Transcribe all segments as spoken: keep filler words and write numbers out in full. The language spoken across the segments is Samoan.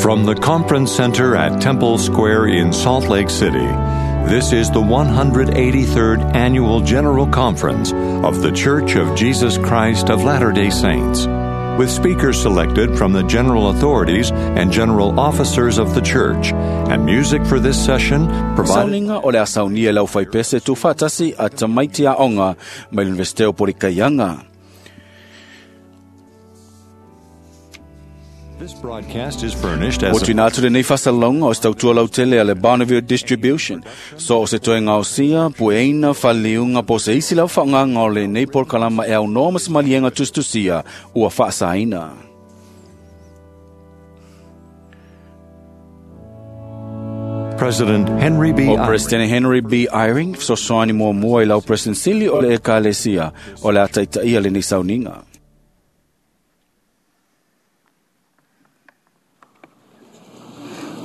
From the Conference Center at Temple Square in Salt Lake City, this is the one hundred eighty-third Annual General Conference of The Church of Jesus Christ of Latter-day Saints, with speakers selected from the general authorities and general officers of the church, and music for this session provided. Sauninga o le asaunia lau whaipese tu whatasi a tamaiti a onga mai l'Universite o Porikaianga. This broadcast is furnished as O tuina atu le nei whasalonga o stautua lautele a le Bonneville Distribution. So o se toe ngausia, pueina, whaliunga, po se isi lau whaanganga o le nei porkalama e au noa masimalienga tustusia ua whaasaina. President Henry B. O President Henry B. Eyring, so soani mua mua i lau President Sili o le Ekalesia o le ataitaia le nei sauninga.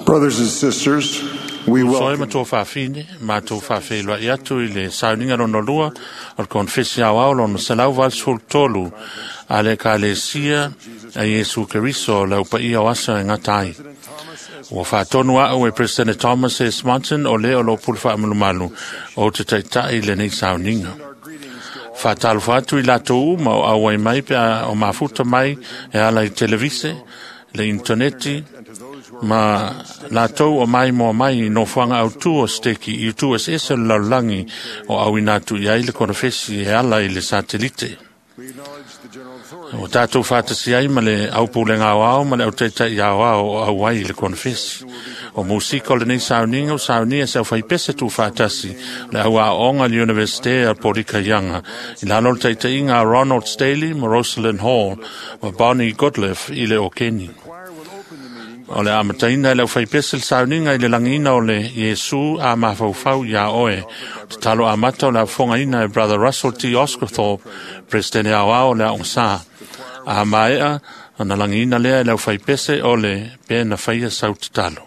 Brothers and sisters, we Soe welcome ma tō whawhine, ma tō whawhelua i atu i le sauninga rono lua o le konfesi au au lono selau valsful tolu a le kalesia a Iesu Keriso lau pa ia o asa e ngatai. Ua whaatonu au e President Thomas S. Monson o le o lo pulu whaamalumalu o te taitai le nei sauninga. Whaatalofa atu i lātou uma o auai mai pe a, o mafuta mai e ala i televise, le interneti, ma lātou o mai moa mai i nofoanga au tu o steki i tu es ese o le lalolagi o au ina atu i ai le konofesi e ala i le satelite. O tātou whātasi ai ma le au pūlenga au ao ma le au teitai au ao o au ai i le konofesi. O musika o le nei sauninga o saunia se au whaipese tū whātasi le au aonga le Universite a Porikaianga. I lalo le teitaiga a Ronald Staley ma Rosalind Hall ma Bonnie Goodliff i le Okeni. O le amataina le au whaipese le sauninga i le langina o le Iesu a mafaufau ia oe. Te talo amata o le afonga e Brother Russell T. Oscarthorpe, President au ao le aonga. A maea, na langina lea le au whaipese o le pena whaia sau te talo.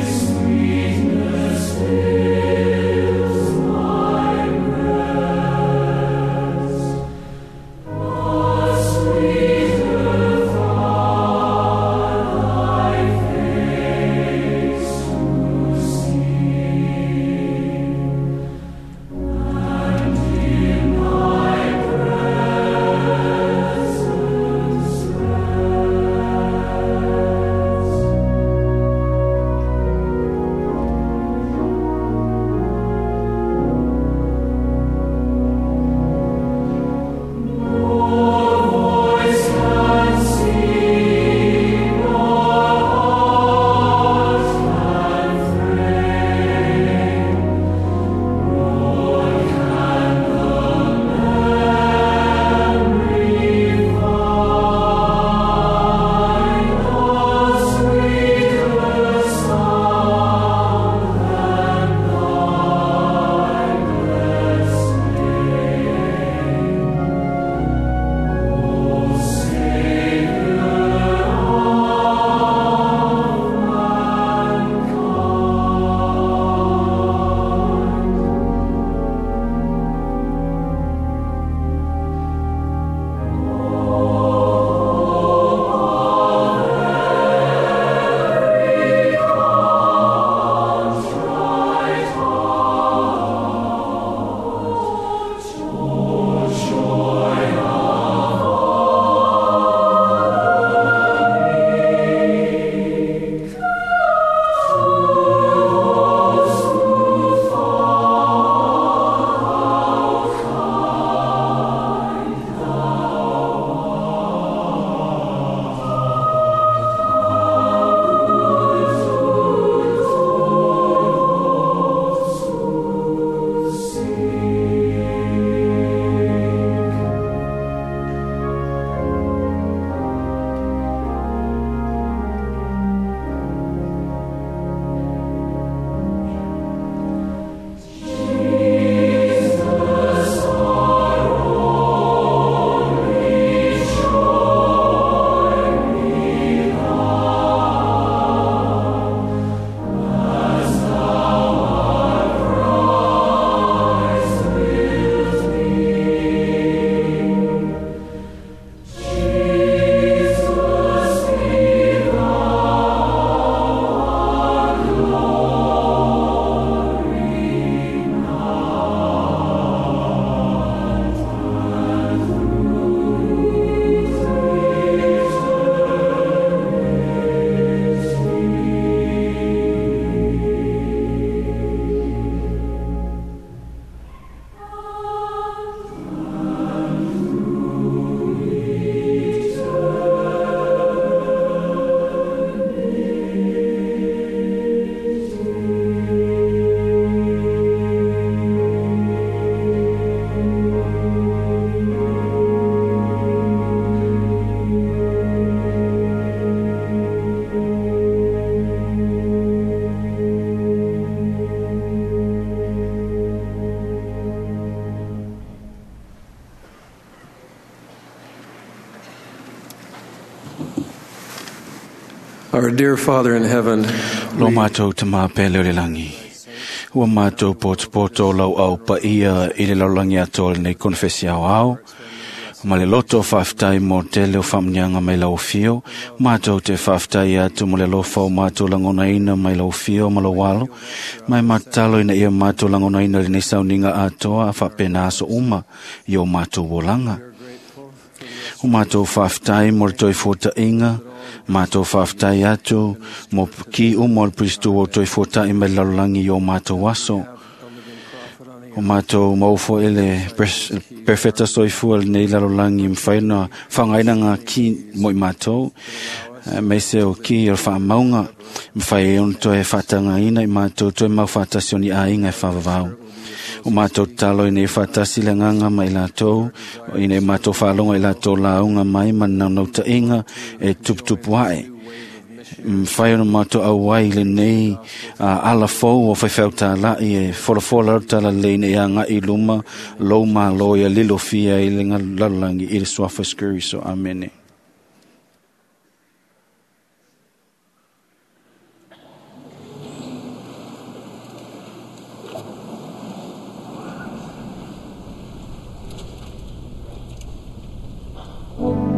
Sweetness Our dear Father in heaven, Lo mātou te māpele o le langi. Ua mātou poto lau au pa ia i le laulangi atoa lenei konfesi au au. Ma le loto whaaftai mō te leo whamnianga mai lau fio. Mātou te whaaftai atu mo le lofa o mātou langona ina mai lau fio ma lau alo. Mai matalo ina ia mātou langona ina lenei sauninga atoa a whapena aso uma i o mātou wolanga. O mātou whaaftai mo le toi fōtainga, mātou whaaftai atu mo ki umo le Pristu o toi fōtai mai lalolagi i o mātou aso. O mātou maufo ele perfecta soifua lenei lalolagi mwhai na whangaina ngā ki mo i mātou. Mei se o ki o whaamaunga, mwhai e ono toe whaatanga ina i mātou toe mau whaatasi o ni āinga e whawawau. O mātou talo i nei whaatasi le nganga mai lātou, i nei mātou whaalonga i lātou launga mai manau inga e tuputupu ae. Mwhai ono mātou au ai le nei uh, ala fou o whaiwhau tā lai e folafola rau tala leina i a ngai luma lou malo ia lilo fia i le ngā lalolangi i le suafa skuri so amene. Thank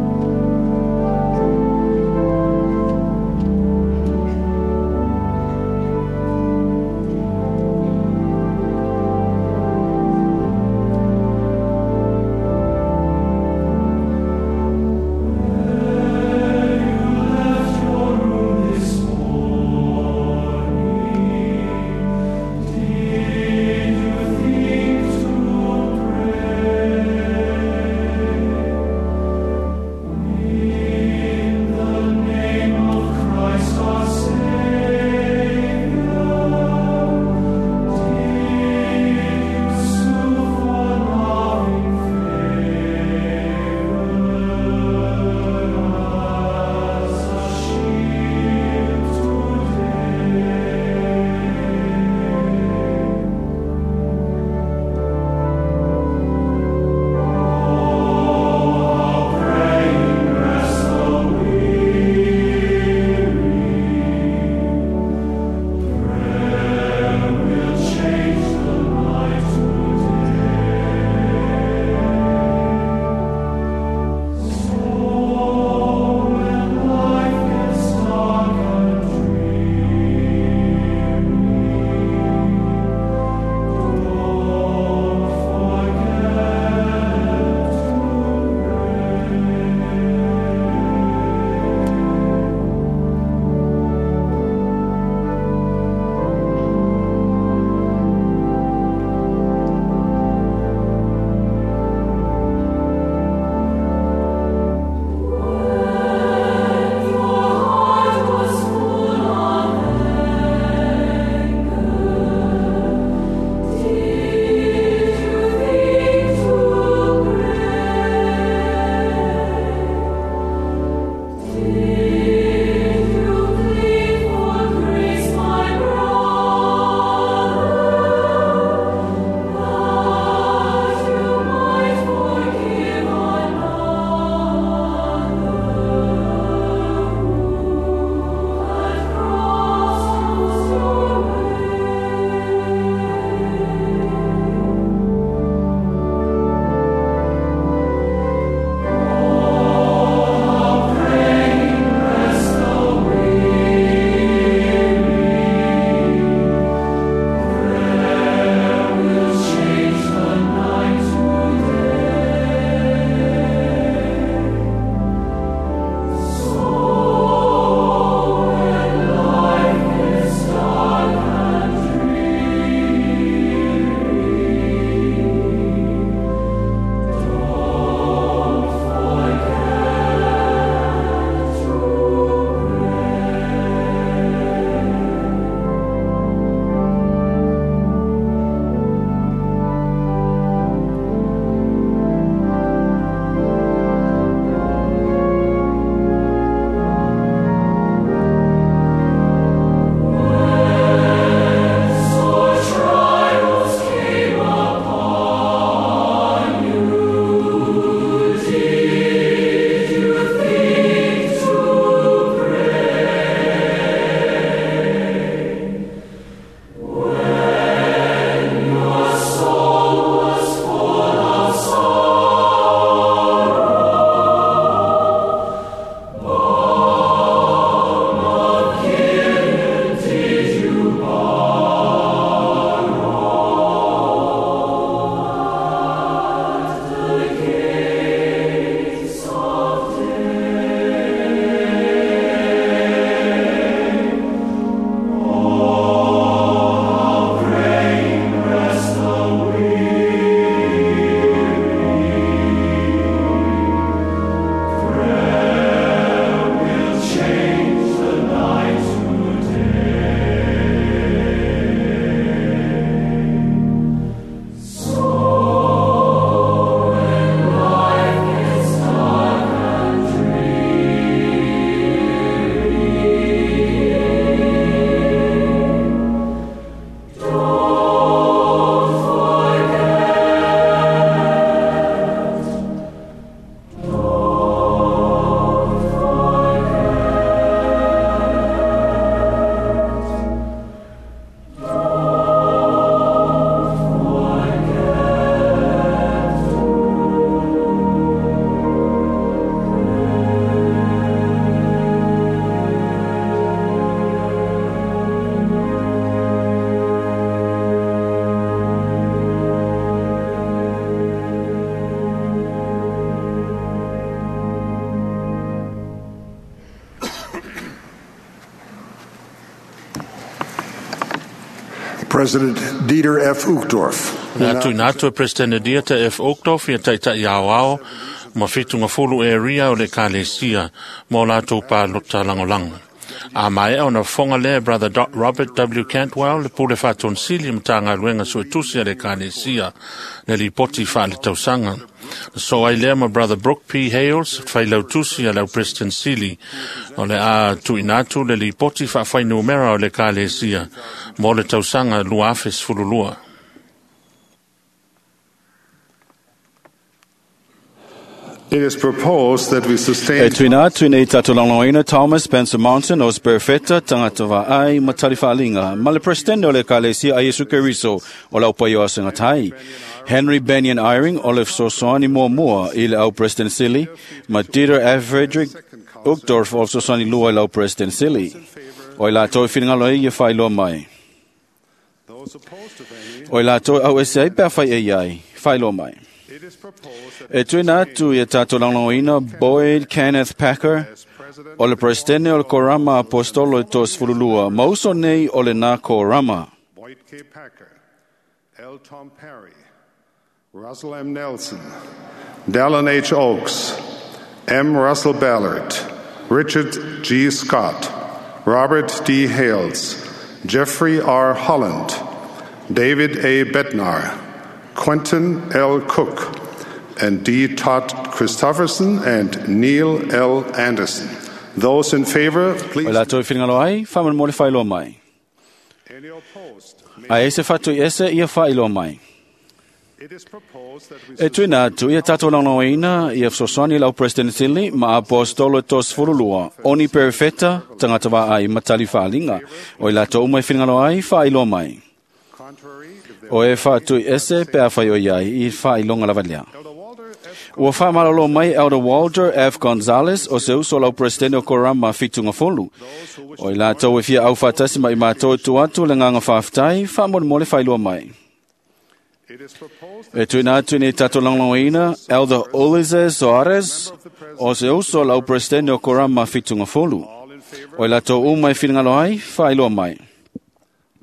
President Dieter F. Uchtdorf. Le atu ina atu e President Dieter F. Uchtdorf ia taitai ao ao ma fitu ngafulu e ria o le kalesia mo latou palota lagolago. A maea ona fofoga lea Brother Robert W. Cantwell le pule faatonisili Matagaluega Suetusi a le Ekalesia le lipoti faaletausaga. Na so ai lea ma Brother Brooke P. Hales failautusi a le au President Sili o le a tuuina atu le lipoti faafuainumera o le Ekalesia mo le tausaga lua afe sefululua. It is proposed that we sustain E tuina atu nei tātou lagolagoina Thomas Spencer Mountain o Sperfeta, tangata vaai ma tali whaalinga. Ma le presidente o le Ekalesia a Iesu Keriso o lau pai o asengatai. Henry Benyon Eyring o le fesoasoani muamua i le au President Sili, ma Dieter F. Frederick Uchtdorf o le fesoasoani lua i lau President Sili. O i latou e finagalo ai ia whailoa mai. those opposed, if any. O i latou e au ese ai pea whai e iai, whailoa mai. It is proposed that E tuina atu ia tātou lagolagoina Boyd Kenneth Packer, as President o le presidente o le Korama Apostolo e tō sefululua, ma uso nei o le nā Korama. Boyd K. Packer, L. Tom Perry, Russell M. Nelson, Dallin H. Oaks, M. Russell Ballard, Richard G. Scott, Robert D. Hales, Jeffrey R. Holland, David A. Bednar, Quentin L. Cook, and D. Todd Christofferson and Neil L. Anderson. Those in favor, O please. latou e finagalo ai, whaman mo le whailoa mai. Any opposed? May A ese whatu i ese ia whailoa mai. It is proposed that we E tuina atu ia tātou lagolagoina ia fesoasoani lau President Sili ma Apostolo e tō sefululua, oni perfeta, tangata vaai ma tali whaalinga. O i latou uma e finagalo ai, whailoa mai. contrary, if there O e whatu i ese pea whai o iai i whailonga lava lea. Elder Walter S. Ua whaamalolo mai Elder Walter F. Gonzalez o se uso lau presidente o Korama Fitunga Folu. O i latou e fia au whaatasi mai mātou tu atu le nganga whaaftai, whaamole whailua mai. It is proposed E tuina atu nei tātou lagolagoina Elder Ulises Soares o se uso lau presidente o Korama Fitunga Folu. all in favor, O i latou uma e finagalo ai, whailua mai.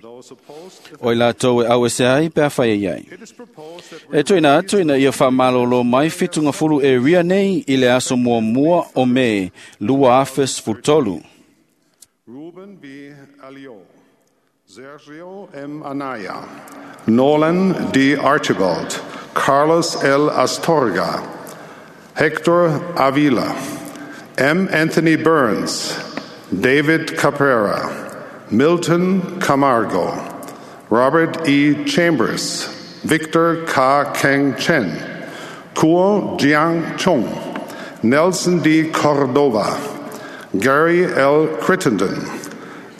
those opposed. If O i latou e au ese ai, pea whai e iai. It is proposed that we E tuina atu ina ia whaamalolo mai fitunga fulu e ria nei i le aso mua mua o me lua afe sefulutolu. Ruben B. Alio, Sergio M. Anaya, Nolan D. Archibald, Carlos L. Astorga, Hector Avila, M. Anthony Burns, David Caprera, Milton Camargo, Robert E. Chambers, Victor K. Keng Chen, Kuo Jiang Chung, Nelson D. Cordova, Gary L. Crittenden,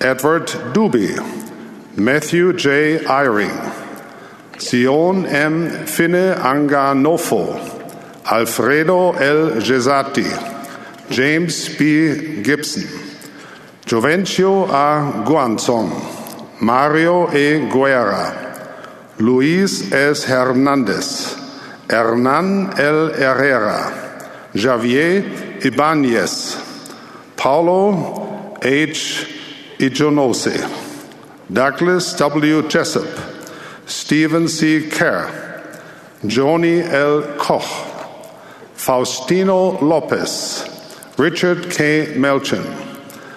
Edward Duby, Matthew J. Eyring, Sion M. Finne Anganofo, Alfredo L. Gesati, James B. Gibson, Jovencio A. Guanzon, Mario E. Guerra, Luis S. Hernandez, Hernan L. Herrera, Javier Ibanez, Paulo H. Ijonose, Douglas W. Jessup, Stephen C. Kerr, Joni L. Koch, Faustino Lopez, Richard K. Melchin,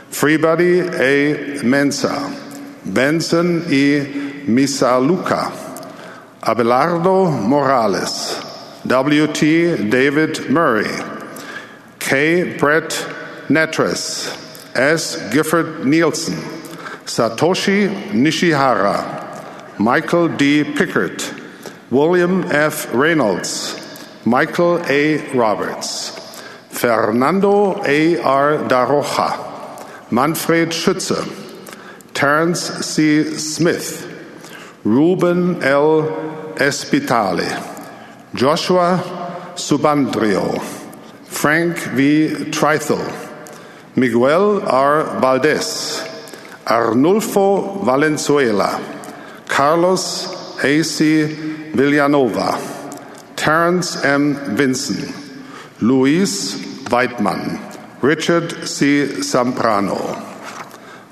Freebody A. Mensa, Benson E. Misaluka, Abelardo Morales, W T. David Murray, K. Brett Netres, S. Gifford Nielsen, Satoshi Nishihara, Michael D. Pickert, William F. Reynolds, Michael A. Roberts, Fernando A. R. Daroja, Manfred Schütze, Terence C. Smith, Ruben L. Espitale, Joshua Subandrio, Frank V. Trithel, Miguel R. Valdez, Arnulfo Valenzuela, Carlos A C. Villanova, Terence M. Vinson, Luis Weidmann, Richard C. Samprano.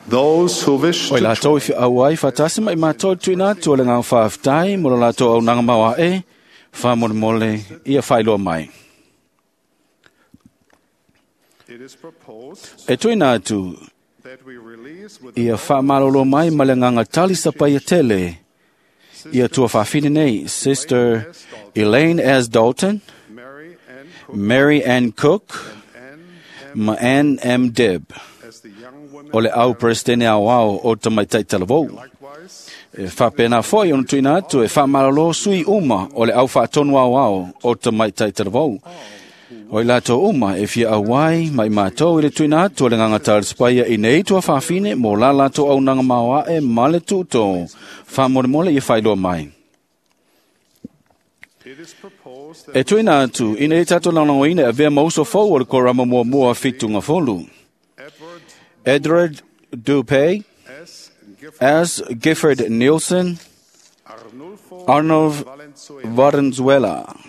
Those who wish O i to latou i whiau ai whatasi mai mātou tuina atu o le ngā whaaftai mo lo latou au nanga maua e whamolemole ia whailoa mai. It is proposed E tuina atu that we release with ia whaamalolo mai ma le nganga tali sapai a tele ia tua whawhine nei Sister Elaine S. Dalton, Mary Ann Cook Mary Ann Cook, and Ann ma Ann M. Deb. as the young women O le au presidente au au o tamaitai talavou. likewise E whapena foi ona tuina atu e whaamalolo sui uma o le au whaatonu au au o tamaitai talavou. O i latou uma e fia auai mai mātou i le tuina atu o le nganga talispaia i nei tua whawhine mō la latou au nanga maoa e male tūtō. Whamolemole i whailoa mai. It is proposed that E tuina atu, ina i tātou launangoina e vea mauso fau o le korama mua mua fitunga folu. Edward Edward Dupay, S. Gifford S. Gifford Nielsen, Arnulfo Arnold Valenzuela Valenzuela.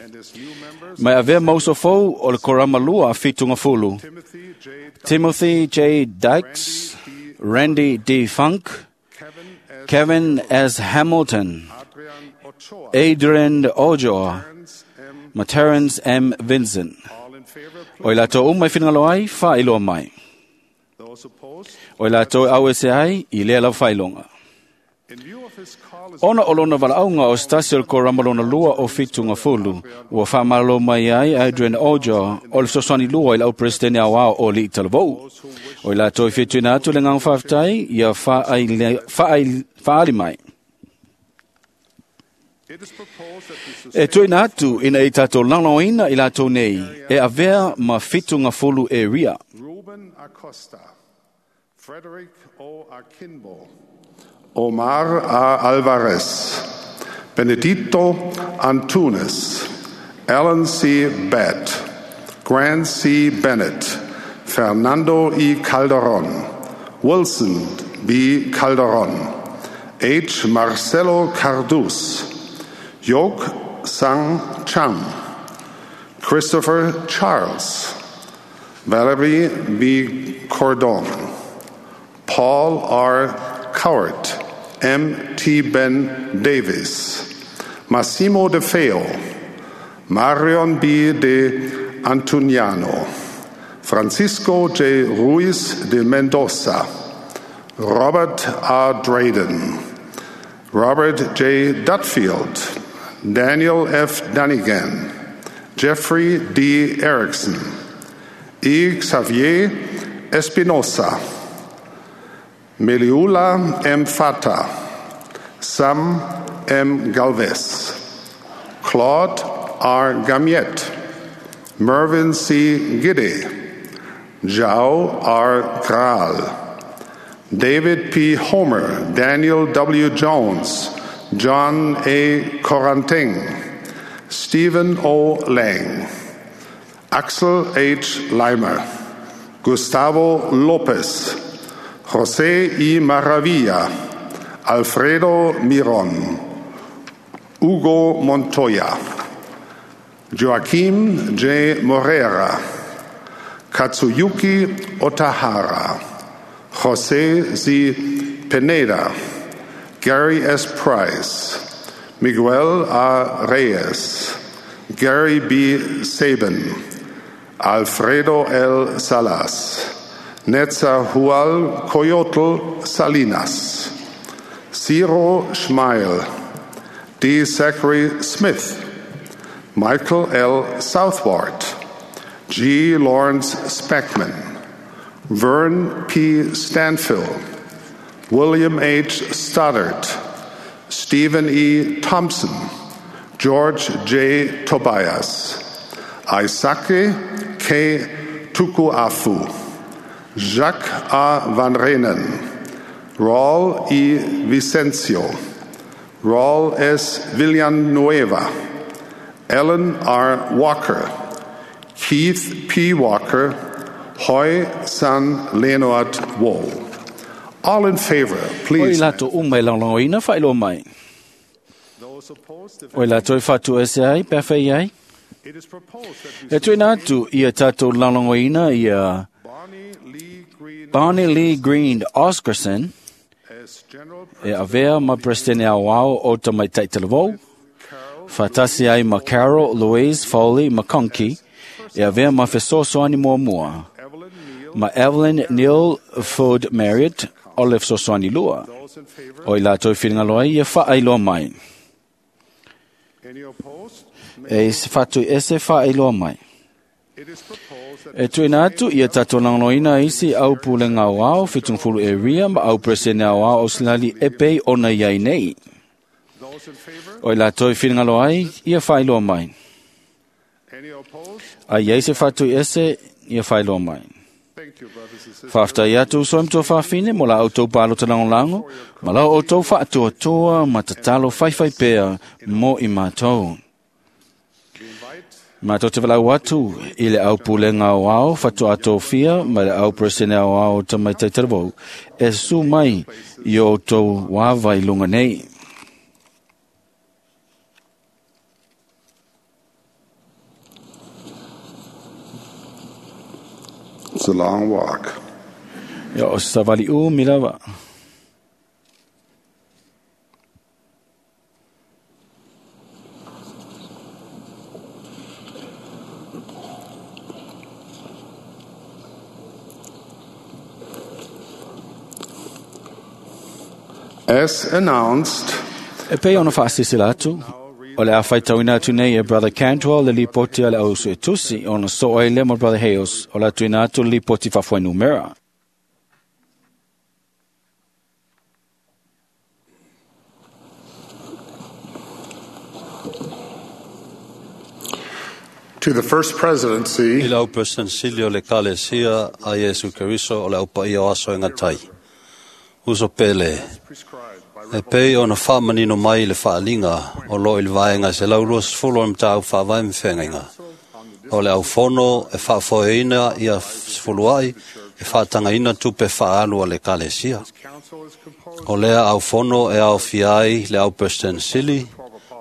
and his new members Mai avea mauso fou o le korama lua fitunga fulu. Timothy J. Timothy J. Dykes, Randy D. Funk, Kevin S. Kevin S. Hamilton, Adrian Ochoa Adrian Ojo, Terrence M. ma Terrence M. Vincent. All in favor, O i please. latou uma i whingalo ai, whailoa mai. Those opposed, O i latou au e se ai, i lea lau whailonga. in view of his call as Ona o lona valaauga o stasi o le korama lona lua o fitunga fulu, ua whaamalo mai ai Adrian Ojo o le sosani lua i lau presidente au ao o li talavou. O i latou i whituina atu le ngang whaaftai, ia whaai, whaali mai. it is proposed that we E sustain tuina atu ina i tātou langlaoina i latou nei, e avea ma fitunga fulu e ria. Ruben Acosta, Frederick O. Akinbo, Omar A. Alvarez, Benedito Antunes, Alan C. Batt, Grant C. Bennett, Fernando E. Calderon, Wilson B. Calderon, H. Marcelo Cardus, Yok Sang Chang, Christopher Charles, Valerie B. Cordon, Paul R. Cowart, M. T. Ben Davis, Massimo De Feo, Marion B. De Antuniano, Francisco J. Ruiz de Mendoza, Robert R. Drayden, Robert J. Dutfield, Daniel F. Dunnigan, Jeffrey D. Erickson, E. Xavier Espinosa, Meliula M. Fata, Sam M. Galvez, Claude R. Gamiet, Mervyn C. Giddy, Zhao R. Graal, David P. Homer, Daniel W. Jones, John A. Coranting, Stephen O. Lang, Axel H. Leimer, Gustavo Lopez, José I. Maravilla, Alfredo Miron, Hugo Montoya, Joaquim J. Morera, Katsuyuki Otahara, Jose Z. Pineda, Gary S. Price, Miguel A. Reyes, Gary B. Sabin, Alfredo L. Salas, Netzahual Coyotl Salinas, Ciro Schmeil, D. Zachary Smith, Michael L. Southward, G. Lawrence Speckman, Vern P. Stanfill, William H. Stoddard, Stephen E. Thompson, George J. Tobias, Isake K. Tukuafu, Jacques A. Van Renen, Raul E. Vicencio, Raul S. Villanueva, Ellen R. Walker, Keith P. Walker, Hoi San Leonard Wohl. All in favor, O i please. latou uma e langlangoina whailoa mai. Those opposed, if O i latou i whatu ese ai, pea whai ai. it is proposed that we E tuina atu ia tātou langlangoina ia Bonnie Lee Green Bonnie Lee Green Oscarson as General e avea ma Presidente Auau o Tamaitai Talavou, whatasi ai ma Carol Louise Foley McConkie, e avea ma fesoasoani muamua, Evelyn Neal. ma Evelyn Neal Ford Marriott o le fesoasoani lua. Those in favor? O i latou whiringalo ai ia whaailoa mai. Any opposed? E se whatu ese whaailoa mai. It is proposed that E tuina atu ia tātou langoloina isi au pulenga o ao, whitungfulu e ria ma au presene au ao ausilali e pei ona iai nei. those in favor? O i latou whiringalo ai ia whaailoa mai. Any opposed? A iai se whatu ese ia whaailoa mai. Thank you, brothers and sisters. Whaaftai atu so mtua whawhine mo la autou palo te langolango, ma lau outou whaatuatua ma tatalo whaiwhai pea mo i mātou. We invite Mātou te walau atu i le au pulenga o ao, whatu atofia, ma le au presene o ao tamaitai taravou, e su mai i o tau wāwai lunga nei. It's a long walk. Ia o savali u milawa. As announced, E pei ona whaasisila atu, o le a whaitauina atu nei e Brother Cantwell le lipoti a le au suetusi ona so ai le mo Brother Hales o la tuina atu le lipoti whawhai numera. to the First I Presidency, lau President o le Kalesia a Iesu Keriso o le aupaia o aso e ngatai. Uso pele, prescribed by e pei ona whaamanino mai le whaalinga o lo i le vaenga se laulua sefulu o le matau whaavae mwhengainga. O le aufono e whaafoeina ia sefuluai e whaatangaina tupe whaalu a le Kalesia. Council is composed O lea aufono e au fiai le au President Sili,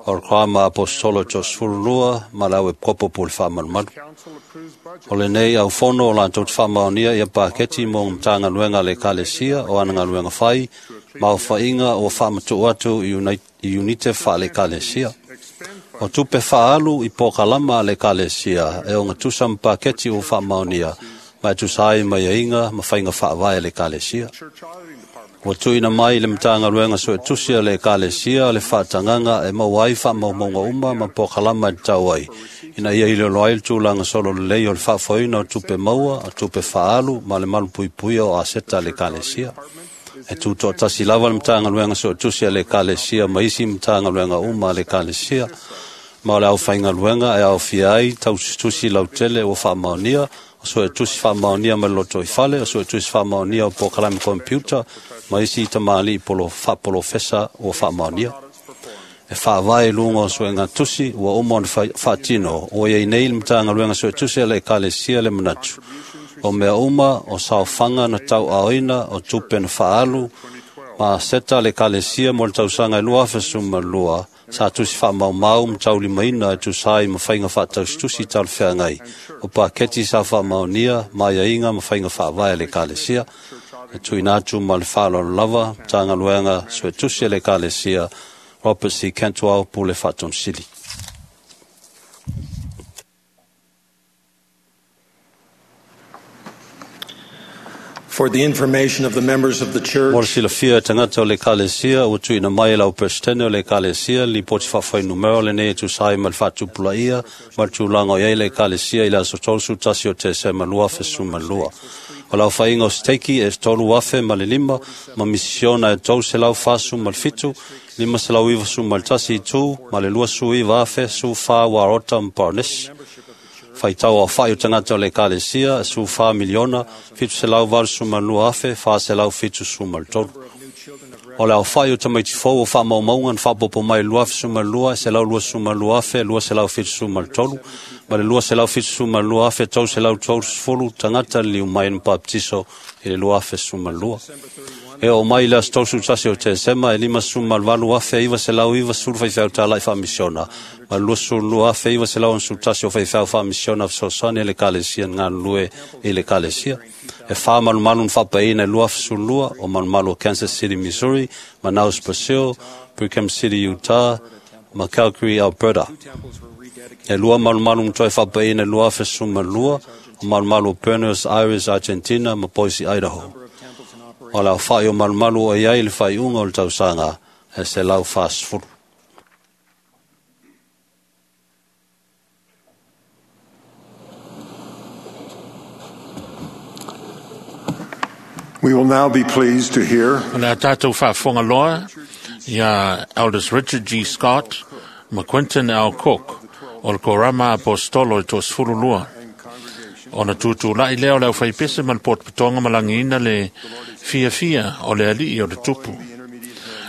o le krama apostolo tō sefululua ma le au e kopo pu le whaamalumalu. Council approves budget O lenei au fono o lantou te whaamaonia ia paketi mō ngā luenga le kalesia o ana ngā luenga whai, ma o whainga o whaamatu atu i unai- i unite wha le kalesia. expend O tupe whaalu i pōkalama a le kalesia e o ngā tusa mpaketi o whaamaonia, ma e tusa ai mai ainga ma whainga whaavae le kalesia. church auditing department. Ua tuina mai le matanga luenga so e tusi a le kalesia le whaatanganga e mau ai whaamaumaunga uma ma pōkalama e tau ai. Ina ia ile loa ai le tūlanga solo lelei o le whaafoina o tupe maua, o tupe whaalu, ma le malu puipuia o aseta le kalesia. E tūtoa tasi lava le matanga luenga so e tusi a le kalesia ma isi matanga luenga uma a le kalesia. Ma o le au whainga luenga e au fia ai tau tusi lautele o whaamaonia, o so e tusi whaamaonia ma le loto i fale, o so e tusi whaamaonia o pōkalame computer, ma isi tamali i polo whapolofesa o whaamaonia. E whaavae lunga o so e ngā tusi, ua uma ona wha- whaatino, o iei nei le matanga luenga so e tusi a le ekalesia le manatu. O mea uma, o saofanga na tau aoina, o tupe na whaalu, ma seta le kalesia mo le tausanga e lua awhesuma lua, sa tusi whaamaumau ma taulimaina e tusai ma whainga whaataustusi tau le wheangai. O paketi sa whaamaonia, ma iainga ma whainga whaavae le kalesia. E tuina atu ma le whaalolo lava, tānga luenga, sue tusi le kalesia, Robert C. Cantwell, Pule Whaatonsili. For the information of the members of the Mo le church, silafia e tangata o le kalesia, ua tuina mai e lau presidente o le kalesia, li poti whawhai numero le nei e tusai ma le whaatupula ia, ma le tūlanga o iai le kalesia i le aso tolu tasi o te sema lua fesuma lua. O lau whainga o steiki e tolu afe ma le lima, ma misisiona e tolu se lau whasu ma le fitu, lima se lau iwa su ma le tasi i tū, ma le lua su iwa afe su wha warota ma paranesi. Whaitau a whai o tangata o le kalesia, su wha miliona, fitu se lau valu su ma lua afe, wha se lau fitu su ma le tolu. O le au whai o tamaiti fou o wha maumaunga na whapopo mai lua afe su ma lua, se lau lua su ma lua afe, lua se lau fitu su ma le tolu. Ma le lua se lau fitu su ma lua afe, tau se lau tolu sefulu, tangata liu mai na baptiso i le lua afe su ma lua. E o mai le aso tolu tasi o Tesema e lima sefuluvalu afe iva selau iva sefulu faifeau tālai faamisiona ma le luasefulu afe iva selau onosefulu tasi o faifeau faamisiona fesoasoani a le Ekalesia na galulue i le Ekalesia. E whā malumalu na whaapaina e lua afe sefulu lua o malumalu o Kansas City, Missouri, Manaus, Brazil, Brigham City, Utah, ma Calgary, Alberta. E lua malumalu na toe whaapaina e lua afe sefulu ma lua o malumalu o Buenos Aires, Argentina, ma Boise, Idaho. O le awhai o malumalu o iai le whaiunga o le tausaga e se lau whasfuru. We will now be pleased to hear O le a tātou faafofoga loa ia Elders Richard G. Scott ma Quentin L. Cook o le Korama Apostolo e toasefulu lua. Ona tutulai lea o le aufaipese ma le potopotoga ma lagiina le fiafia o le alii o le tupu.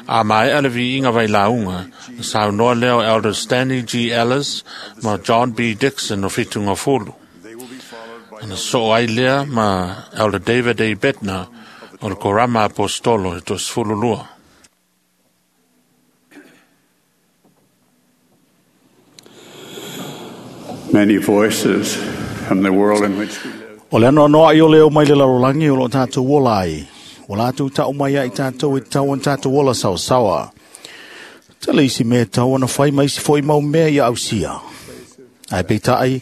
A maea le viiga vailauga, na saunoa lea o Elder Stanley G. Ellis ma John B. Dixon o Fitugafulu. Na soo ai lea ma Elder David A. Bednar o le Korama Apostolo e toasefulu lua. Many voices from the world in which we live. O le anoanoa i o leo mai le lalolagi o lo tātou ola ai. O lātou tau mai ai tātou e tau an tātou ola saosaoa. Tele isi mea tau ana whai mai isi foi mau mea ia ausia. Ai peitai,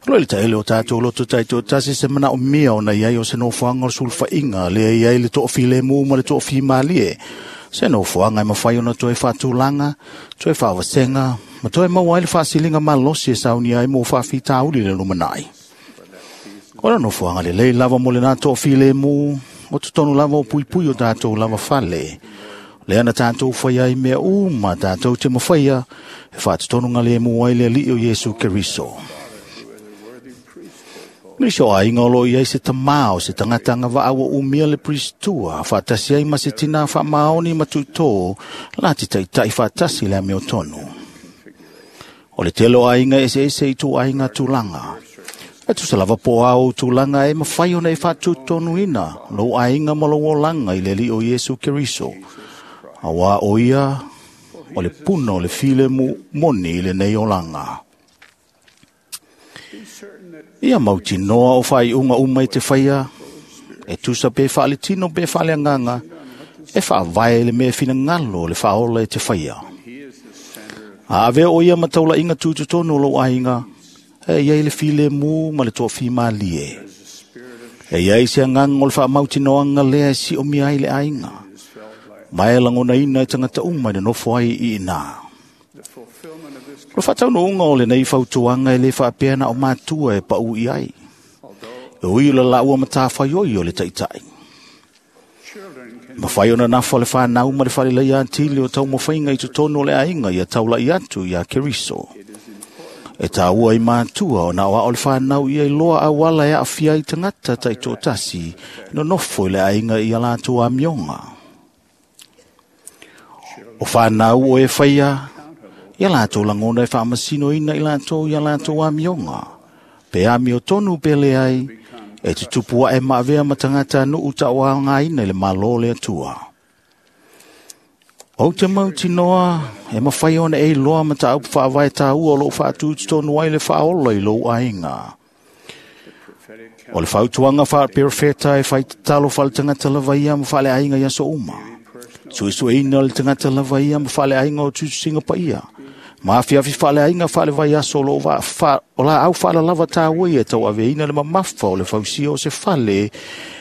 o le taele o tātou loto taito tasi se mana o mia o na iai o se nofoanga o sulfainga le iai le toofile mu ma le toofi malie. Se nofoanga e mawhai ona toe whaatulanga, toe whaavasenga, ma toe maua ai le whaasilinga malosi e saunia ai mo whaafitauli le lumanai. O le nofoanga le lei lava mo le nā toofile mu, o totonu lava o puipui o tātou lava fale. Le ana tātou whai ai mea uma tātou te mawhaia, e whaatotonu ngā le mua ai le alii o Yesu Keriso. Nisi o ainga o lo iai se tamao se tangatanga vaawa umia le pristua, whaatasi ai ma se tina whaamaoni matutō, la te taitai whaatasi le amio tonu. O le tele o ainga ese ese i tū ainga tūlanga. E tusa lava po au tūlanga e mawhai ona e whaatutonu ina, lo ainga ma lo olanga i le alii o Yesu Keriso. Awa o ia, o le puna o le file mu moni i le nei olanga. Ia mautinoa o whai unga uma i te whaia, e tusa pe whaale tino pe whaale anganga, e whaavae le mea whina ngalo le whaola e te whaia. A ave o ia mataula inga tūtutonu lo ainga, e iai le file mu ma le toa whimalie. E iai se anganga o le whaamautinoanga lea e si o mia ai le ainga. Mai langona ina e tangata uma i le nofo ai i ina. O le whaataunuunga o le nei fautuanga e le whaapea na o mātua e pau i ai. E ui o le laua matawhaioi o le taitai. Mawhai ona nafa le whanau ma le whalelei antili o tau mawhainga i totonu o le ainga ia taula i atu ia Keriso. E tāua i mātua o na oa o le whanau ia i loa awala e awhia i tangata tai tōtasi no nofo i le ainga i a lātou amionga. O whanau o e whaia, ia lātou langona e whaamasino ina i lātou ia lātou amionga. Pe amio tonu pe le ai, e tutupu e maavea matangata nuu taua ngā ina i le malo le atua. O te mautinoa, e mawhai ona e loa mata au whaavae tāua o lo whaatūtu tonu ai le whaola i lou ainga. O le whautuanga whaapirofeta e whaitatalo whaletangata lava ia ma whale ainga ia so uma. Suisue ina le tangata lava ia ma whale ainga o tutusinga pa ia. Maafiafi whale ainga whale vai aso lo wa wha, o la au whala lava tāua ia tau ave ina le mamafa o le fausia o se whale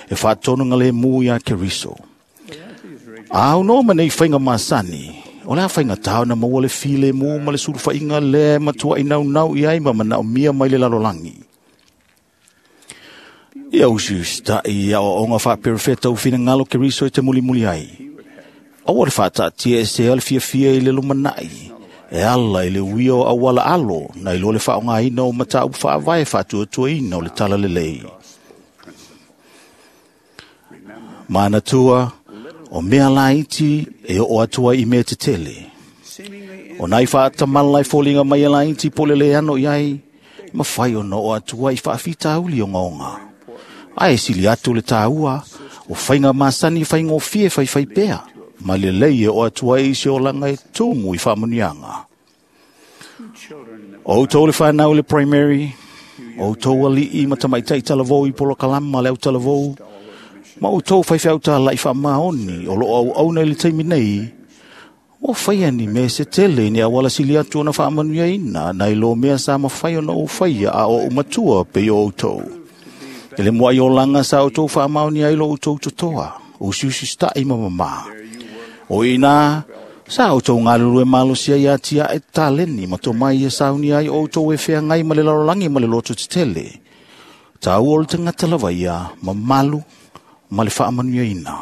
e whaatonu ngā le mū ia Keriso. Au no ma nei whainga masani, o la whainga tāu na maua le file mū ma le sulu whainga le matua i nau nau i ai ma manao mia mai le lalolangi. Ia usi usita'i ia o onga whaapirofeta u whina ngalo Keriso e te muli muli ai. Aua le whaatatia e se ale fiafia i le lumanai. E ala i le uia o awala alo, na ilo le whaonga ina o matau whaavae whaatuatua ina o le tala lelei. Mānatua, o mea laiti e o atua i mea te tele. O nai whaatamala i fōlinga mai e laiti pole le ano iai, mawhai o no o atua i whaafitauli o ngaonga. Ae sili atu le tāua, O whainga masani whaingofie whaiwhai pea. Ma le lei e o atua i se olanga e tumu i whaamunianga. O tau le whanau le primary, o tau ali'i matamaitai talavou i polokalama le au talavou, ma o tau whaiwhau tā lai whaamaoni o lo au auna i le taimi nei, o whaia ni me se tele ni awala sili atu ona whaamanuia ina, na i lo mea sa mawhai ona o whaia a o umatua pe o tau. Ele mua i olanga sa o tau whaamaoni ai lo o tau totoa, o siusi stai ma mama. O ina, sa o tau ngalulu e malosia ia tia e taleni ma tō mai e sauni ai o tau e whea ngai ma le larolangi ma le loto tetele. Tau o le tangata lava ia, ma malu, ma le whaamanuia ina.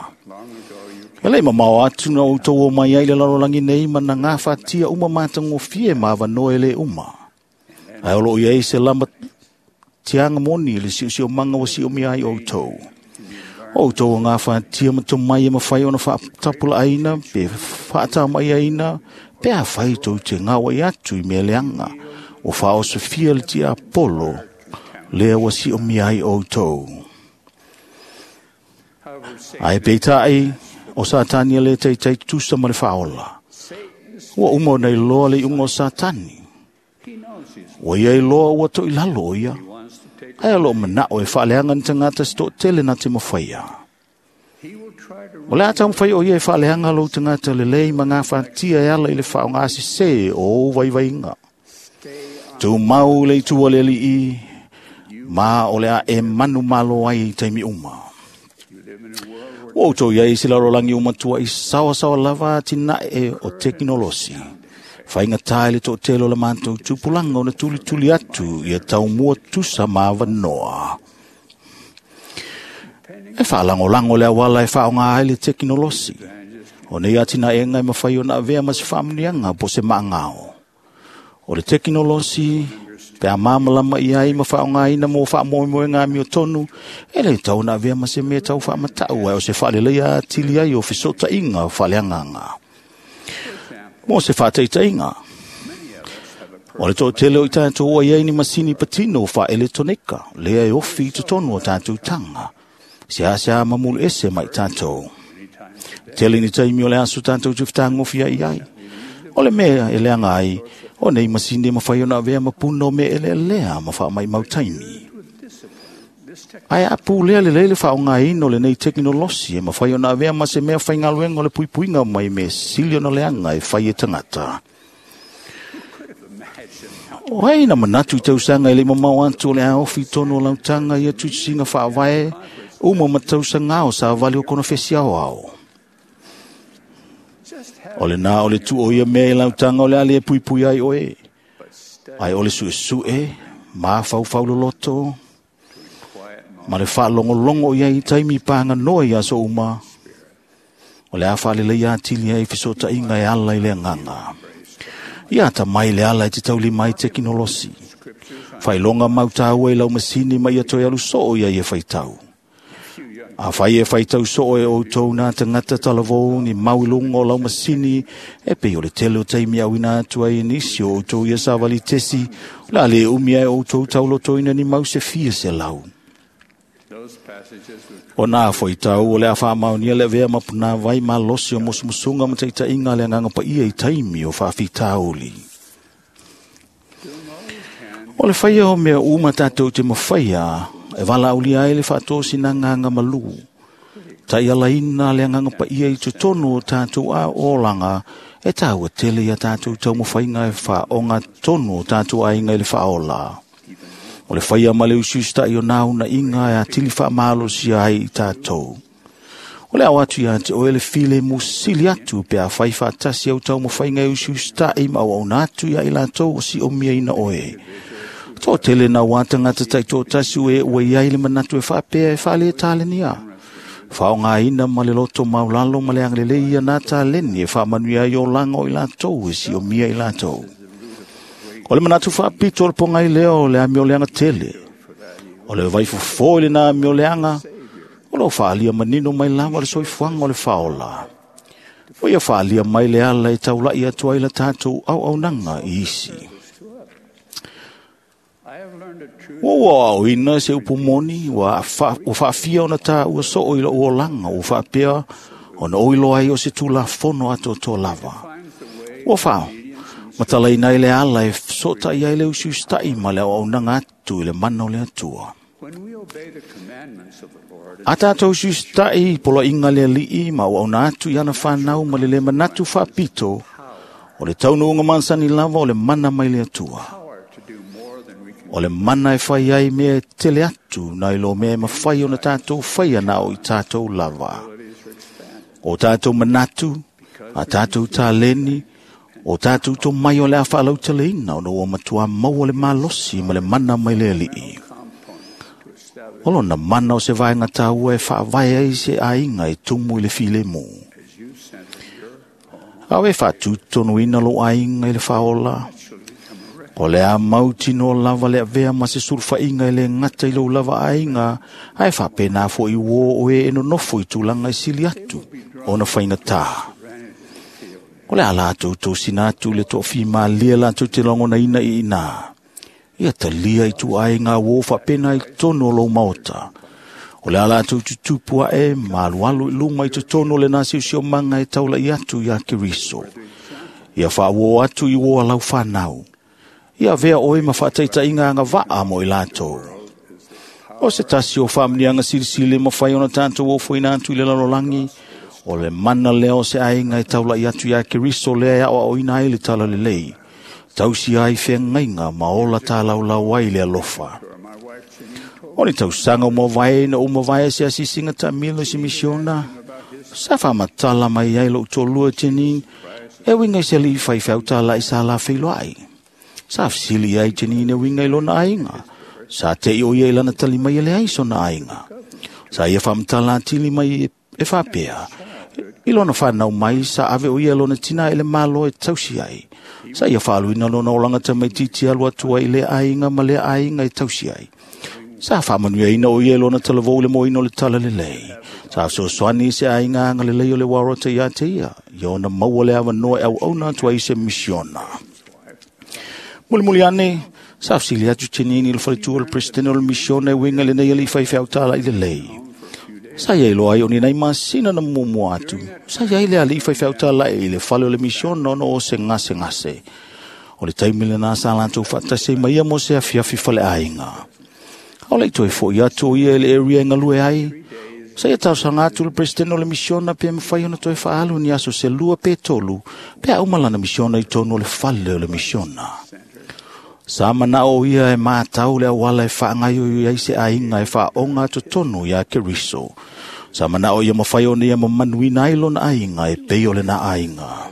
Ele mamao atu na o tau o mai ai le larolangi nei ma na ngā whatia uma mātangofie ma awanoe le uma. Ai olo ia i se lama tianga moni le siu manga wa siu mi ai o tau. O tau ngā whatia ma tō mai e mawhai ona whaatapula aina, pe whaata mai aina, pe a whai tau te ngawa i atu i mea leanga, o whaosofia le tia Apollo, lea wa siu mi ai o tau. Ai peitai, o Satani le teitai tusa ma le whaola. Ua uma nei loa le ungo o Satani. Ua ia i loa ua toi lalo ia. Ai alo manao e whaaleanga ni tangata se tele na te mawhaia. O le ata mwhai o ia e whaaleanga lo tangata le lei ma ngā whatia e ala i le whaonga asise o waiwainga. Tū mau le itua le li ma o le a e manu malo ai i taimi uma. Ua utou iai se larolangi umatua i sawa sawa lava tina e o teknolosi. Whainga tae le tō telo la mātou tupulanga o na tuli tuli atu ia tau mua tusa maavanoa. E whaalangolango le awala e whaonga ai le teknolosi. O nei atina e ngai mawhai o na avea ma se whaamunianga po se maangao. O le teknolosi, pe a māmalama i ai ma whaonga ina mō whaamoemoe ngā mio tonu, e le tau na avea ma se mea tau whaamatau ai o se whaalelei a tili ai o whisota inga o whaaleanganga. Mō se whāteiteinga. O le tō tele o i tātou o iei ni masini patino wha elektronika, lea e ofi i totonu o tātou tanga. Se a se a mamulu ese mai tātou. Tele ni taimi o le aso tātou te whtangofi ai ai. O le mea e leanga ai, o nei masini mawhai o na avea mapuna o me ele lea ma wha mai mau taimi. Ai a pū lea le leile whaonga ino le nei teknolosi e mawhai o na avea ma se mea whaingaluenga o le puipuinga mai me sili ona leanga e whai e tangata. O hei na manatu i tausanga e le mamau atu o le aofi tono o lautanga ia tuisinga whaavae uma matausanga o sa vali o kona fesi ao ao. O le nā o le tu o ia mea i lautanga o le ale e puipui ai oe. Ai o le sue sue, mā whau loloto, ma le whaalongolongo ia i taimi pānga noa i aso uma. O le a whaalele ia tili ai whisota inga e ala i le nganga. Ia ata mai le ala i te tauli mai teknolosi. Whailonga mautaua i lau masini mai a toi alu soo ia i e whaitau. A whai e whaitau soo e o tau nā tangata talavou ni mauilunga o lau masini e pe o le tele o taimi au ina atu ai nisi o tau ia sawali tesi la le umia e o tau taulotoina ni mau se fia se lau. O nā foi tau o le a whaamaunia le vea mapuna vai malosi o musumusunga ma teita inga le nganga pa ia i taimi o whaafitauli. O le whaia o mea uma tātou te mawhaia e wala uli ai le whaatosi nā nganga malu. Tai alaina le nganga pa ia i totonu o tātou a olanga e tāua tele ia tātou tau mawhainga e whaonga tonu o tātou ainga i le whaola. O le whaia ma le usiusta i o nāuna inga e a tili whaamalosia ai i tātou. O le au atu ia te oele file musili atu pe a whai whaatasi au tau mawhainga e usiusta i mau au nātu ia i lātou o si o mia ina oe. Tō tele nā wātangata tai tō tasi ue ue iai le manatu e whaapea e whaale e tālenia. Whaonga ina ma le loto maulalo ma le anglele ia nā tāleni e whaamanu ia i o langa o i lātou e si o mia i lātou. O le manatu whaapito o le ponga i leo le amio leanga tele. O le vaifofo i le nā amio leanga, o leo whaalia manino mai lava le soifuanga o le whaola. O ia whaalia mai le ala e taulai atu ai la tātou au au nanga i isi. Ua ua aoina se upu moni, ua faafia ona tā ua soo i lo uolanga, ua faapea ona oilo ai o se tula fono atoatoa lava. Ua fao, matalaina i le ala e sota i ai le usiusitai ma le auaunaga atu i le mana o le Atua. A tātou usiusitai poloaiga le Alii ma auauna atu i ana whanau ma le le manatu faapito, o le taunuuga masani lava o le mana mai le Atua. O le mana e whai ai mea tele atu na ilo mea e mawhai o na tātou whai ana o i tātou lava. O tātou manatu, a tātou tāleni, o tātou tō mai o le a whaalautaleina o no ua matua maua le malosi ma le mana mai le Alii. O lona mana o se vaenga tāua e whaavae ai se ainga e tumu i le filemu. Au e whaatūtonu ina lo ainga i le whaola. O le a mautino lava le avea ma se surfainga i le ngata i lo lava ainga, ae whapena fo i wō o e enonofo i tūlanga i sili atu, o na whainga tā. O le a lātou tō sina atu le tō whima lia lātou te langona ina i ina. Ia talia i tu ai ngā wō whapena i tono lo maota. O le a lātou tutupua e malualu i luma i te tono le nā siusio manga e taula i atu i a Keriso. Ia whaawō atu i wō alau whanau. Ia vea oe ma whaataita inga anga waa mo i lātou. O se tasi o whaamnianga silisili ma whai ona tātou o fuina atu i le lalolangi, o le mana leo se ainga e taula i atu i a Keriso lea o o ina ai le tala lelei. Tausi ai whengainga ma ola tā laulau ai le alofa. O ni tausanga o mavae na o mavae se asisinga ta milo si misiona, sa whamatala mai ai lo tolua tenin, e winga i se li whai whautala i sa la whilo ai. Sa fsili ai tenine winga i lona ainga. Sa te i o ia i lana tali mai ele ai sona ainga. Sa ia whamtala tili mai e whapea. I lona whanau mai sa ave o ia lona tina ele malo e tausi ai. Sa ia whaluina lona olanga ta mai titi alu atua i le ainga ma le ainga e tausi ai. Sa whamanuia ina o ia lona talavou le moino le tala lelei. Sa sosoani se ainga anga lelei o le warota ia te ia. Ia ona maua le awanoa e au auna atua i se misiona. Muli muli ane, sa fsili atu tenini le whaletua le presidente o le misiona e winga le nei ali whai whautala i le lei. Sa iai loa ai o ni nei masina na mumua atu. Sa iai le ali whai whautala i le whale o le misiona ono o se ngase ngase. O le taimile nā sa lantou whatase mai ia mo se afiafi whale ainga. O le toi fo ia atu o ia le area ngalue ai. Sa ia tausanga atu le presidente o le misiona pe mwhai ona toi whaalu ni aso se lua pe tolu pe a umalana misiona i tono le whale o le misiona. Sa mana o ia e mātau le awala e whaangaio i ai se ainga e whaonga atu tonu ia Keriso. Sa mana o ia mawhai o nia mamanuina ai lona ainga e pei o le na ainga.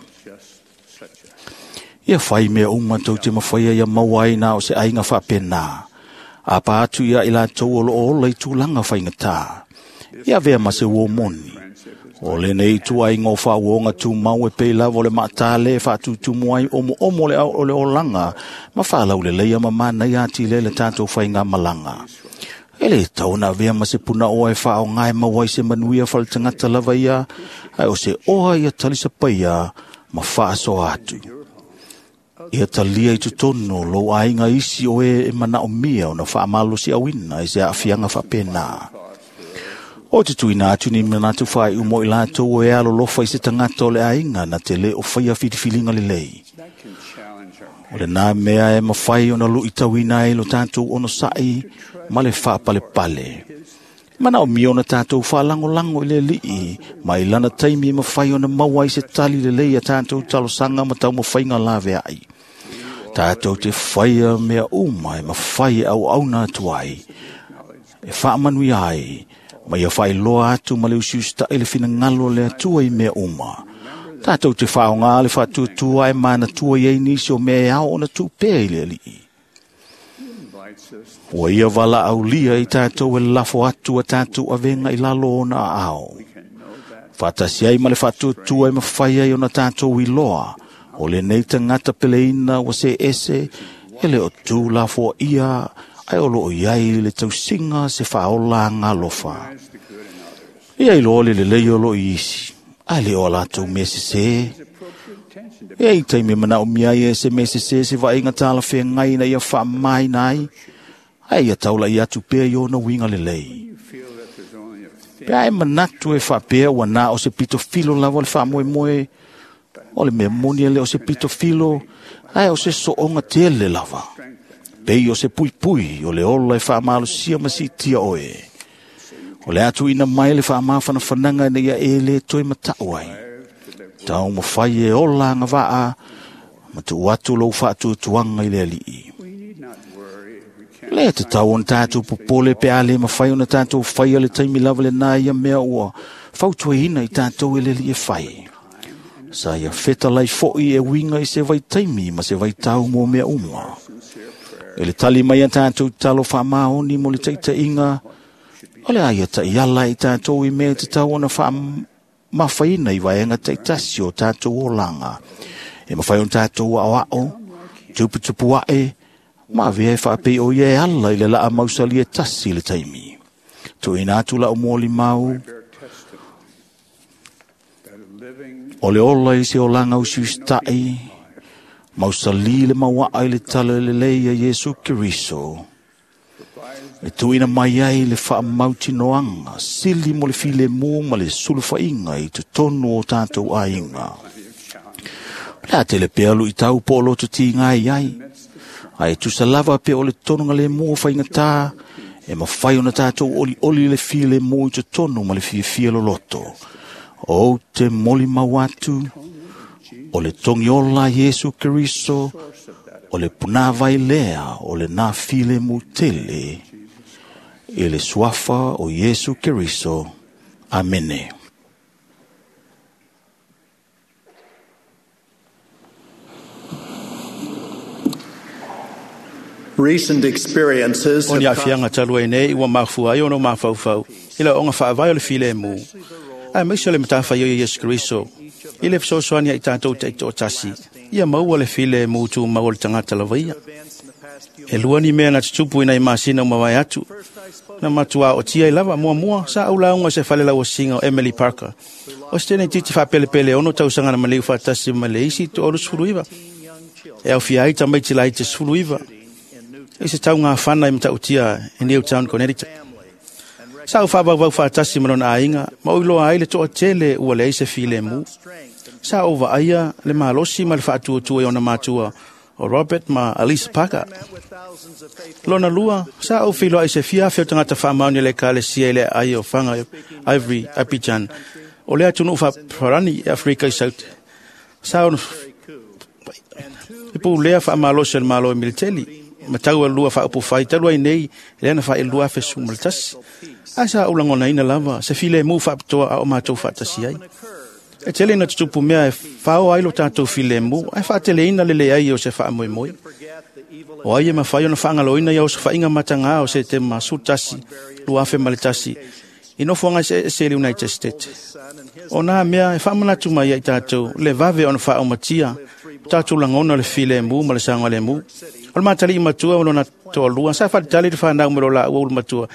Ia whai mea uma tau te mawhaia ia mauai nā o se ainga whapena. Apa atu ia i lātou o lo ola i tūlanga whainga tā. Ia vea ma se uomoni. O le nei tu ai ngō whaonga tū mau e pei lava o le maatale e whaatutumu ai omo omo le au o le olanga ma whalau le leia ma mana i ati le le tātou whainga malanga. E le tauna vea ma se puna oa e whao ngai mawai se manuia whaletangata lava ia ai o se oa ia talisa paia ma whaasoa atu. Ia talia i tutono lo ainga isi o e e mana o mia o na whaamalo si awina i se afianga whapena. O te tuina atu ni manatu whai umo i lātou o e alo lofa i se tangata o le ainga na te le o whaia whitiwhilinga le lei. O le nā mea e mawhai o na lu i tauina e lo tātou ono sa'i ma le whaapale pale. Mana o mio na tātou whaalangolango i le lii, ma i lana taimi e mawhai o na maua i se tali le lei a tātou talosanga ma tau mawhainga lawe ai. Tātou te whaia mea uma e mawhai e au auna atu ai. E whaamanui ai, ma ia whai loa atu ma le usiusta i le whinangalo le atua i mea uma. Tātou te whaonga le whaatuatua e mana tua i ei nisi o mea e ao ona tupea i le alii. Ua ia wala aulia i tātou e lafo atu a tātou avenga i lalo ona ao. Whatasi ai ma le whaatuatua e mawhai ai ona tātou i loa. O le nei tangata peleina wa se ese e le o tū lafo ia ai o loo iai le tausinga se whaola ngā lofa. Ia i loa le lelei o loo isi, ai le o lātou me se se. Ia i taimi mana o mia ia se me se se se vainga tala whengai na ia wha mai nai. Ae ia taulai atu pea i ona uiga lelei. Pe a e manatu e faapea ua na o se pito filo lava o le faamoemoe, o le mea moni e le o se pito filo, ae o se soonga tele lava. Pei o se puipui o le ola e faamalosia ma siitia oe. O le atu ina mai le faamafanafanaga ina ia e le toe matau ai. Tau mawhai e ola agavaa, ma tuu atu lou faatuatuaga i le Alii. Le te tau ona tātou popole pe a le mawhai ona tātou whaia le taimi lava le nā ia mea ua fautuaina i tātou e le Alii e whai. Sa ia fetalai foi e uiga i se vaitaimi ma se vaitau mo mea uma. E le tali mai a tātou talo faamaoni mo le taitaiga, o le a ia taiala i tātou i mea te tau ona faamafaina i vaega taitasi o tātou olaga. E mawhai ona tātou aoao, tuputupu ae, ma avea e faapei o ia e ala i le laa mausali e tasi le taimi. Tuuina atu lau molimau, o le ola i se olaga usiusitai, mausali le mauaa i le tala lelei a Iesu Keriso. E tuuina mai ai le faamautinoaga sili mo le filemu ma le sulufaiga i totonu o tātou aiga. O le a tele pea luitau po o loto tiga ai ai, ae tusa lava pe o le tonuga lemu o faigata, e mafai ona tātou olioli le filemu i totonu ma le fiafia loloto. O te molimau atu, o le togiola Iesu Keriso, o le punāvai lea o le nā filemu tele, i le suafa o Iesu Keriso. Amene. Recent experiences O ni aafiaga talu ai nei ua mafua ai ona mafaufau i le ooga faavae o le filemu, ae maise o le matafaioi o Iesu Keriso i le fesoasoani ai tatou taitoatasi ia maua le filemu tumau o le tagata lava ia. E lua ni mea na tutupu ina i masina o mavae atu na matuā otia ai lava. Muamua sa ou lauga i se fale lauasiga o Emily Parker, o se tene titi faapelepele ono tausaga na maliu faatasi ma le isi toalusefuluiva, e aofia ai tamaiti laiti sefuluiva i se taugafana i Matautia i Newtown, Connecticut. Sa ou faavauvau faatasi ma lona aiga, ma ou iloa ai le toatele ua leai se filemu. Sa ou vaaia le malosi ma le faatuatua i ona matua o Robert ma Alice Parker. Lona lua, sa ou feiloai i se fia afe o tagata faamaoni o le Ekalesia i le aai o Faga Ivory Abidjan, o le atunuu faafarani i Afrika i Saute. Sa ona e pulea faamalosi o le Malo e Militeli, ma tau alua faaupufai talu ai nei lea na faailua afe sefulu ma le tasi. Ae sa ou lagonaina lava se filemu faapitoa a o matou faatasi ai. E tele ina tutupu mea e fao ai lo tatou filemu, ae faateleina le leai o se faamoemoe. O ai e mafai ona faagaloina ia osofaiga matagā o Setema sefulu tasi lua afe ma le tasi i nofoaga eseese i le United States. O nā mea e faamanatu mai ai tatou le vave ona faaumatia tatou lagona o le filemu ma le saogalemu. O le matalii matua ma lona toalua sa faatalitali le fanau ma lo laua ulu matua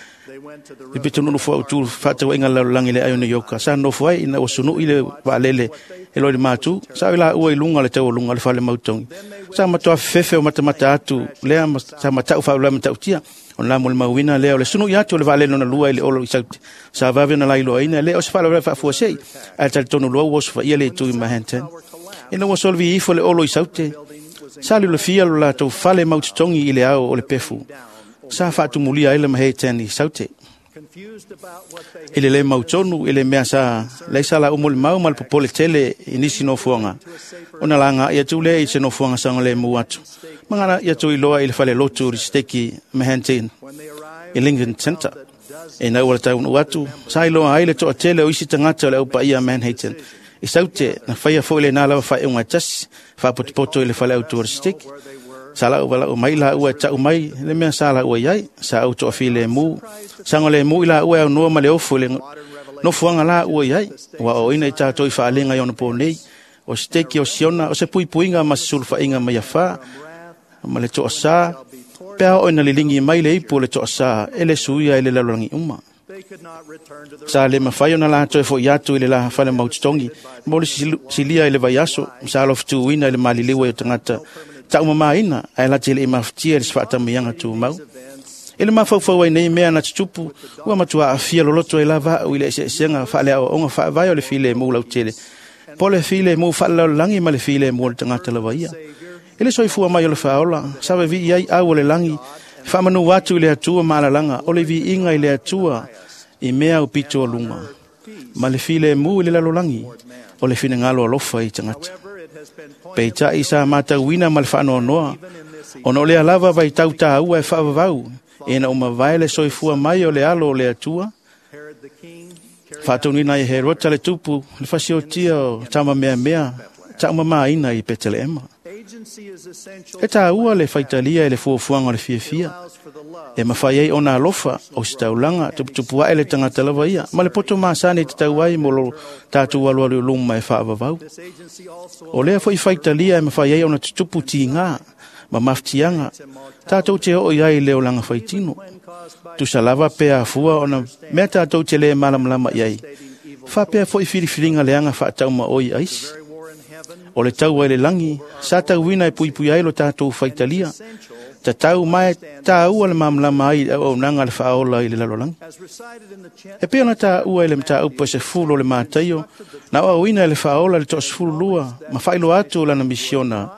i pitonuu foautu faatauaiga lalolagi le ai o New York. Sa nofo ai ina ua sunu'i le vaalele e loi le matu, sa o i laua i luga o le taualuga o le fale mautogi. Sa matoa fefefe o matamata atu lea sa matau faalavelave matautia. Ona la molimauina lea o le sunu'i atu o le vaalele lona lua i le olo i Saute. Sa vave ona lailoaina lea o se faalavelave faafuasei, ae talitonu loa ua osofaia le itu i Manhattan. Ina ua solovi ifo le olo i Saute, sa liolofia lo latou fale mautotogi i le ao o le pefu. Sa faatumulia ai le Manhattan i Saute. I le le mautonu i le mea sa leai sa laua molimau ma le popole tele i nisi nofoaga. Ona lagaai atu lea i se nofoaga saogalemu atu, ma galaai atu iloa i le falelotu o le Siteki Manhattan i Lincoln Center. E nau o le taunuu atu, sa iloa ai le toatele o isi tagata o le aupaia Manhattan i Saute, na faia foi lenā lava faaiuga e tasi, faapotopoto i le fale autu o le Siteki. Sa lau valaau mai laua e tau mai le mea sa laua i ai, sa ou toafilemu, saogalemu i laua e aunoa ma le ofo i le nofoaga laua i ai, ua aoaoina i tatou i faalega i ona po nei, o Siteki o Siona, o se puipuiga ma se sulufaiga mai afā, ma le toasā, pe a oo ina liligi mai le ipu o le toasā e le suia i le lalolagi uma. Sa le mafai ona latou e fo'i atu i le la fale mautotogi mo le silia i le vaiaso, sa alofutuina i le maliliu ai o tagata taumamaina, ae lati e le i mafatia i le se faatamaia tumau. I le mafaufau ai nei mea na tutupu, ua matua aafia loloto ai lava a'u i le eseesega faaleaoaoga faavae o le filemu lautele, po o le filemu faalelalolagi ma le filemu o le tagata lava ia. I le soifua mai o le faaola, sa vevii ai au o le lagi, e faamanu atu i le Atua ma alalaga o le viiga i le Atua i mea aupito o luga, ma le filemu i le lalolagi o le finagalo alofa i tagata. Peitai sa matauina ma le faanoanoa, ona o lea lava vaitau tāua e faavavau, ina ua mavae le soifua mai o le alo o le Atua, faatonuina ai e Herota le tupu, le fasiotia o tamameamea taumamaina i Peteleema. E tāua le faitalia i le fuafuaga o le fiafia, e mafai ai ona alofa o se taulaga tuputupu ae le tagata lava ia, ma le poto masani e tatau ai mo lo tatou alualu i luma e faavavau. O lea foi faitalia e mafai ai ona tutupu tigā ma mafatiaga tatou te oo i ai i le olaga faitino. Tusa lava pe afua ona mea tatou te lē malamalama i ai, faapea foi filifiliga leaga faataumaoi a isi. O le taua i le lagi, sa tauina e puipui ai lo tatou faitalia, tatau ma e tāua le malamalama ai i le auaunaga a le faaola i le lalolagi. E pei ona tāua i le mataupu e sefulu o le Mataio, na aoaoina e le faaola le toasefululua ma faailoa atu o lana misiona,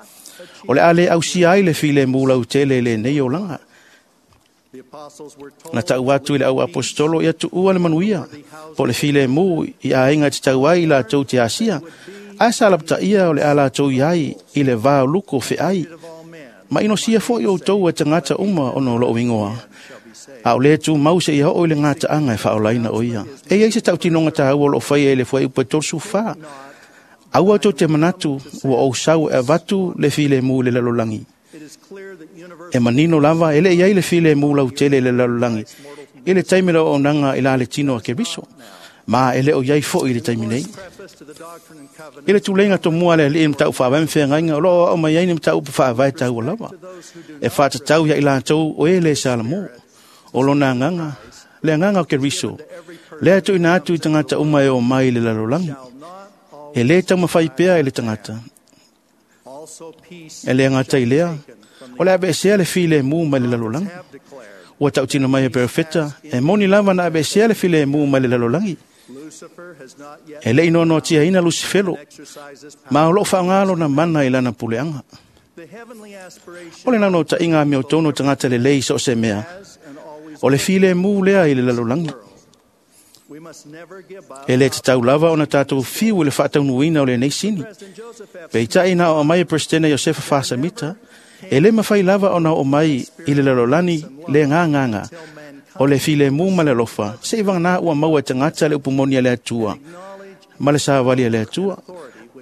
o le a le ausia ai le filemu lautele i lenei olaga. Na tau atu i le au aposetolo ia tuua le manuia, po o le filemu i aiga e tatau ai i latou te asia, ae sa lapataia o le a latou i ai i le va o luko feai. Ma inosia foi outou e tagata uma ona o lou igoa, a o le tumau seia oo i le gataaga e faaolaina o ia. E i ai se tautinoga tāua o loo faia i le fuaiupu e tolusefulu fa. Aua tou te manatu ua ou sau e avatu le filemu i le lalolagi. E manino lava e le i ai le filemu lautele i le lalolagi i le taimi o le auaunaga i la le tino a Keriso, ma e le o i ai foi i le taimi nei. I le tuleiga tomua a le alii i mataupu faavae ma feagaiga, o loo aoao mai ai ni mataupu faavae taua lava, e faatatau ia i latou o e le salamo. O lona agaga, le agaga o Keriso, lea e tuuina atu i tagata uma e o mai i le lalolagi. E lē taumafai pea e le tagata. E le gata i lea, o le aveesea le filemu mai le lalolagi. Ua tautino mai e perofeta, e moni lava na aveesea le filemu mai le lalolagi. E le i noanoatiaina Lusifelo, ma o loo faaaogā lona mana i lana puleaga. O le naunautaiga amiotonu o tagata lelei so o se mea, o le filemu lea i le lalolagi. E le tatau lava ona tatou fiu i le faataunuuina o lenei sini. Peitai na oo mai e Peresetene Iosefa Fasamita, e lē mafai lava ona oo mai i le lalolagi le gagaga o le filemu ma le alofa, se'i vaganā ua maua e tagata le upu moni a le Atua ma le savali a le Atua,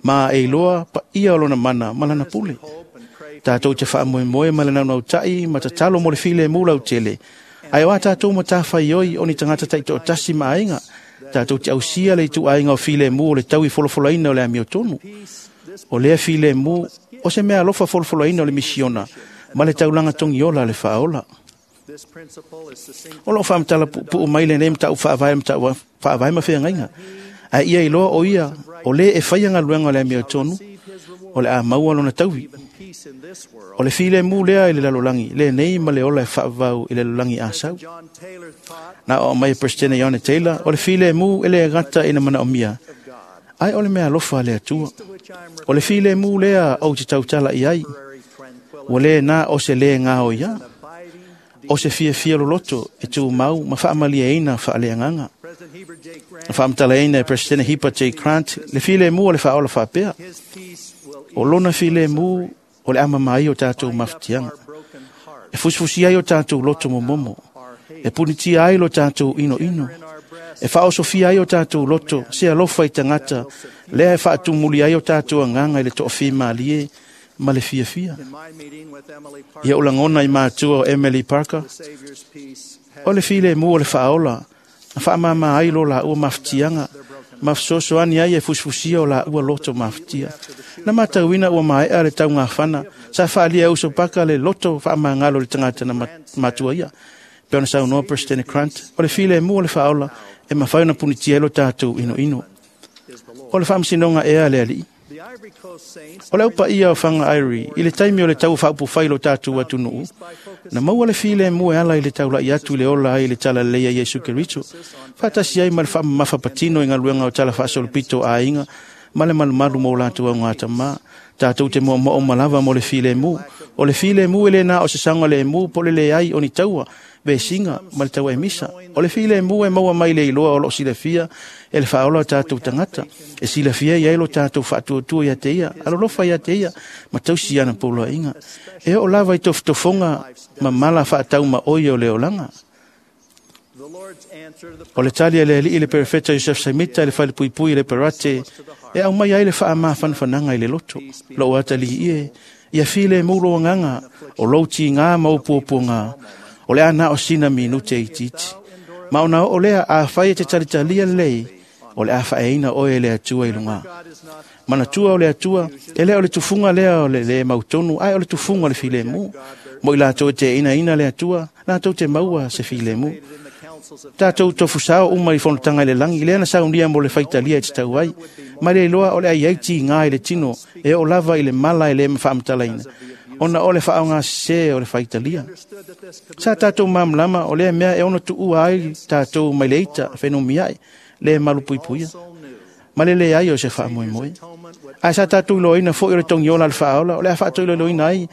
ma e iloa paia o lona mana ma lana pule. Tatou te faamoemoe ma le naunauta'i ma tatalo mo le filemu lautele, ae o a tatou matafaioi o ni tagata taitoatasi ma aiga, tatou te ausia le ituaiga o filemu o le tau i folafolaina o le amiotonu. O lea filemu o se mea alofa folafolaina o le misiona ma le taulaga togiola a le faaola. O loo faamatala puupuu mai lenei mataupu faavae mataupu faavae ma feagaiga, ae ia iloa o ia o lē e faia galuega o le amiotonu, o le a maua lona taui. O le filemu lea i le lalolagi lenei ma le ola e faavavau i le lalolagi asau. Na oo mai e Peresetene Iona Taylor, o le filemu e le gata ina manaomia, ae o le mea alofa a le Atua. O le filemu lea ou te tautala i ai, ua lē na o se lē gaoia, o se fiafia loloto e tumau ma faamalieina faaleagaga. Na faamatalaina e Peresetene Hipa J. Grant le filemu o le faaola faapea, o lona filemu o le amama ai o tatou mafatiaga, e fusifusi ai o tatou loto momomo, e punitia ai lo tatou inoino, e faaosofia ai o tatou loto se alofa i tagata, lea e faatumuli ai o tatou agaga i le toafimalie ma le fiafia. Ia ou lagona i matua o Emily Parker, o le filemu o le faaola na faamāmā ai lo laua mafatiaga ma fesoasoani ai e fusifusia o laua loto mafatia. Na matauina ua maea le taugafana sa faalia e uso paka le loto faamagalo i le tagata na matua ia. Pe ona saunoa President Grant, o le filemu o le faaola e mafai ona punitia ai lo tatou inoino. O le faamasinoga ea a le alii. O le aupa ia o whanga airi, i le taimi o le tau whaupufai lo tātou atunuu, na maua le filemu e ala i le taulai atu i le ola ai le tala leia Iesu Keriso, whaatasi ai ma le whaamamafa patino i ngaluenga o tala whaasolopito a inga, ma le malumalu mo lātou au ngā tamā, tātou te mua mo malava mo le filemu, o le filemu e le nā o se sanga le emu po le le ai o ni taua, vesinga ma le taua e misa. O le filemu e maua mai le iloa o lo silafia e le whaola o tātou tangata, e silafia i ai lo tātou whaatuatua ia te ia, alolofa ia te ia, ma tausi ana pōloa inga. E o lava i tofutofonga ma mala whaatau ma oi o le olanga. O le tali e le alii le perfeta Yosef Samita e le whalepuipui i le parate, e au mai ai le whaama whanwhananga i le loto. Lo atali ie, ia file mulo nganga, o lauti ngā maupuapua ngā, o le ana o sina minute i titi. Ma ona o lea a whai e te talitalia lei, o le a whaeina oe le atua i lunga. Mana tua o le atua, e lea o le tufunga lea o le le mautonu, ai o le tufunga o le filemu. Mo i lātou te ina ina le atua, lātou te maua se filemu. Tātou tofusao uma i fonotanga i le langi, lea na saunia mo le whaitalia i te tau ai. Mai le iloa o le ai aiti ngā i le tino, e o lava i le mala i le mwhaamatalaina. Ona o le whaonga se o le whaitalia. Sa tātou mamlama o lea mea e ono tuua ai tātou mai le ita whenumiai, le malupuipuia. Ma le le ai o se whaamoemoe. Ai sa tātou iloina fo i o le tongi ola le whaola, o le a whaatou iloina ai,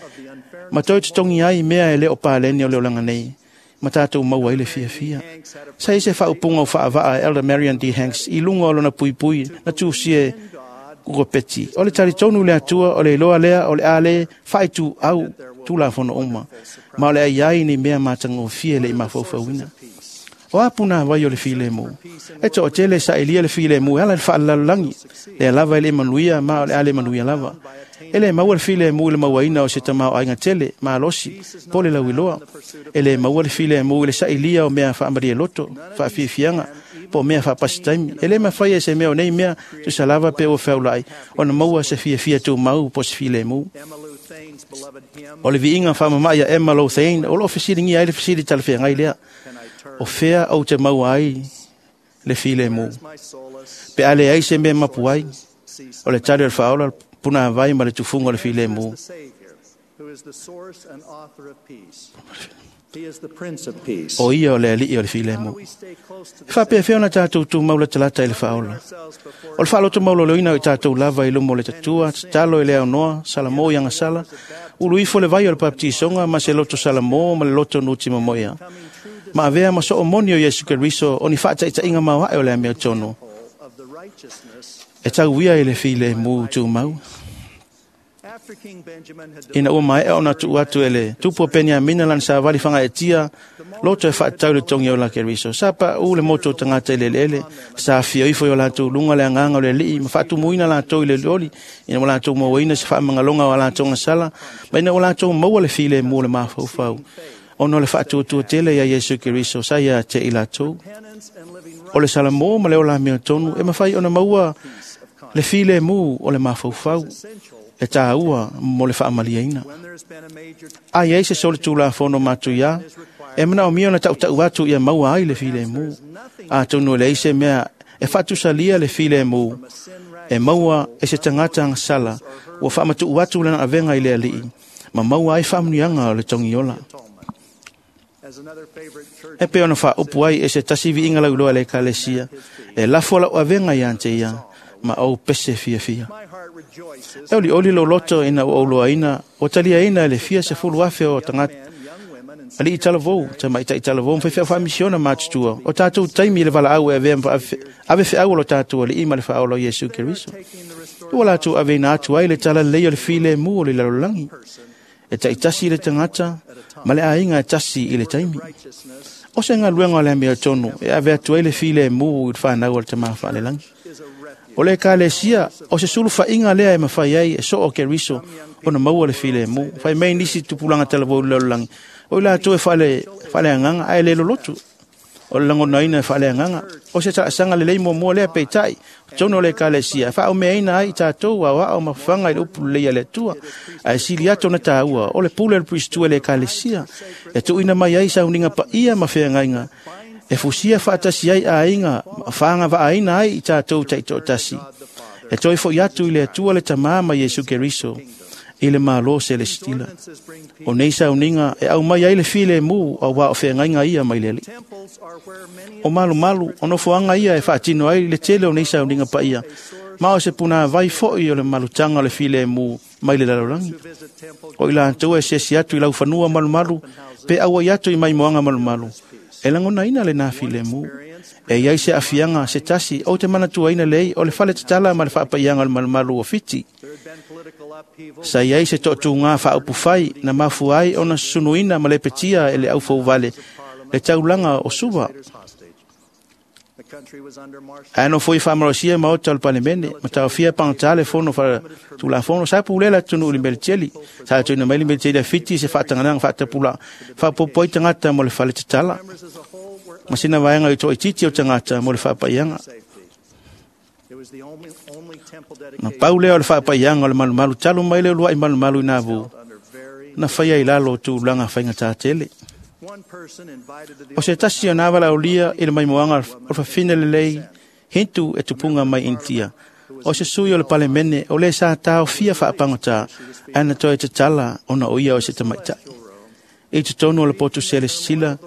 ma toi te tongi ai mea e le o pāleni o le olanga nei. Ma tātou maua i le fia fia. Sa ise whaupunga o whaavaa Elder Marion D. Hanks i lunga o lona puipui na tūsie kukopeti. O le taritonu le atua, o le iloa lea, o le ale, whaitu au tūla fono uma. Ma o le ai ai ni mea mātangofie le i mafaufauina. O apuna vai o le filemu. E to o tele sa elia le filemu, ala le whaalalangi. Le lava i le manuia, ma o le ale manuia lava. E le maua le filemu i le mauaina o se tamao ainga tele, malosi, po le lauiloa. E le maua le filemu i le sailia o mea whaamaria loto, whaafiafianga, po mea whaapasitaimi. E le mawhai e se mea o nei mea, tusa lava pe o whaulai, o na maua se fiafia tū mau po se filemu. O le viinga whaamamai a Emma Lothane, o lo fesiringi ai le fesiri talawhia ngai lea. O fea au te maua ai le filemu. Pe ale ai se mea mapu ai, o le tali o le whaola, puna vai ma le tufunga o le filemu. O ia o le alii o le filemu. E whapea whea na tātou tū maula talata i le whaola. O le whaaloto maulo leina o i tātou lava i lumo le tatua, tatalo i le aunoa, salamo i angasala, ulu ifo le vai o le paptisonga, ma se loto salamo ma le loto nuti mamoia. Ma avea ma so o moni o Iesu Keriso, o ni whaataitainga mau hae o le amea tono. E tau ia i le filemu tū mau. Ina ua mai o na tuu atu e le tupu o Peniamina lan sa wali whanga e tia, loto e whaatau le tongi o la Keriso. Sa pa u le moto o tangata i le lele, sa fia ifo i o lātou lunga le anganga o le lii, ma whaatumuina lātou i le loli, ina o lātou mauaina se whaamangalonga o lātou ngasala, ma ina o lātou maua le filemu le mafaufau. Ono le whaatuatua tele ia Iesu Keriso, sa ia te i lātou. O le salamo ma le o la mea tonu, e mawhai ona maua le filemu o le mafaufau. E tā ua mo le whaamaliaina. Ai ei se sole tūla whono mātu ia, e mana o mio na tautau atu ia maua ai le filemu. A tonu le eise mea e whatusalia le filemu, e maua e se tangata ang sala, ua whaamatu atu lana avenga i le alii, ma maua ai whaamunianga o le tongiola. E pe ona whaopu ai e se tasivi inga lauloa le kalesia, e lafo lau avenga i ante ia, ma au pese fia fia. E oli oli lo loto ina o oloaina, o talia ina le fia se fulu afe o tangata. Ali i talavou, te maita i talavou, mwhai whea misiona mātutua. O tātou taimi le wala au e ave ave wheau lo tātou le ima le whaolo Iesu Keriso. Ua lātou ave ina atu ai le tala lei o le file mu o le lalolagi. E taitasi i le tangata, ma le ainga e tasi i le taimi. O se ngaluenga o le amea tonu, e ave atu ai le file mu i le whanau o le tamaha whaalelangi. O le kalesia, o se sulu whainga lea e mawhai ai e so o Keriso, o na maua le file mu. Whai mei nisi tupulanga talavou le lalolagi. O i lātou e whaale, whaale anganga, ae le lolotu. O le langonaina e whaale anganga. O se taasanga le leimo mua lea peitai, tono le kalesia. Wha o mea ina ai tātou au ao mawhanga i le upu leia le atua. Ae sili ato na tāua, o le pule le pristua le kalesia. E tuina mai ai sauninga pa ia mawhea ngainga. E fusia whaatasi ai a inga, whaanga vaaina ai i tātou taito tasi. E toe fo'i atu i le Atua le Tamā ma Iesu Keriso i le Malo Selestila. O nei sauniga e aumai ai le filemu auā o feagaiga ia mai le Alii. O malumalu, o nofoaga ia e faatino ai le tele o nei sauniga paia, ma o se punāvai fo'i o le malutaga o le filemu mai le lalolagi. O i latou e siasi atu i laufanua malumalu, pe auai atu i maimoaga malumalu, e lagonaina lenā filemu. E iai se aafiaga se tasi ou te manatuaina lei o le fale tatala ma le faapaiaga o le malumalu o Fiti. Sa iai se toatugā faaupufai na mafua ai ona susunuina ma lepetia e le aufouvale le taulaga o Suva. Ae nofoi faamalosia maota o le Palemene ma taofia pagatā le fono faatulafono. Sa pulea le atunuu i le Meliteli. Sa tuuina mai le Meliteli a Fiti se faataganaga faatapulaa faapopo ai tagata mo le fale tatala ma sina vaega i toaitiiti o tagata mo le faapaiaga. Na pau lea o le faapaiaga o le malumalu talu mai le uluai malumalu i Navu na faia i lalo o tulaga faigatā tele. O se tasi o nā valaaulia i le maimoaga o le fafine lelei Hintu e tupuga mai Initia. O se sui o le Palemene o lē sa taofia faapagotā ae na toe tatala ona o ia o se tamaita'i. I totonu o le potu selesila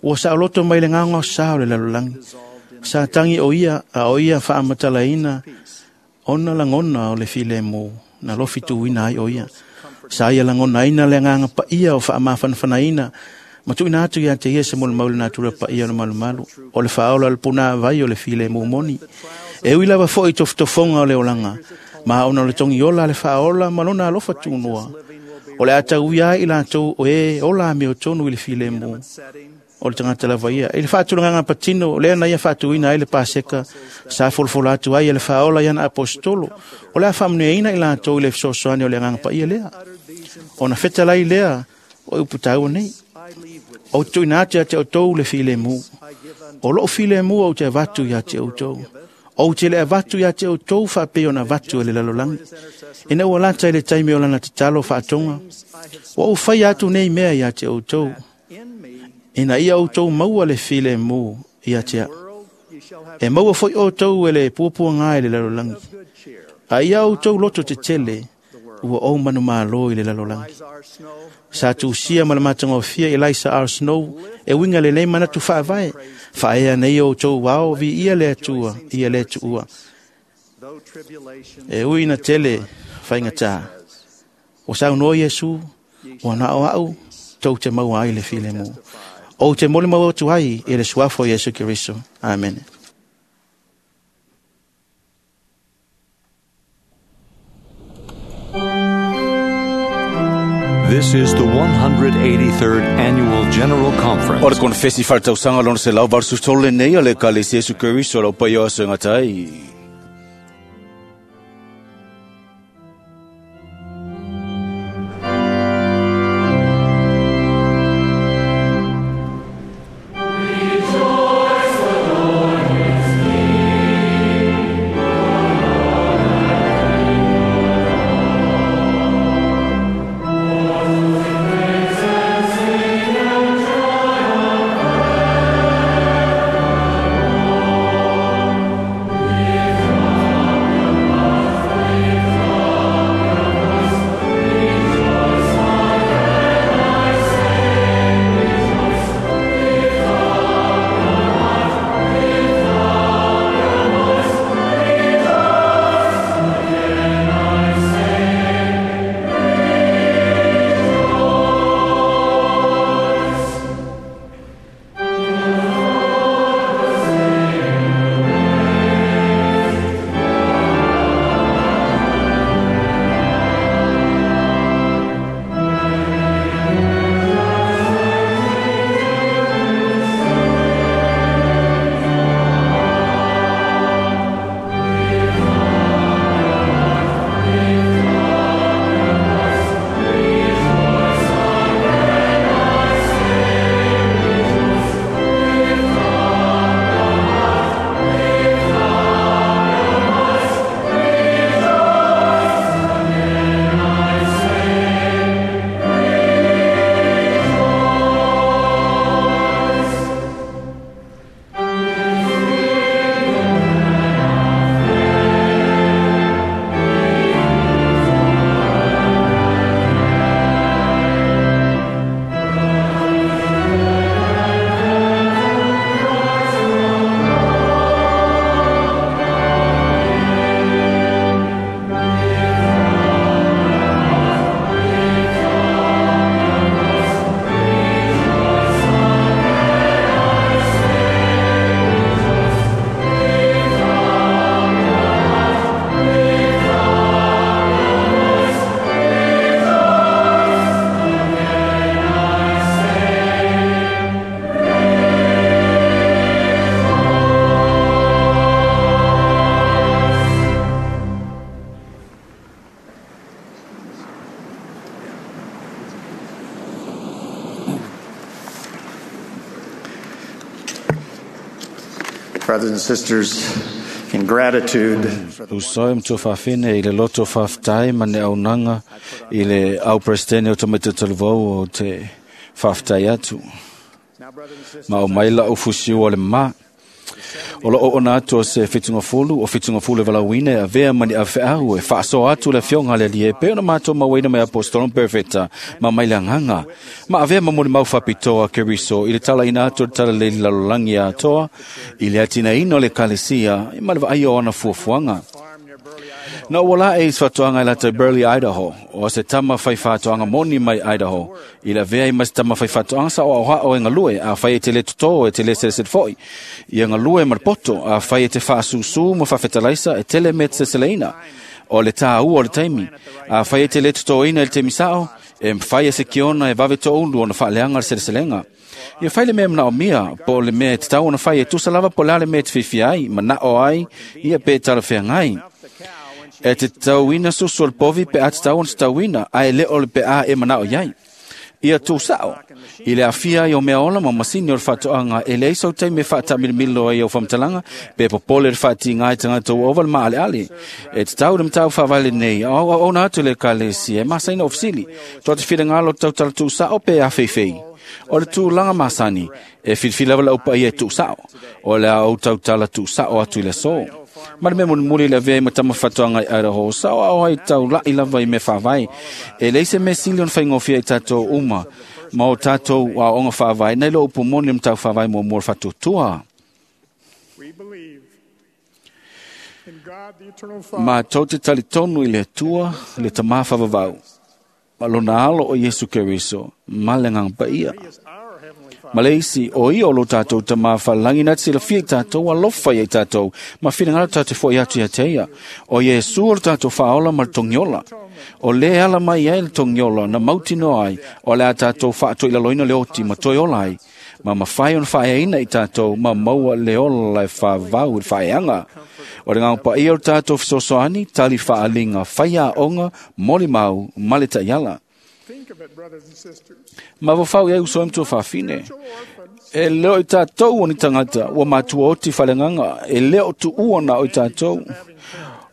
ua saoloto mai le gaogaosā o le lalolagi. Sa tagi o ia a o ia faamatalaina ona lagona o le filemu na lofi tuuina ai o ia. Sa ia lagonaina le agaga paia o faamafanafanaina ma tuuina atu ia te ia se molimau i le natura paia o le malumalu, o le faaola o le punāvai o le filemu moni. E ui lava fo'i tofotofoga o le olaga, ma ona o le togiola a le faaola ma lona alofa tunoa, o le a tauia ai i latou o e ola amiotonu i le filemu o le tagata lava ia. I le faatulagaga patino, lea na ia faatuina ai le Paseka, sa folafola atu ai e le faaola i ana aposetolo, o le a faamanuiaina i latou i le fesoasoani o le agaga paia lea. Ona fetalai lea o upu taua nei. Ou te tuuina atu ia te outou le filemu. O lou filemu ou te avatu ia te outou. Ou te le avatu ia te outou faapei ona avatu e le lalolagi. Ina ua lata i le taimi o lana tatalo faatoga, ua ou faia atu nei mea ia te outou, ina ia outou maua le filemu ia te a'u. E maua fo'i outou e le puapuagā i le lalolagi. A ia outou loto tetele, ua ou manumālō i le lalolagi. Sa tusia ma le matagofie Eliza R. Snow e uiga lenei manatu faavae, faaea nei outou ao viia le Atua ia le tuua. E ui ina tele faigatā, ua saunoa Iesu, ua na o a'u tou te maua ai le filemu. Ou te molimau atu ai i le suafa o Iesu Keriso. Amene. This is the one hundred eighty-third Annual General Conference. O le konfesi faletausaga lona selau valusefulu tolu lenei a le Ekalesia Iesu Keriso o le aupaia o aso e gata ai. Thank Brothers and sisters, in gratitude Usoi mtu fafine i le loto faftai ma ne aunaga i le au presidente o tamaiti talavou o te faftai atu. Ma o mai lau fusiu o le ma. O lo o ona atu o se fitungafulu, o fitungafulu e valauina e avea mani awheau e whaaso atu le fionga le lie pe ona mātou mauaina mai apostolon perfecta ma mai le anganga. Ma avea mamuli mau whapitoa Keriso i le tala ina atu le tala leili lalolangi a atoa i le atina ino le kalesia i ma le vaai o ana fuafuaga. Na ua la e isfatoanga i lata Burley, Idaho, o se tama whai whatoanga moni mai Idaho, i la vea i mas tama whai whatoanga sa o au o e ngalue, a whai e te le toto e te le seleset foi. I a ngalue marpoto, a whai e te whaasusu mo whawhetalaisa e tele me te seseleina, o le tā ua o le taimi, a whai e te le toto ina i le temi sao, e mwhai e se kiona e vave to ulu o na whaaleanga le seleselenga. Ia whai le mea mana o mia, po le mea te tau ona whai e tusa lava po le mea te whiwhi ai, mana o ai, ia pe tala whea ngai. E te tauina susu o le povi pe a te tau ona te tauina, a e le o le pe a e mana o iai. Ia tū sao, i le afia i o mea ola ma masini o le whatoanga, e le isau teime whaatamilimilo ai o whamtalanga, pe popole le whaati ngai tangata o ova le maale ale. E te tau le mtau whawale nei, o o ona atu le kalesi, e masaina ofisili, toa te whira ngalo tau tala tū sao pe a feifei. O le tūlanga masani, e whilwhila wala upa ia e tū sao, o le au tau tala tū sao atu i le sō. Ma le mea mulimuli le avea i matama whatoanga i Idaho, sao ao ai tau lai lava i me whawai. E leise me sili on whaingofia i tātou uma, ma o tātou a onga whawai, nei lo upu moni mtau whawai mo mua whatutua. Ma tau te talitonu i le tua, le tamā whawawau. Ma lona alo o Yesu Keriso, ma le ngang paia. Ma le isi, o ia o lo tātou tamā whalangi nā te silafia i tātou, alofa ia i tātou, ma whina ngaro tātou fo i atu ia te ia. O Yesu o lo tātou whaola ma le tongiola. O le ala mai ai le tongiola, na mautino ai, o le a tātou whaatoi laloina le oti, ma toi ola ai. Ma mawhai on whaeaina i tātou, ma maua le ola e whawau i whaeanga. O le ngau pa ia o tātou whisosoani, tali whaalinga, whaia onga, moli mau, male taiala. Ma wawhau ia uso mtua whawhine. E leo i tātou o ni tangata, ua mātua oti whalenganga, e leo tu uana o i tātou.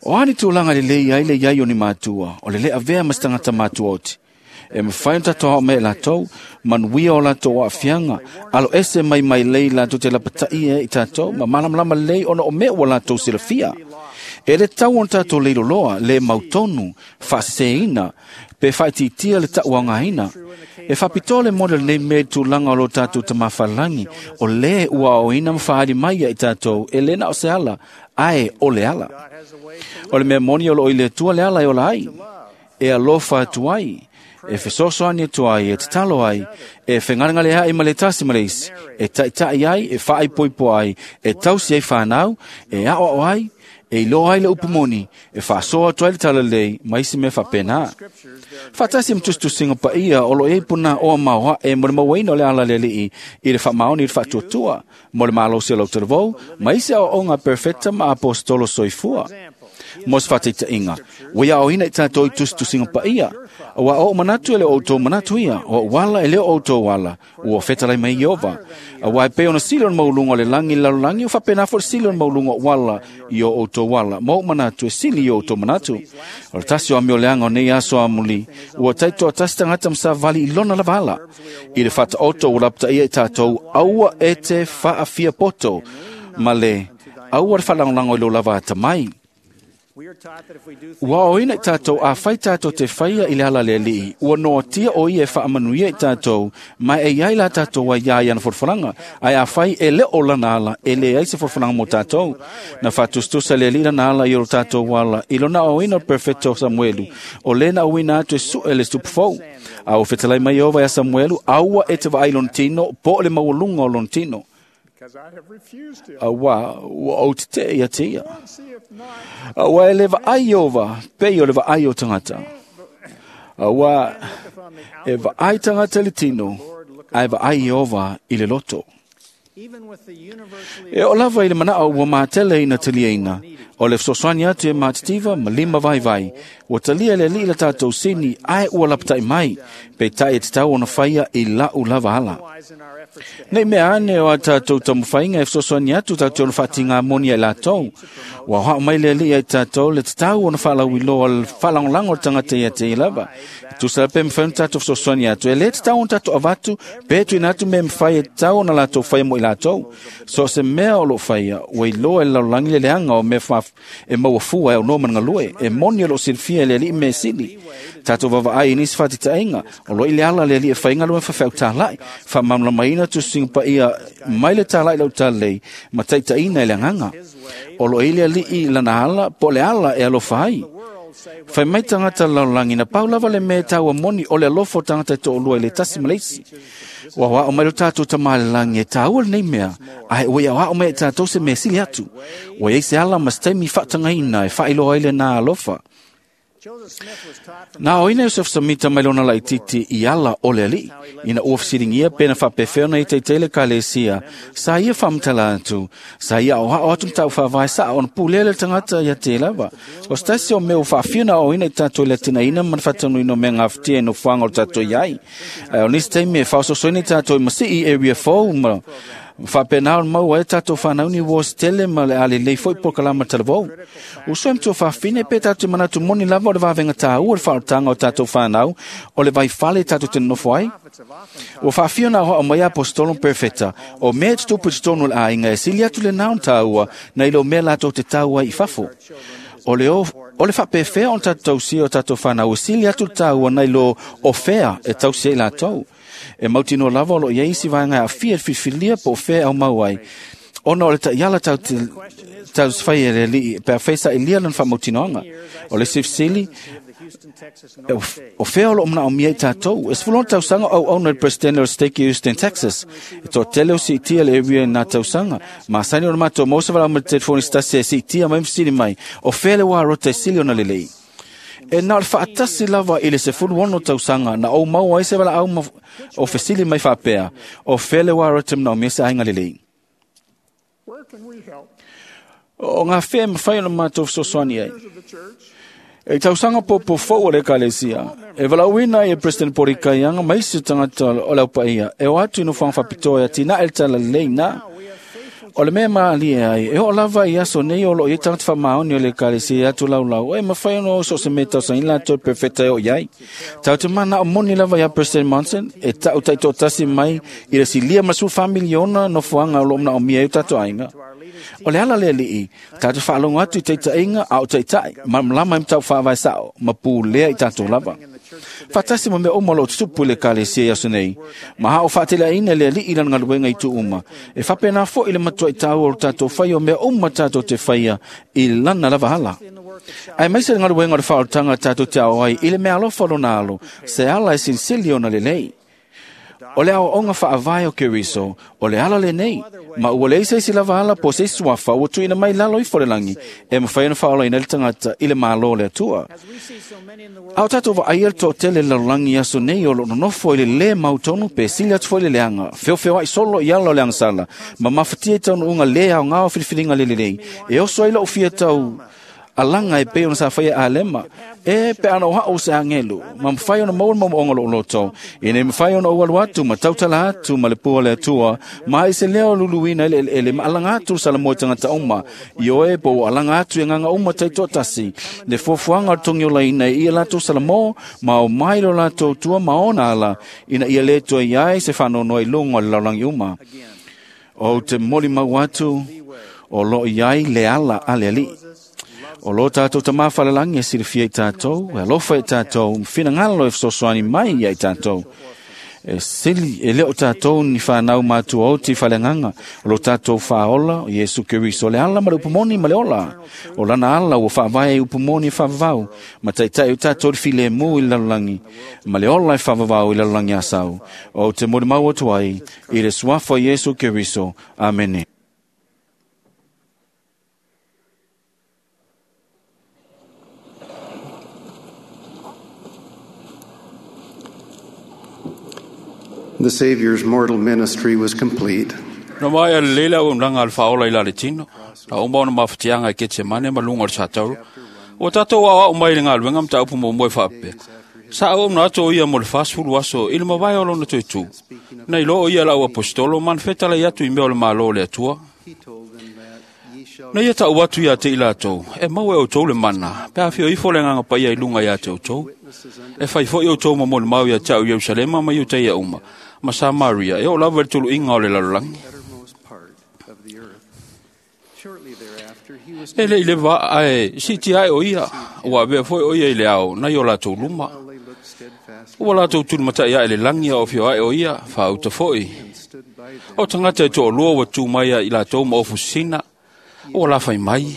O ani tūlanga le lei ai le iai o ni mātua, o le lea vea mas tangata mātua oti. E mwhai o tātou hao me lātou, manuia o lātou o afianga, alo ese mai mai lei lātou te lapatai e i tātou, ma malamalama lei ona o mea ua lātou silafia. E le tau on tātou leilo loa, le mautonu, whaaseina, pe whaititia le tauangaina. E whapito le model nei me tūlanga o lo tātou tamawhalangi, o le ua o ina mwhaari mai i tātou, e lena o se ala, ae o le ala. O le mea moni o lo i le tua le ala e ola ai, e alofa atu ai, e fesoasoani atu ai, e tatalo ai, e whengarengare ai ma le tasi ma le isi, e taitai ai, e whaaipoipo ai, e tausi ai whanau, e ao ai, e iloa ai le upumoni, e whaasoa atu ai le talalei, ma isi me whapena. Whatasi mtustusinga pa ia, o lo e puna oa maoa e mo le mauaina o le ala le lii, i le whamaoni i le whaatuatua, mo le malo se lau talavou, ma isi ao onga perfecta ma apostolo soifua. Mos whateita inga. Wea o hina i tātou i tustusinga pa ia. Ua o manatu ele o tō manatu ia. O wala ele o tō wala. Ua whetalai mai Iova. Ua e pe ona sili on maulunga o le langi lalo langi. O whapena fo le sili on maulunga o wala i o o tō wala. Mo manatu e sili i o tō manatu. O le tasi o amio leanga o nei aso amuli. Ua taito a tasi tangata msa vali i lona lavala. I le whata oto o lapta ia i tātou aua e te whaafia poto. Ma le aua le whalangolango i lo lava ata mai. Ua o ina i tātou a whai tātou te whaia i le ala le alii. Ua noa tia o ia e whaamanuia i tātou, mai e iai la tātou ai iai ana forforanga. Ai a whai e le o lana ala, e le ai se forforanga mo tātou. Na whatustusa le alii lana ala i o tātou wala, i lona o ina o perfecto Samuelu, o lena o ina atu e su e le stupufou. A o whetalai mai ova ia Samuelu, aua e te vaai lontino, po le maualunga o lontino. Aua, ua o te te ia te ia. Aua e le vaai ova, pe o le vaai o tangata. Aua e vaai tangata le tino, ai vaai ova i le loto. E o lava i le manao ua mātele ina taliaina, O le fesoasoani atu e matitiva ma lima vaivai. Ua talia le alii le tātou sini ae ua lapatai mai. Peitai e tatau ona faia i lau lava ala. Nei mea ane o a tātou taumafaiga e fesoasoani atu tātou ona faatigā moni ai latou. Ua hao mai le alii ai tātou le tatau ona faalauiloa le faalagolago o le tagata ia te ia lava. E tusa pe mafai ona tātou fesoasoani atu. E lē tatau ona tātou avatu pe tuuina atu mea mafai e tatau ona latou faia mo i latou. So o se mea o loo faia, ua iloa e le lalolagi le leaga o mea e maua fua e aunoa ma le galue. E moni o loo silafia e le alii mea sili. Tātou vavaai i nisi faatitaʻiga, o loo i le ala le alii e faiga galuega faafeau-tālaʻi, faamalamalamaina tusiga paia mai le tālaʻi lau talalei ma taitaʻina i le agaga. O loo i le alii lana ala po o le ala e alofa ai. Fai mai tagata lalolagi na pau lava le mea e taua moni o le alofa o tagata e toʻalua i le tasi ma le isi. Ua aoao mai lo tātou Tamā i le lagi e tāua lenei mea, ae ua i aoao mai e tātou se mea sili atu. Ua iai se ala ma se taimi faatagaina e faailoa ai lenā alofa. Na aoina Iosefo Samita mai lona laititi i ala o le alii, ina ua fesiligia pe na faapefea ona itaita i le ekalesia, sa ia faamatala atu, sa ia aoao atu mataupu faavae saa ona pulea le tagata ia te lava. O se tasi o mea ua faafia ona aoaoina i tātou i le atinaeina ma le faatanuina o mea gafatia i nofoaga o le tātou iai. Ae o nisi taimi e faaososoina i tātou i masii area fou ma faapena ona maua ai tātou whānauni ua se tele ma le a lelei foi polokalama talavou. Uso e matua faafine pe tātou manatu moni lava o le vavenga tāua le whaotaga o tātou whānau o le vaifale tātou te nofo ai. Ua faafia ona aoao mai apostolo ma perefeta o mea e tutupu i totonu o le aiga e sili atu lenā ona tāua nai lo mea latou te tāua ai i fafo. O le, o, o le faapefea ona tātou tausia o tātou whānau e sili atu le tāua nai lo o fea e tausia i latou. E mautinoa lava o loo iai isi vaega e aafia i le filifilia po o fea e aumau ai. Ona o le taiala tau te tausifai e le alii pe afai saʻilia lona faamautinoaga. O le isi fesili, o fea o loo manaomia i tātou. E sefulu ono tausaga o auauna i le Presidente o le Stake i Houston, Texas. E toatele o siitia le area i nā tausaga. Masani ona matou maua se valaau mai le telefoni se tasi e siitia mai ma fesili mai, o fea le ua rota e sili ona lelei. E na o le faatasi lava i le sefulu ono tausaga na ou maua ai se valaau ma o fesili mai faapea, o fea le ua rota e manaomia se aiga lelei. O ngā fea e mafai ona matou fesoasoani ai. E tausaga popo fou o le ekalesia, e valaauina ai e President Porikaiaga ma isi o tagata o le aupaia, e o atu i nofoaga faapitoa e atinae le talalelei na. O le mea malie ai, e oo lava i aso nei o loo iai tagata faamaoni o le ekalesia e atu laulau, e mafai ona o so o se mea tausaga latou e perfeta e oo iai. Tatou te manao moni lava ia President Monson, e tau taitoatasi mai i le silia ma le sefulu fa miliona nofoaga o loo manaomia ai o tatou aiga. O le ala le alii, tātou faalogo atu i taitaiga a o taitai, malamalama ai mataupu faavae sao, ma pulea i tātou lava. Faatasi ma mea uma o loo tutupu i le ekalesia i aso nei, ma ha o faateleaina le alii i lana galuega i itu uma. E faapena foi le matuai tāua o le tātou faia o mea uma tātou te faia i lana lava ala. Ae maise le galuega o le faaolataga tātou te ao ai i le mea alofa o lona alo, se ala e silisili ona lelei. O le aoaoga faavae o Keriso, o le ala lenei, ma ua leai se isi lava ala po o se isi suafa ua tuuina mai lalo ifo le lagi, e mafai ona faaolaina ai le tagata i le Malo o le Atua. A o tātou vaaia le toatele i le lalolagi i aso nei o loo nonofo i le lē mautonu pe sili atu foi le leaga, feofeoaʻi solo i ala o le agasala, ma mafatia i taunuuga lē aogā o filifiliga le lelei, e oso ai lou fia tau alaga e pei ona sa faia Alema, e pe ana o hao se angelu, ma mafai ona maua le maomaoga o lou loto, ina ia mafai ona ou alu atu ma tautala atu ma le pua o le Atua, ma ai se leo luluina i le eleele ma alaga atu le salamoa i tagata uma, ioe po ua alaga atu i agaga uma taitoatasi, le fuafuaga o le togiolaina i ia latou salamo, ma o mai lo latou tua ma ona ala, ina ia le toe iai se faanoanoa i luga o le lalolagi uma. Ou te molimau atu, o loo iai le ala a le alii. O lo tātou Tamā Falelagi e silafia i tātou, e alofa i tātou, ma finagalo e fesoasoani mai ia i tātou. E sili, e le o tātou ni whānau mātua oti whaleagaga, o lo tātou whaola, o Iesu Keriso le ala ma le upumoni ma le ola. O lana ala ua whaavae i upumoni e whaavavau, ma taitai o tātou le filemu i le lalolagi, ma le ola e whaavavau i le lalolagi asau. O te molimau atu ai, i le suafa o Iesu Keriso. Amene. The Savior's mortal ministry was complete. Na mai a le leila o mlanga al whaola i la le tino, Na uma ona mafatiaga i Ketsemane ma luga o le satauro, ua tatou aoao mai i le galuega mataupu muamua e faapea, sa auauna atu o ia mo le fasefulu aso i le mavae o lona toetū, na iloa o ia lau aposetolo ma na fetalai atu i mea o le Malo o le Atua. Na ia ta'u atu iā te i latou, e maua e outou le mana, pe afio ifo le Agaga Paia i luga iā te outou. E fai fo'i outou ma molimau iā te a'u Ierusalema ma Iutaia uma, ma Samaria, e oo lava i le tulu'iga o le lalolagi. E le'i leva ae si'itia ae o ia, ua avea foi o ia i le ao nai o latou luma. Ua latou tulimata'i ae le lagi a o afio ae o ia, faauta fo'i. O tagata e to'alua ua tu mai ia i latou ma ofu sisina, ua lafai mai,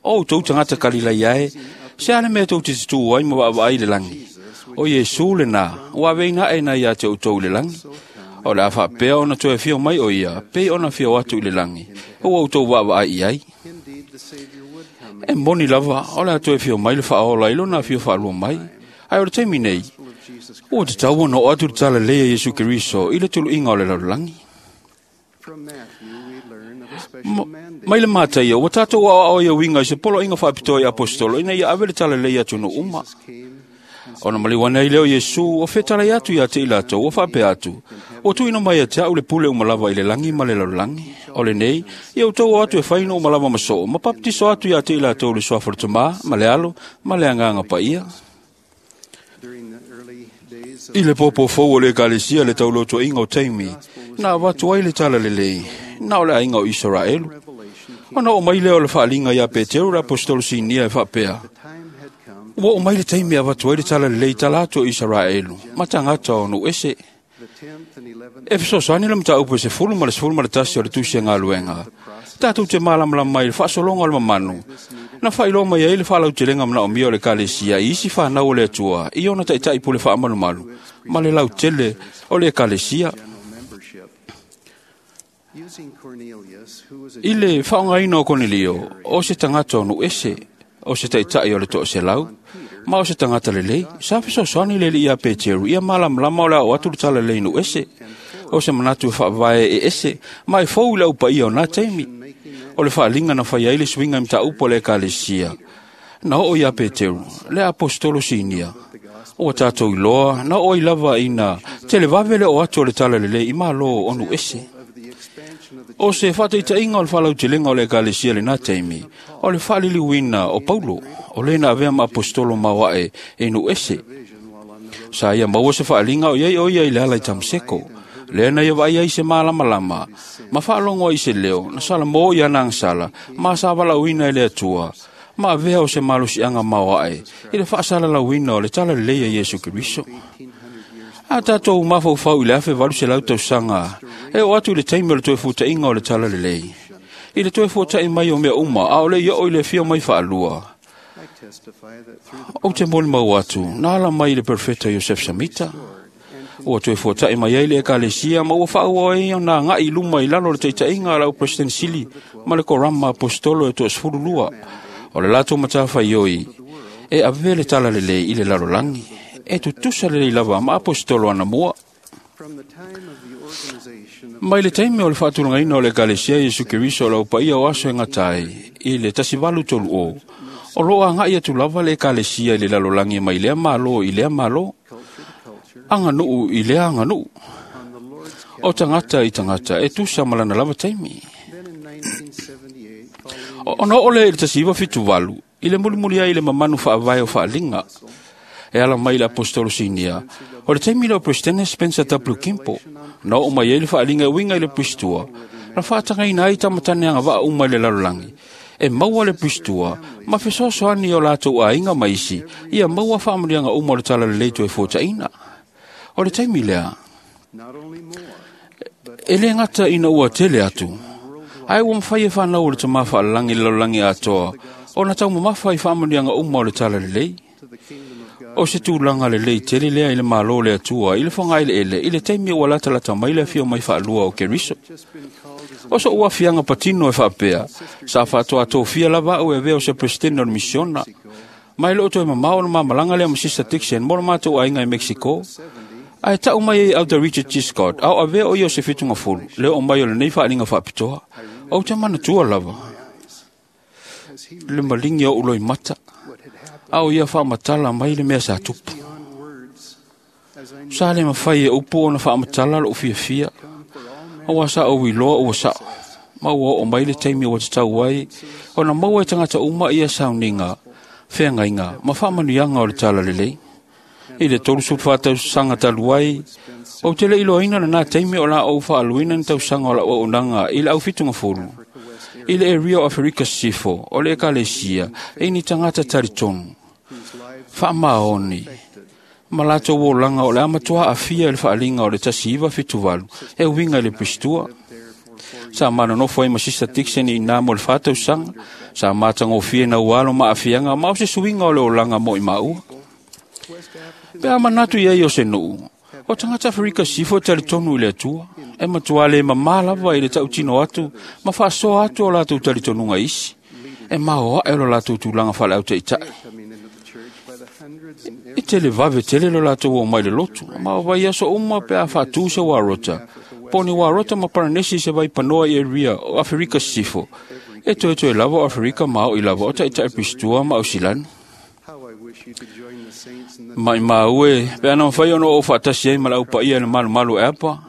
o outou tagata Kalilaia e, se a le mea tou te tutū ai ma vaavaai i le lagi. O Iesu lenā, ua aveina ae nai ia te outou i le lagi. O le a faapea ona toe afio mai o ia, pei ona afio atu i le lagi, ua outou vaavaai i ai. E moni lava, o le a toe afio mai le Faaola i lona afio faalua mai. Ae o le taimi nei, ua tatau ona oo atu le talalelei a Iesu Keriso i le tuluiga o le lalolagi. Mai le Mataia, ua tatou aoao ai uiga i se poloaiga faapitoa i aposetolo ina ia ave le talalelei i atunuu uma. Ona maliu ane ai lea o Iesu, ua fetalai atu ia te i latou, ua faapea atu, ua tuuina mai ia te a'u le pule uma lava i le lagi ma le lalolagi. O lenei, ia outou o atu e fai nuu uma lava ma soo, ma papatiso atu ia te i latou i le suafa o le Tamā, ma le Alo, ma le Agaga Paia. I le pōpō fou o le Ekalesia le taulotoiga o taimi, na avatu ai le talalelei, na o le aiga o Isaraelu. Ona oo mai lea o le faaliga iā Peteru le aposetolo sinia e faapea, ua oo mai le taimi e avatu ai le talalelei tala atu o Isaraelu, ma tagata o nuu ese. E fesoasoani le mataupu e sefulu ma le sefulu ma le tasi o le tusi e galuega, tatou te malamalama ai i le faasologa o le mamanu, na faailoa mai ai le faalautelega manaomia o le Ekalesia i isi fanau o le Atua i ona taita'i pule faamalumalu ma le lautele o le Ekalesia. I le faaaogaina o Konelio, o se tagata o nuu ese, o se taita'i o le toaselau, ma o se tagata lelei, sa fesoasoani le alii ia Peteru ia malamalama o le ao atu le talalelei nuu ese, o se manatu e faavae e ese, ma e fou i le aupaia o nā taimi. O le faaliga na fai ai le suiga i mataupu a le Ekalesia, na oo iā Peteru, le aposetolo sinia. Ua tatou iloa, na oo ai lava ina televave le oo atu o le talalelei i Malo o nuu ese. O se faataitaiga o le faalautelega o le Ekalesia i lenā taimi, o le faaliliuina o Paulo, o lē na avea ma aposetolo maoae i nuu ese. Sa ia maua se faaliga o iai o ia i le ala i Tamaseko, lea na ia vaai ai se malamalama, ma faalogo ai se leo, na salamō i ana agasala, ma sa valaauina e le Atua, ma avea o se malosiaga maoae i le faasalalauina o le talalelei a Iesu Keriso. A tatou mafaufau i le afe valu selau tausaga, e oo atu i le taimi o le toe futaʻiga o le talalelei, i le toe fuataʻi mai o mea uma, a o le i oo i le afio mai faalua. Ou te molimau atu, na ala mai i le perofeta Iosef Samita, ua toe fuataʻi mai ai le Ekalesia ma ua faaauau ai ona agaʻi i luma i lalo o le taitaʻiga a lau President Sili ma le Korama Aposetolo e toasefulu lua. O le latou matafaioi e avea le talalelei i le lalolagi, e tutusa lelei lava ma aposetolo anamua. Mai le taimi o le faatulagaina o le Ekalesia Iesu Keriso o le aupaia o aso e gata ai i le tasi valu tolu o, o loo agaʻi atu lava le Ekalesia i le lalolagi mai lea Malo i lea Malo, aganuu i lea aganuu, o tagata i tagata e tusa ma lana lava taimi. Ona oo lea i le tasi iva fitu valu, i le mulimuli ai i le mamanu faavae o faaliga, e ala mai le aposetolo sinia, o le taimi lea o Presidente Spencer W. Kimpo, na oo mai ai le faaliga e uiga i le pusitua, na faatagaina ai tamatane agavaa uma i le lalolagi, e maua le pusitua, ma fesoasoani o latou aiga ma isi, ia maua faamanuiaga uma o le talalelei toe fuataʻina. O le taimi lea, e lē gata ina ua tele atu, ae ua mafai e fanau o le Tamā faalalagi i le lalolagi atoa, ona taumamafa i faamanuiaga uma o le talalelei. O se tulaga lelei tele lea i le Malo o le Atua i le fogaeleele i le taimi ua latalata mai le afio mai faalua o Keriso. O soʻu afiaga patino e faapea, sa faatoatofia lava a'u e avea o se presidente o le misiona, ma e loo toe mamao ona mamalaga lea ma Sister Dixon mo le matou aiga i Mexico. Ae ta'u mai ai Elder Richard G. Scott, a o avea o ia o se fitugafulu, le oo mai o lenei faaliga faapitoa. Ou te manatua lava. Le malingi o uloi mata. Au ia whaamatala mai le mea sa tupu. Sa le mawhai e upu ona whaamatala lo ufia fia. Awa sa o wiloa ua sa. Maua o mai le taimi o te tau ai. Ona maua e tangata uma ia sauninga. Wheangainga, ma whaamanuianga o le tala lelei. I le toru sulfa tausaga talu ai, o te le iloaina lena taimi o la ou faaluina ni tausaga o lau auaunaga i le aufitugafulu. I le area o Aferika Sisifo, o le ekalesia, e ni tagata talitonu. Faamaoni, ma latou olaga o le amatoa aafia i le faaliga o le tasi iva fitu valu, e uiga i le Pistua. Sa manonofo ai ma Sista Dixon i nā mo le whātausaga, sa matagofie na ualo ma aafiaga ma o se suiga o le olaga mo i maua. Pe a manatu iai o se nuu, o tagata Aferika Sisifo e talitonu i le Atua, e matua le mamā lava i le tautino atu ma faasoa atu o latou talitonuga isi, e maoae o lo latou tulaga faaleautaita'i. E tele vave tele lo latou o mai le lotu, ma o vai aso uma pe a faatū se warota, po ni warota ma Paranesi se vai panoa i area o Aferika Sisifo, e toetoe lava o Aferika ma o i lava o taita'i Pistua ma Ausilani. Mai maue, pe ana mawhai ono o whaatasi ai ma lau paia le malu malu e apa,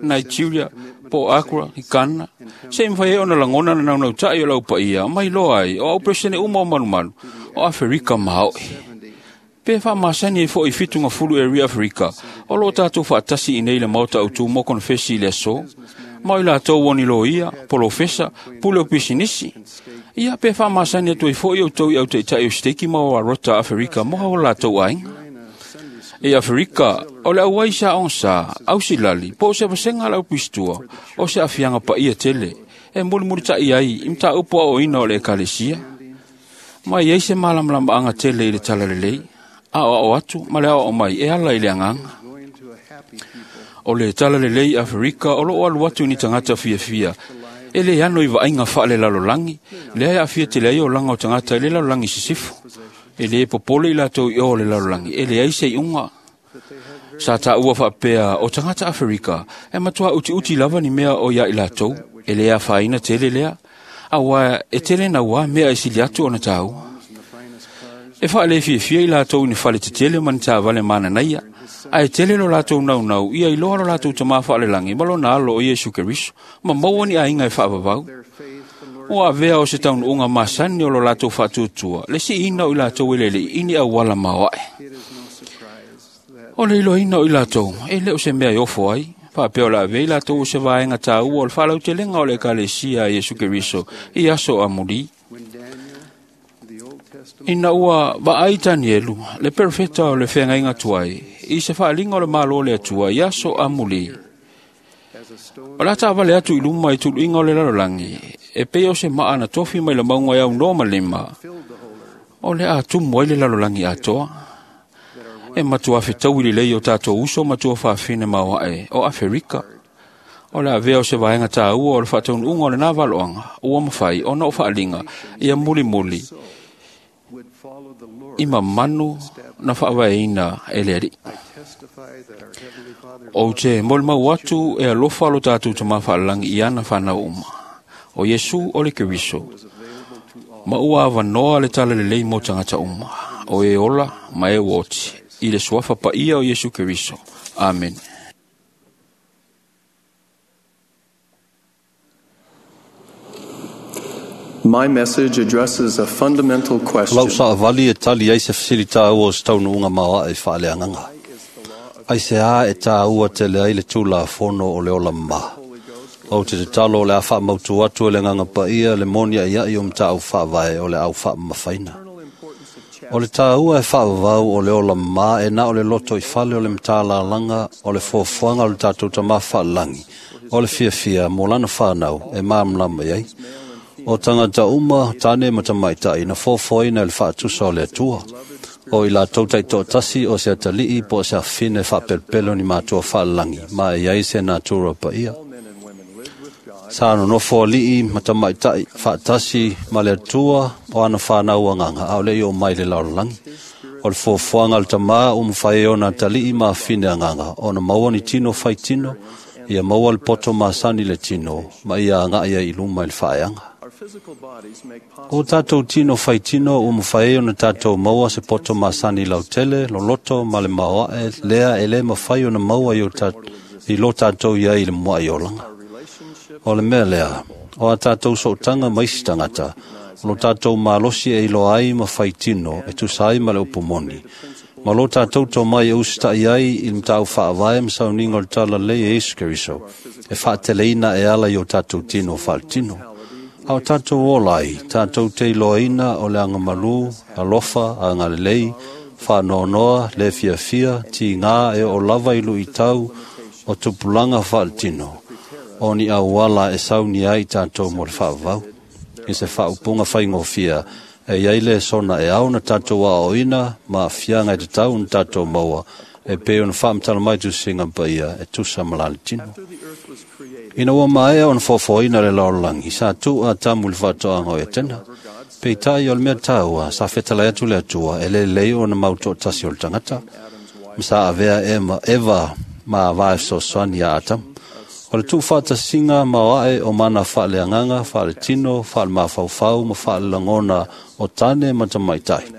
Nigeria, po Accra, i Ghana, se i mawhai ai ona langona na naunau tai o lau paia, mai loa ai, o au presene uma o malu malu, o Aferika maoi. Pe whaamasani e fo i fitunga fulu area Afrika, o lo tātou whaatasi i nei le maota au tū mo konfesi i le aso, mai la tau oni lo ia, polofesa, pule o pisinisi. Ia pe whaamasani atu i fo i au tau i au teitai o steki ma o arota Afrika mo hao la tau ainga. E Afrika, o le auai sa on sa, au silali, po se vasenga lau pistua, o se afianga pa ia tele, e muli muli tai ai, imta upo o ina o le ekalesia. Mai ei se malamlama anga tele i le talalelei, a o o atu, ma le ao o mai, e ala i le anganga. O le talalelei Afrika, o lo o alu atu ni tangata fia fia, e le ano i vaaiga faale lalolagi, lea e aafia tele ai olaga o tagata i le lalolagi sisifo. E le popole i latou i o le lalolagi, e leai se iuga. Sa taua faapea o tagata Aferika, e matua utiuti lava ni mea o ia i latou, e le afaina tele lea, auā e tele nauā mea e sili atu ona taua. E faalefiafia i latou i ni fale tetele ma ni tavale mananaia, ae tele lo latou naunau ia iloa lo latou tamā faalelagi ma lona alo o Iesu Keriso, ma maua ni aiga e faavavau. Ua avea o se taunuuga masani o lo latou faatuatua, le siina o i latou e lelei i ni auala maoae. O le iloaina o i latou, e le o se mea e ofo ai, faapea o le avea i latou o se vaega taua o le faalautelega o le ekalesia a Iesu Keriso i aso amulī. Ina ua vaai Tanielu, le perofeta o le feagaiga tuai, i se faaliga o le Malo o le Atua i aso amulī. O le a taavale atu i luma i tuluiga o le lalolagi, e pei o se maa na tofi mai le mauga e aunoa ma lima, o le a tumu ai le lalolagi atoa. E matua fetaui lelei o tatou uso ma tua faafine maoae o Aferika. O le avea o se vaega taua o le faataunuuga o lenā valoaga, ua mafai ona o faaliga ia mulimuli i mamanu na faavaeina e le Alii. Ou te molimau atu e alofa lo tatou tamā faalelagi i ana fanau uma. O Iesu o le Keriso, ma ua avanoa le talalelei mo tagata uma, o e ola ma e uoti, i le suafa paia o Iesu Keriso. Amen. My message addresses a fundamental question. Lau saavali e tali ai se fesilitaua o se taunuuga maoae i faaleagaga. Ai se a e tāua tele ai le tulafono o le ola mamā. Ou te tatalo o le a faamautu atu e le agaga paia le moni aiai o matau faavae o le au faamamafaina. O le tāua e faavavau o le ola mamā e na o le loto i fale o le matalalaga o le foafoaga o le tatou tamā faalelagi o le fiafia mo lana whanau e māmlama ai. O tangata uma, tāne ma tamaitai, na foafoaina e le faatusa o le Atua. O i latou taitoatasi o se atalii po o se afine faapelopelo ni matua faalelagi, ma e ai se natura paia. Sa nonofo alii ma tamaitai faatasi ma le Atua o ana whanau anganga, a o le i o mai le lalolagi. O le foafoaga o le tamā o mawhai e ona atalii ma afine anganga, ona maua ni tino whai tino, ia maua le poto masani le tino, ma ia anga ia i luma i le whaeanga. O tātou tino whaitino ua mawhai ai ona tātou maua se poto masani lautele, loloto ma le maoae, lea e le mawhai ona maua i, o ta, i lo tātou ia i le mua i olanga. O le mea lea, o a tātou sootanga maisi tangata, o lo tātou malosi e iloa ai ma whaitino e tusa ai ma le upumoni. Ma lo tātou tō mai e usita'i ai i le matau whaavae ma sauninga o le tala lei e Iesu Keriso, e whaateleina e ala i o tātou tino whaalitino. A o tātou ola ai, tātou te iloaina o le angamalu, alofa, angalelei, whaanoanoa, le fiafia, ti ngā e o lava i lui tau, o tupulanga whaalitino, o ni auala e sauni ai tātou mo le whaavau. I se whaupunga whaingofia, e iai le sona e au na tātou a oina, ma fianga e te tau na tātou maua, e pe ona whaamtala mai tu singa paia, e tusa malali tino. Ina ua maea ona fofoina le laolangi, sa tu a tamu le whaatoanga o e tena. Pe tai o le mea tāua, sa whetala atu le atua, e le lei ona mauto tasi o le tangata. Ma sa avea ema, Eva ma vae fesoasoani ia Atamu. O le tuufaatasiga ma o ae o mana faaleagaga, faaletino, faalemafaufau ma faalelagona o tane ma tamaitai.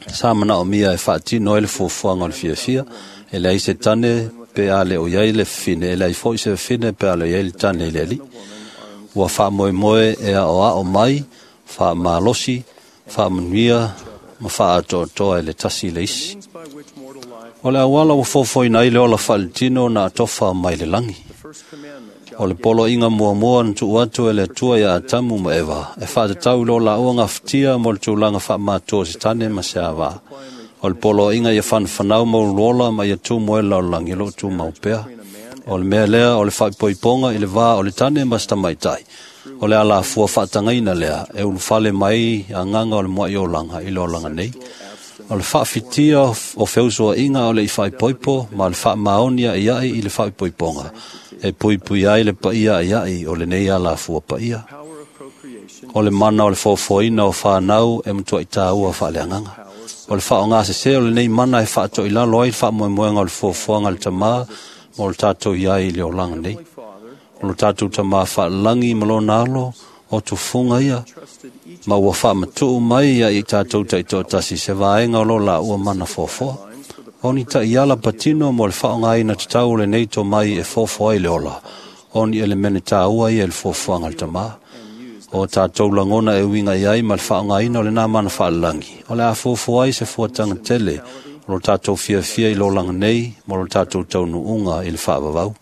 Sa manaomia e faatino ai le fuafuaga o le fiafia, e leai se tane pe a le o iai le fafine, e leai foʻi se fafine pe a le o iai le tane i le alii. Ua faamoemoe e aoao mai, faamalosi, faamanuia ma faaatoatoa e le tasi le isi. O le auala ua fofoina ai le ola faaletino na atofa mai le lagi. O le poloaiga muamua na tuu atu e le Atua ia Atamu ma Eva, e faatatau i lo laua gafatia mo le tulaga faamātua o se tane ma se avā. O le poloaiga ia whanawhanau mauluola ma ia tumu e laolangi lo tu mau pea. O le mea lea o le whaipoiponga i le vā o le tane ma se tamaitai. O le ala fua whaatangaina lea e ulufale mai a nganga o le mua i olanga i le olanga nei. O le whaafitia o feusua inga o le i whaipoipo ma le whaamaonia i ai i le whaipoiponga. E pui pui ai le paia i ai o le nei ala fua paia. O le mana o le fofoina o whanau e mutua i tāua whaaleanganga. O le whaonga se se o le nei mana e whaato i lalo ai le whaamoemoenga o le fofoanga le tamā ma o le tātou i ai i le olanga nei. O le tātou tamā whaalangi ma lona alo o tufunga ia ma ua whaamatuu mai ia i tātou taitoa tasi se vaenga o lo la ua mana fofoa. O ni ta iala patino mo le whaonga ina te tau le nei tō mai e fofoa i le ola. O ni elemene tāua ia le fofoanga le tamā. O tātou langona e uinga i ai ma le whaonga ina o le nā mana whaalalangi. O le a fofoa ai se fuatanga tele o lo tātou fiafia i lolanga nei mo lo tātou taunuunga i le whaavavau.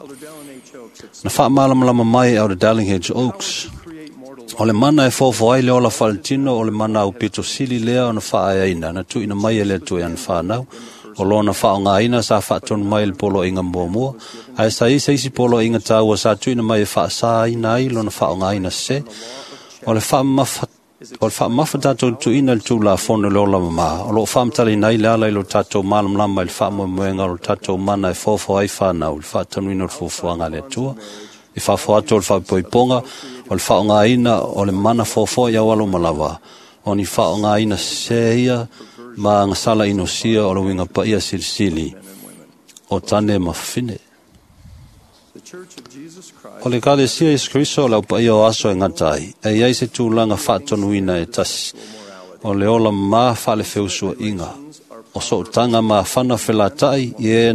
Na whaamalamalama mai au the Darling H. Oaks. O le mana e fofoa ai le ola whaletino o le mana au pito sili lea o na whaaeaina na tuina mai e le atu e ana whanau. O lona whaonga ina sa whaatonu mai le polo inga mua mua. Ae sa isa isi polo inga tāua sa tuina mai e whaasa ina ai lona whaonga ina se. O le whaamafa O le whaamafa tātou tuina le tūla fono le ola mama. O lo whaamtali nei le ala i lo tātou malamlama i le whaamoemoenga o lo tātou mana e fofo ai whanau, le whaatanuina o le fofoanga le atua. I whaafo atu o le whaipoiponga, o le whaonga ina o le mana fofo i awalo malawa. O ni whaonga ina se ia ma ngasala inosia o le winga paia silisili o tane mawhine. O le kalesia Iesu Keriso o le au paia o aso e ngatai, e iai se tūlanga whaatonuina e tasi, o le ola mā whaale feusua inga, o sootanga mā whana whelatai i e,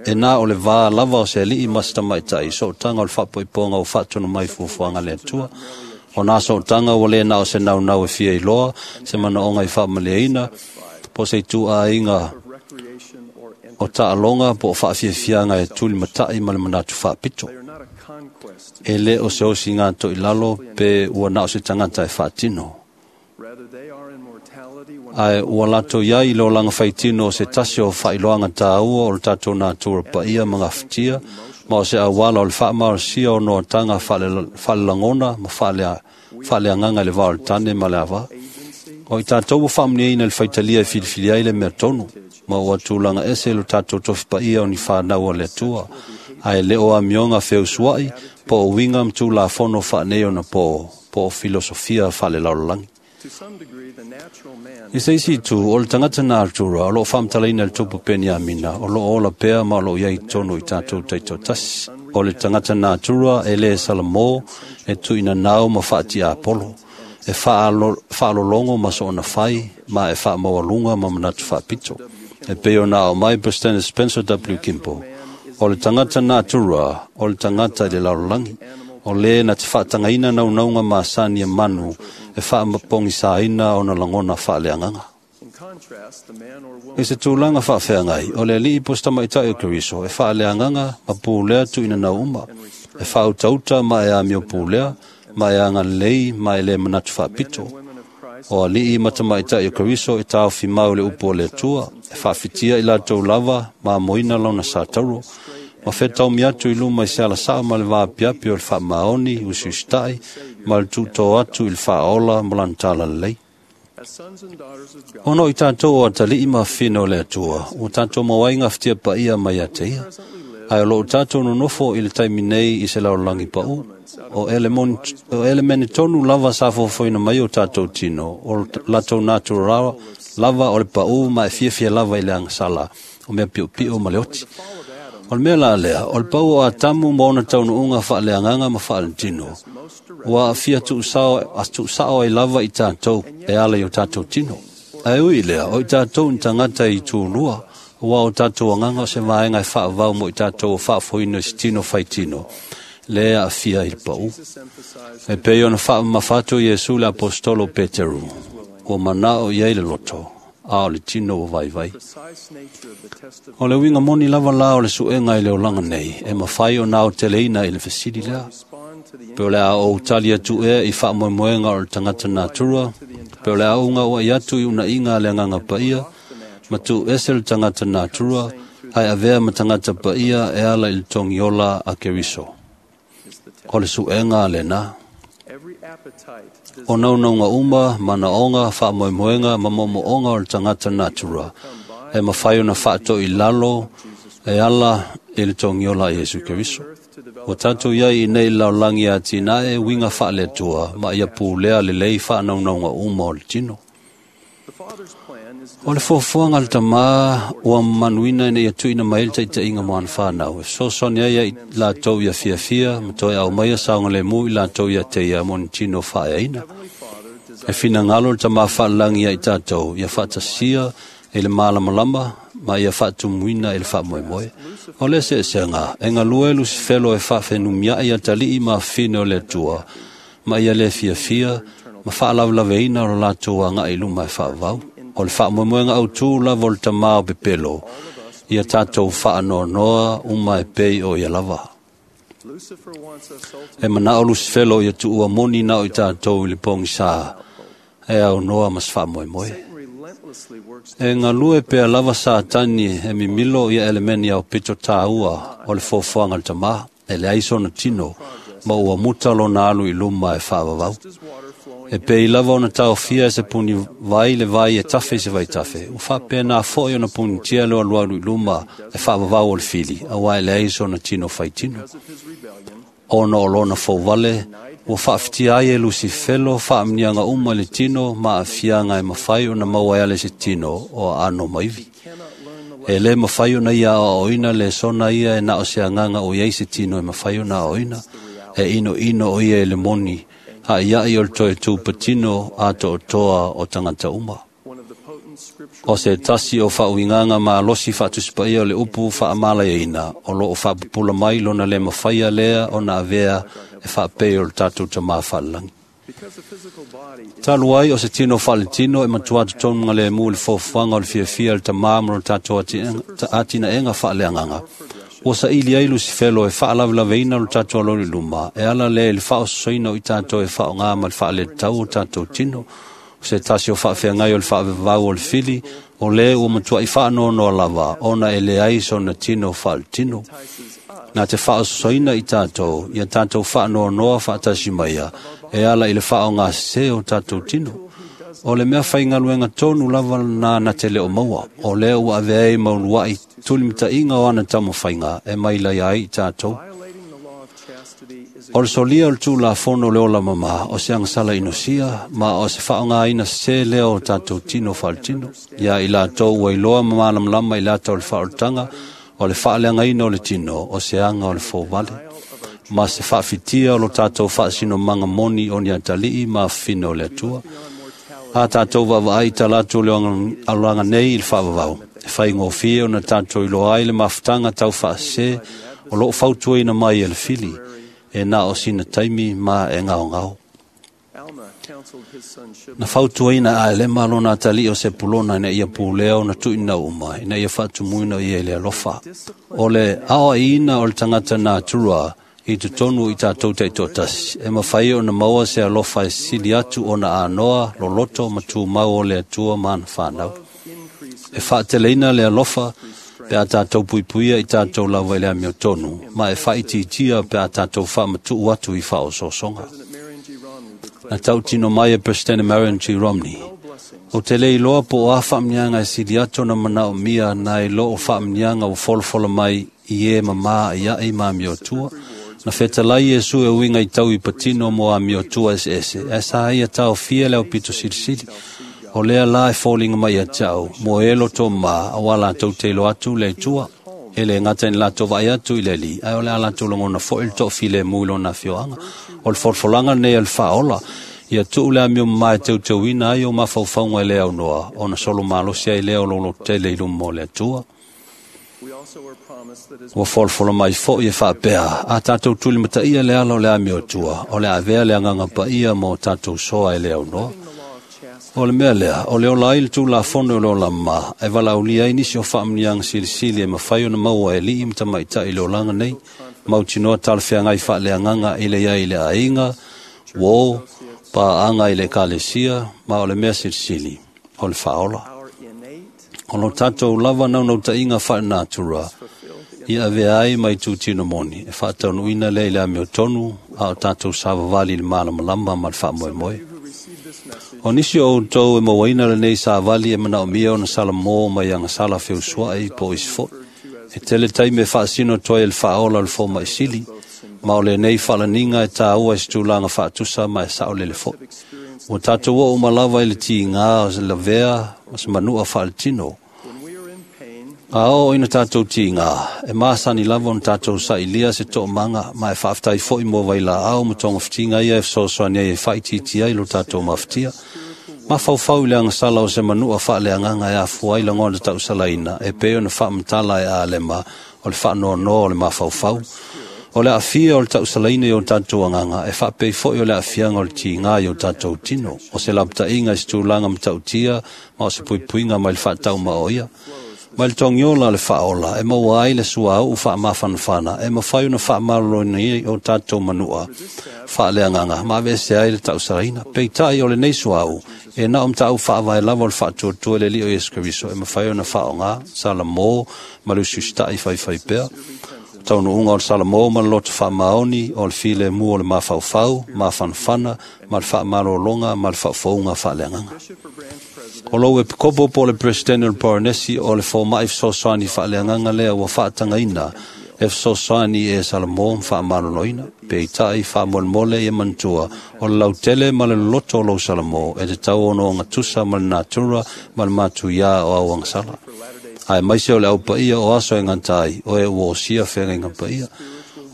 e nā o le vā lava o se alii ma se tamaitai, sootanga o le whaapoiponga o whaatonu mai fuafuaga le atua, o nā sootanga ua le nā o se naunau e fia i loa, se manaonga i whaamaleina, po se i tū a inga o taaloga po o faafiafiaga e tuli mataʻi ma le manatu faapito. E lē o se osi gato i lalo pe ua na o se tagata e faatino. Ae ua latou iai i le olaga faitino o se tasi o faailoaga tāua o le tatou natura paia ma gafatia, ma o se auala o le faamalosia o noataga faalelagona ma faaleagaga i le vao o le tane ma le avā. O i tātou ua faamanuiaina i le faitalia e filifili ai le mea tonu, ma ua tulaga ese lo tātou tofi paia o ni whanau o le Atua. Ae le o amioga feusuai, po o winga ma tulafono faanei ona po, po o filosofia faale laolagi. I se isi itu, o le tagata natura o loo faamatalaina le tupu Peniamina, o loo ola pea ma o loo iai tonu i tatou taitoatasi. O le tagata natura e lē salamō, e tuuinanao ma faatiapolo, e faalologo ma soona fai, ma e faamaualuga ma manatu faapito. E pei ona ao mai President Spencer W. Kimball, o le tagata natura, o le tagata i le lalolagi, o lē na te faatagaina naunauga masani e manu e faamapogisaina ona lagona faaleagaga. I se tulaga faafeagai, o le alii po se tamaitai o Keriso e faaleagaga ma pulea tuuinanau uma, e faautauta ma e amio pulea, ma e agalelei ma e lē manatu faapito. O alii ma tamaitai o Keriso e taofimau le upu o le Atua, e faafitia i latou lava ma amoina lona satauro, ma fetaomi atu i luma i se alasao ma le vaapiapi o le faamaoni usiusitai ma le tuutō atu i le faaola ma lana talalelei. Ona o i tatou o atalii ma afafine o le Atua, ua tatou maua ai gafatia paia mai ia te ia. Ae o loo tatou nonofo i le taimi nei i se lalolagi paū, o elemene tonu lava sa fofoina mai o tatou tino, o latou natura lava o le paū ma e fiafia lava i le agasala, o mea piopio ma le oti. O le mea la lea, o le pau o Atamu ma ona taunuuga faaleagaga ma faaletino, ua aafia tuusao ai lava i tatou e ala i o tatou tino. Ae ui lea, o i tatou ni tagata i tulua, ua o tatou agaga o se vaega e faavau mo i tatou o faafoina i se tino faitino, le aafia i le paū. E pei ona faamamafa atu Iesu le apostolo Peteru, ua manao i ai le loto, a o le tino ua vaivai. O le uiga moni lava la o le suega i le olaga nei, e mafai ona aoteleina i le fesili lea. Pe o le a ou tali atu ea i faamoemoega o le tagata natura, pe o le a uga uai atu i unaiga a le agaga paia, ma tuuese le tagata natura, ae avea ma tagata paia e ala i le togiola a Keriso. O le suega lena. O naunauga uma, manaoga, faamoemoega ma moomooga o le tagata natura, e mafai ona faatoilalo e ala i le togiola a Iesu Keriso. Ua tatou iai i nei lalolagi atinae uiga faaleatua ma ia pulea lelei faanaunauga uma o le tino. O le foafoaga a le tamā ua manuina ina ia tuuina mai ai le taitaiga mo ana fanau, e fesoasoani ai i latou ia fiafia ma toe aumaia saogalemu i latou ia te ia mo ni tino faaeaina. E finagalo le tamā faalelagi ia i tatou, ia faatasia i le malamalama ma ia faatumuina i le faamoemoe. O le eseesega, e galue Lusifelo e faafenumiai atalii ma afafine o le Atua, ma ia le fiafia ma faalavelaveina o lo latou agai i luma e faavau. O le faamoemoega autū lava o le tamā o pepelo, ia tatou faanoanoa uma e pei o ia lava. E manao Lusifelo ia tuua moni na o i tatou i le pogisā, e aunoa ma se faamoemoe. E galue pea lava Satani e mimilo ia elemeni au pito tāua o le foafoaga le tamā, e leai sona tino, ma ua muta lona alu i luma e faavavau. E pei lava ona taofia e se puni vai le vai e tafe i se vaitafe, ua faapena fo'i ona punitia le alualu i luma e faavavau o le fili, auā e leai sona tino faitino. Ona o lona fouvale, ua faafitia ai e Lusifelo faamniaga uma i le tino ma aafiaga e mafai ona maua ai ale se tino o aano maivi. E lē mafai ona ia aoaoina le sona ia e na o se agaga o iai se tino e mafai ona aoaoina, e inoino o ia i le moni, aiai o le toe tupatino a to'otoa o tagata uma. O se tasi o faauigaga malosi faatusipaia o le upu faamalaiaina, o loo faapupula mai lona lē mafaia lea ona avea e faapei o le tatou tamā faalelagi. Talu ai o se tino faaletino e matua totonu galemu i le foafoaga o le fiafia le tamā ma lo tatou atinaega faaleagaga, ua saili ai Lusifelo e faalavelaveina lo tatou aloli luma, e ala lea i le faaososoina o i tatou e faaaogā ma le faaletatau o tatou tino. O se tasi o faafeagai o le faavavau o le fili, o lē ua matuai faanoanoa lava, ona e leai sona tino faaletino. Na te faaososoina i tatou, ia tatou faanoanoa faatasi maia, e ala i le faaogasesē o tatou tino. O le mea faigaluega tonu lava lena na te leo maua, o lea ua avea ai mauluai tulimataiga o ana taumafaiga e mailai ai i tatou. O le solia o le tulafono o le ola mamā, o se agasala inosia, ma o se faaaogaina sesē lea o tatou tino faaletino. Ia i latou ua iloa ma malamalama i lata o le faaolataga, o le faaleagaina o le tino, o se aga o le fouvale, ma se faafitia o lo tatou faasinomaga moni o ni atalii ma afafine o le Atua. A tatou vaavaai i talatu o le olaga nei i le faavavau, e faigofie ona tatou iloa ai le mafutaga taufaasese o loo fautuaina mai e le fili, e na o sina taimi ma e gaogao. Na fautuaina a Alema lona atalii o Sepulona ina ia pulea ona tuuina uma, ina ia faatumuina ia i le alofa. O le aoaiina o le tagata natura i totonu i tatou taitoatasi, e mafai ona maua se alofa e sili atu ona anoa, loloto ma tumau o le Atua ma ana fanau. E faateleina le alofa pe a tatou puipuia i tatou lava i le amiotonu, ma e faaitiitia pe a tatou faamatuu atu i faaosoosoga. Na tautino mai e President Marion G. Romney, o te le iloa po o a faamniaga e sili atu ona manaomia nai loo faamniaga ua folafola mai i e mamā ia'i ma amiotua. Na fetalai Iesu e uiga i tau i patino mo amiotua eseese, ae sa ia taofia le aupito silisili. O lea la e foliga mai ia te au, mo e loto mā, auā latou te iloa atu le Atua. E le gata ina latou vaai atu i le Alii, ae o le a latou lagona foi le toafilemu i lona afioaga. O le folafolaga lenei a le faaola, ia tuu le amio mamā e teuteuina ai o mafaufauga e le aunoa, ona solo malosi ai lea o lou lototele i luma o le Atua. Ua folafola mai foi e faapea, a tatou tulimataia le ala o le amiotua, o le avea le agaga paia mo tatou soa e le aunoa. O le mea lea, o le ola ai le tulafono o le ola mamā, e valaaulia ai nisi o faamanuiaga silisili e mafai ona maua e alii ma tamaitai i le olaga nei, mautinoa talafeagai faaleagaga i le iai i le aiga, uō, paaaga i le ekalesia, ma o le mea silisili, o le faaola. O lo tatou lava naunautaiga faalenatura, ia avea ai mai tutino moni, e faataunuuina lea i le amiotonu, a o tatou savavali i le malamalama ma le faamoemoe. O nisi o outou e mauaina lenei savali e manaomia ona salamō mai agasala feusua'i po o isi fo'i. E tele taimi e faasino atu ai e le faaola o le fomaisili, ma o lenei faalaniga e tāua i se tulaga faatusa ma e saolele fo'i. Ua tatou oo uma lava i le tigā o se lavea ma se manua faaletino. A oo ina tatou tigā, e masani lava ona tatou sailia se toomaga ma e faafetai fo'i mo vailaau ma togafitiga ia e fesoasoani ai e faaitiitia ai lo tatou mafatia. Mafaufau i le agasala o se manua faaleagaga e afua ai lagona tausalaina e pei ona faamatala e Alema o le faanoanoa o le mafaufau. O le aafia o le tausalaina i o tatou agaga e faapei fo'i o le aafiaga o le tigā i o tatou tino, o se lapataiga i se tulaga matautia ma o se puipuiga mai le faataumao ia. Mai le togiola le faaola e maua ai le suauu faamafanafana e mafai ona faamaloloina ai o tatou manua faaleagaga ma aveese ai le tausalaina. Peitai o lenei suauu e na o matau faavae lava o le faatuatua i le Alii o Iesu Keriso e mafai ona faaaogā salamō ma le usiusita'i faifai pea. Taunuuga o le salamō ma le loto faamaoni o le filemu o le mafaufau, mafanafana ma le faamalologa ma le faafouga faaleagaga. O lou epikopo po o le President o le Poronesi o le foma'i fesoasoani faaleagaga lea ua faatagaina e fesoasoani e salamō ma faamaloloina. Peitai faamolemole ia manatua o le lautele ma le loloto o lou salamō e tatau ona ogatusa ma le natura ma le matuiā o au agasala. Ae maise o le aupaia o aso e gata ai, o e ua osia feagaiga paia.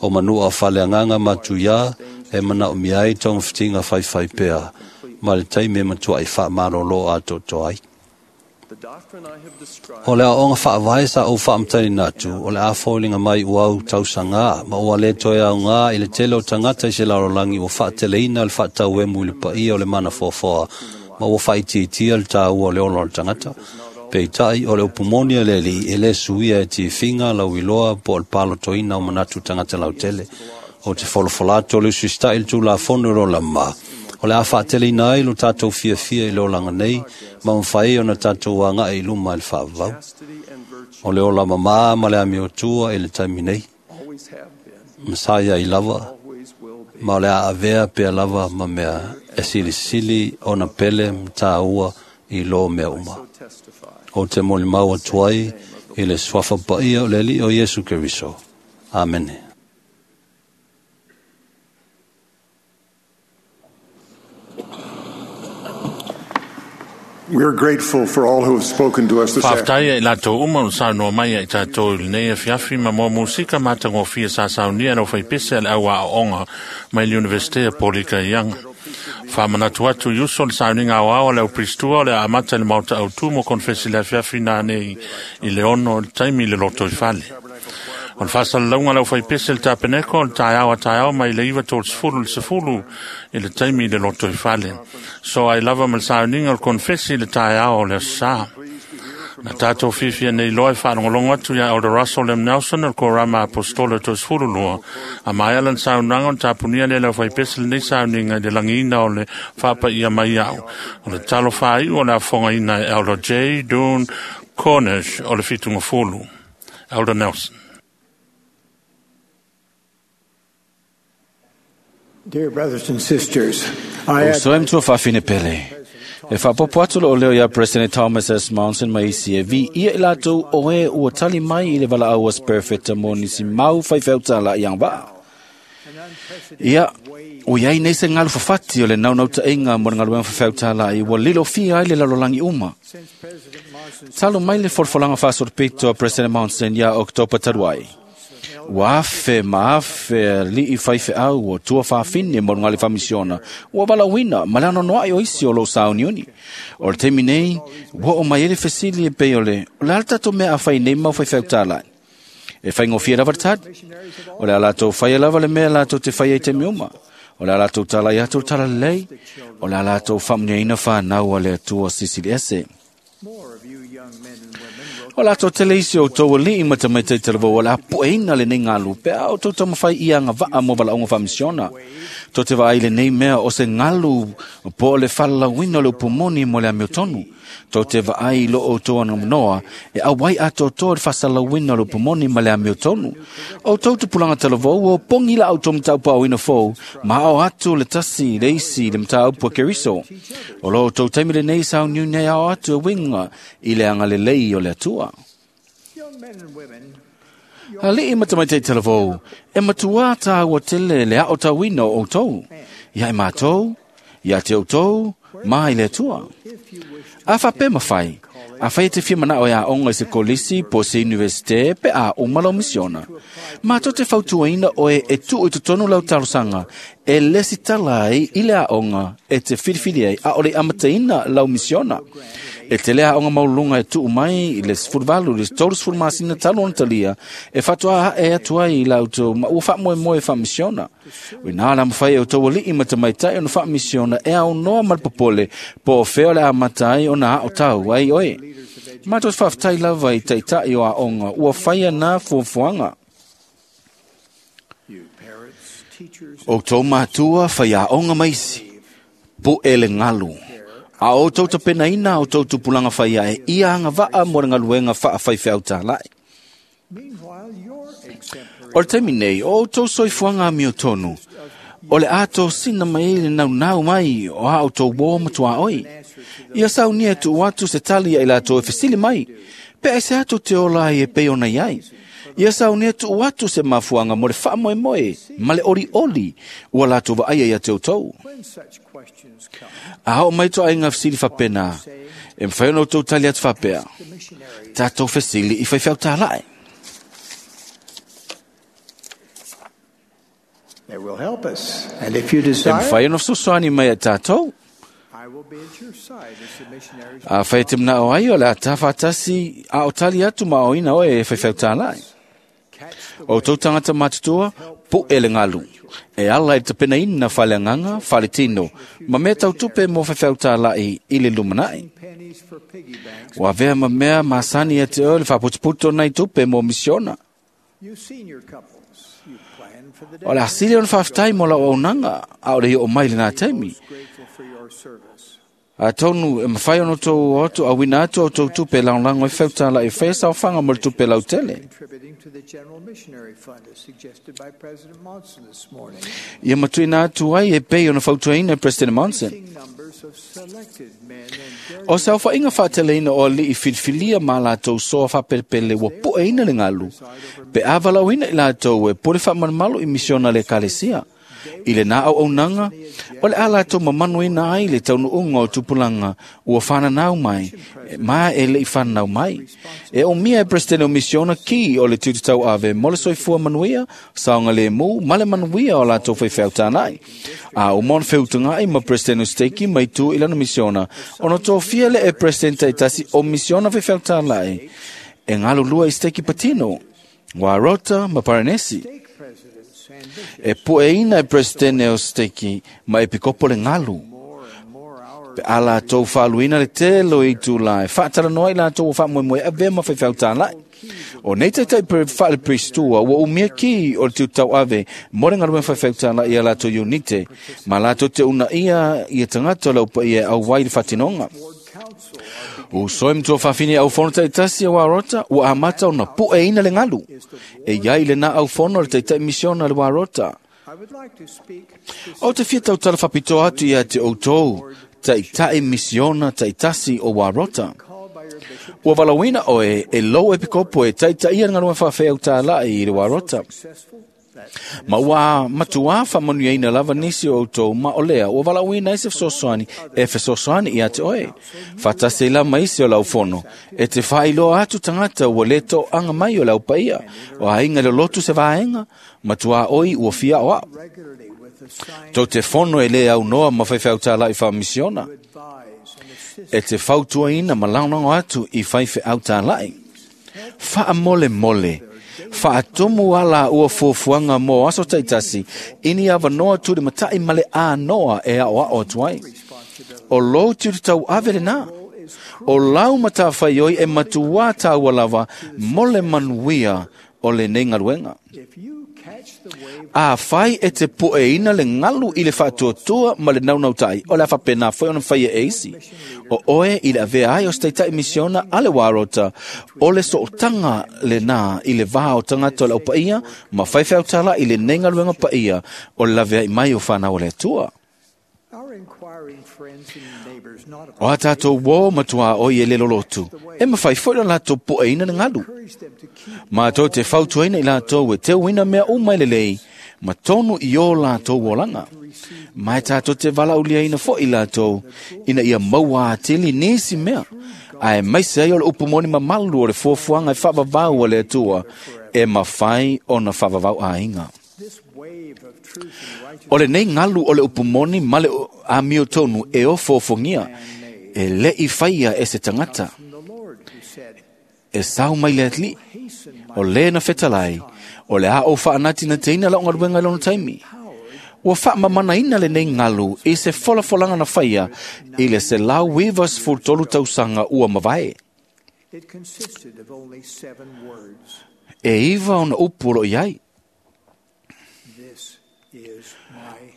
O manua faaleagaga matuiā e manaomia ai togafitiga faifai pea ma le taimi e matua'i faamalolo atoatoa ai. O le aoaoga faavae sa ou faamatalaina atu, o le a foliga mai ua au tausagā ma ua le toe aogā i le tele o tagata i se lalolagi ua faateleina le faatauemu i le paia o le manafoafoa ma ua faaitiitia le tāua o le ola o le tagata. Peitai o le upu moni a le Alii e le suia e tifiga lauiloa po o le palotoina o manatu tagata lautele. O te folafola atu o le usiusita'i i le tulafono o le ola mamā, o le a faateleina ai lo tatou fiafia i le olaga nei ma mafai ona tatou aga'i i luma i le faavavau. O le ola mamā ma le amiotua i le taimi nei, ma sa iai lava, ma o le a avea pea lava ma mea e silisili ona pele ma tāua i lō mea uma. O te molimau atu ai i le suafa paia o le Alii o Iesu Keriso. Amene. We are grateful for all who have spoken to us this Faafetai ai latou uma o saunoa mai ai tatou i lenei afiafi ma moa musika matagofie sa saunia lau faipese a le au aoaoga mai le Universite a Polika Ianga. Faamanatu atu i uso le sauniga aoao a le aupristua o le amata i le maota autu mo konfesi le afiafi nanei i le ono le taimi i le loto i fale. O le faasalalauga lau faipese le tapeneko o le taeao a taeao mai le iva tolusefulu le sefulu i le taimi i le loto i fale. So ai lava ma le sauniga o le konfesi i le taeao o le aso sa. Na tātou fiafia nei loa e faalogologo atu iā Elder Russell M. Nelson o le Korama Apostola toesefulu lua. A maea lana saunoaga ona tapunia lea le aufaipese lenei sauniga i le lagiina o le faapaia mai au. O le talo faaiu o le afofogaina e Elder J. Doon Cornish o le Fitugafulu. Elder Nelson. Dear brothers and sisters, I O soe mtua faafine pele. E faapopo atu loo leo ia President Thomas S. Monson ma isi e vi ia i latou o e ua tali mai i le valaau a Perefeta mo nisi mau faifeau i agavaa. Ia, o iai nei se galu fafati o le naunautaiga mo le galuega faifeau ua lilofia ai le lalolagi uma. Talu mai le folafolaga faasolopito a President Monson ia Oketopa talu ai. Ua afe ma afe ali'i faifeau o tua faafine mo luga le faamisiona ua valaauina ma le anoanoa'i o isi o lou sauniuni. O le taimi nei ua oo mai ai le fesili e pei o le o le a le tatou mea a fai nei mau faifeau tāla'i. E faigofie lava le tali. O le a latou faia lava le mea latou te faia i taimi uma. O le a latou talai atu le talalelei. O le a latou faamuniaina fanau a le Atua Silisili Ese. O latou tele isi o outou ali'i ma tamaitai talavou o le a pueina lenei galu pe a outou taumafai ia agavaa mo valaauga faamisiona. Tou te vaai lenei mea o se galu po o le falalauina o le upumoni mo le amiotonu. Tou te vaai i lo outou anamanoa e auai atoatoa le faasalalauina o le upumoni ma le amiotonu. O outou tupulaga talavou ua opogi la outou mataupu fou ma ao atu le tasi le isi le mataupu a Keriso. O lo outou taimi lenei sauniuni ai ao atu e uiga i le agalelei o le Atua. Ali'i ma tamaitai talavou, e matuā tāua tele le ao tauina o outou. Ia e mātou, ia te outou, ma i le Atua. A faapea mafai, a fai e te fia manao e aoga i se kolisi po se universite pe a uma lau misiona. Mātou te fautuaina oe e tuu i totonu lau talosaga e lesi tala ai i le aoga e te filifili ai a o le amataina lau misiona. E te lea aoga maulunga e tuu mai i le sefuluvalu i le tolusefulu masina talu ona talia e faatoa ae atu ai i lautou ma ua faamoemoe faamisiona. O ina la mafai e outou ali'i ma tamaitai ona faamisiona e aunoa ma le popole po o fea o le amata ai ona ao tau ai oe. Mātou te faafetai lava i taitai o aoga ua faia nā fuafuaga. O outou matua whai aoga maisi, pu'e le galu. A o outou tapenaina o outou tupulaga faia e ia agavaa mo le galuega faafaifeau tāla'i. O le taimi nei, o outou soifuaga amiotonu, o le atosina mai ai le naunau mai o a outou uō ma tuaoi. Ia saunia e tuu atu se tali ai latou e fesili mai, pe ai se atu te ola ai e pei ona iai. Ia saunia tuu atu se mafuaga mo le faamoemoe ma le olioli ua latou vaaia ia te outou. A oo mai toaiga fesili faapena, e mafai ona outou tali atu faapea, tatou fesili i faifeau tāla'i. They will help us. And if you E desire, mafai ona fesoasoani mai a tatou. I will be at your side as the missionaries. A fai te manao ai o le ata faatasi a o tali atu ma oina oe e faifeau tāla'i. O tou tangata matutua, pu'e le galu. E ala i le tapenaina faleagaga, faletino, ma mea tautupe mo faifeau tāla'i i le lumanai. Pennies for piggy banks. Ua avea ma mea masani ia te oe le faaputuputu o nai tupe mo misiona. You senior couples, you plan for the day. O le asili ona faafetai mo lau auaunaga, a o le i oo mai lenā taimi. Grateful for your service. Atonu e mafai ona outou o atu auina atu a outou tupe e lagolago ai faifeau e faia saofaga mo le tupe lautele. Contributing to the General Missionary Fund as suggested by President Monson this morning. Ia matuina atu ai e pei ona fautuaina e President Monson. Numbers of selected men and O se aofaiga faateleina o ali'i filifilia ma latou soa faapelepele ua pu'eina le galu, pe a valaauina i latou e pule faamalumalu i misiona a le Ekalesia. I le nā au aunaga, o le a latou mamanuina ai le taunuuga o tupulaga ua fananau mai, ma e le'i fananau mai. E umia e Peresetene o Misiona ki o le tiute tauave mo le soifua manuia, saogalemu ma le manuia o latou faifeau tānai. A uma ona feutaga'i ma Peresetene o Steki ma itu i lana misiona, ona tofia lea e Peresetene ta'itasi o misiona faifeau tāla'i e galulua i steki patino, Warota ma Paranesi. E pueina e Peresetene o Steki ma Epikopo le galu. Pe a latou faaluina le tele o itulā e faatalanoa ai latou ua faamoemoe e avea ma faifeau tāla'i. O nei taitai faale-peristua ua umia ki o le tiute tauave mo le galuega faifeau tāla'i ia latou iunite ma latou te uunaia ia tagata o le aupaia e auai i le faatinoga. Uso e matua faafine aufono ta'itasi a Warota ua amata ona pu'eina le galu. E iai lenā aufono le taita'i misiona le Warota. Ou te fia tautala faapitoa atu ia te outou, ta'ita'i misiona ta'itasi o Warota. Ua valaauina oe e lou epikopo e ta'ita'ia le galuega faafeau tāla'i i le Warota. Ma ua matuā faamanuiaina lava nisi o outou ma o lea ua valaauina ai se fesoasoani e fesoasoani ia te oe. Faatasi ai la ma isi o le aufono, e te faailoa atu tagata ua lē to'aga mai o le aupaia, o aiga i le lotu se vaega, matuā oi ua fia aoa'o. Tou te fono e lē aunoa ma faifeau tāla'i faamisiona. E te fautuaina ma lagolago atu i faifeau tāla'i. Faamolemole, faatumu ala ua fuafuaga mo aso ta'itasi i ni avanoa tulimata'i ma le anoa e a'oa'o atu ai. O lou tiute tauave lenā. O lau matafaioi e matuā tāua lava mo le manuia o lenei galuega. Afai e te pu'eina le galu i le faatuatua ma le naunauta'i, o le a faapenā foi ona faia e isi. O oe i le avea ai o se taita'i misiona a le Warota, o le sootaga lenā i le vā o tagata o le aupaia ma faifeau tāla'i i lenei galuega paia o le lavea'i mai o fanau a le Atua. O a tātou uō matuā oi e le lolotu, e mafai foi ona latou pu'eina le galu. Matou te fautuaina i latou e teuina mea uma e lelei, ma tonu i ō latou olaga. Ma e tātou te valaauliaina foi i latou, ina ia maua atili nisi mea, aemaise ai o le upu moni mamalu o le fuafuaga e faavavau a le Atua, e mafai ona faavavau aiga. O lenei galu o le upu moni ma le amiotonu e ofoofogia, e le'i faia e se tagata. E sau mai le Alii, o lē na fetalai, o le a ou faanatinateina la'u galuega i lona taimi. Ua faamamanaina lenei galu i se folafolaga na faia i le selau iva sefulu tolu tausaga ua mavae. E iva ona upu o lo'o i ai.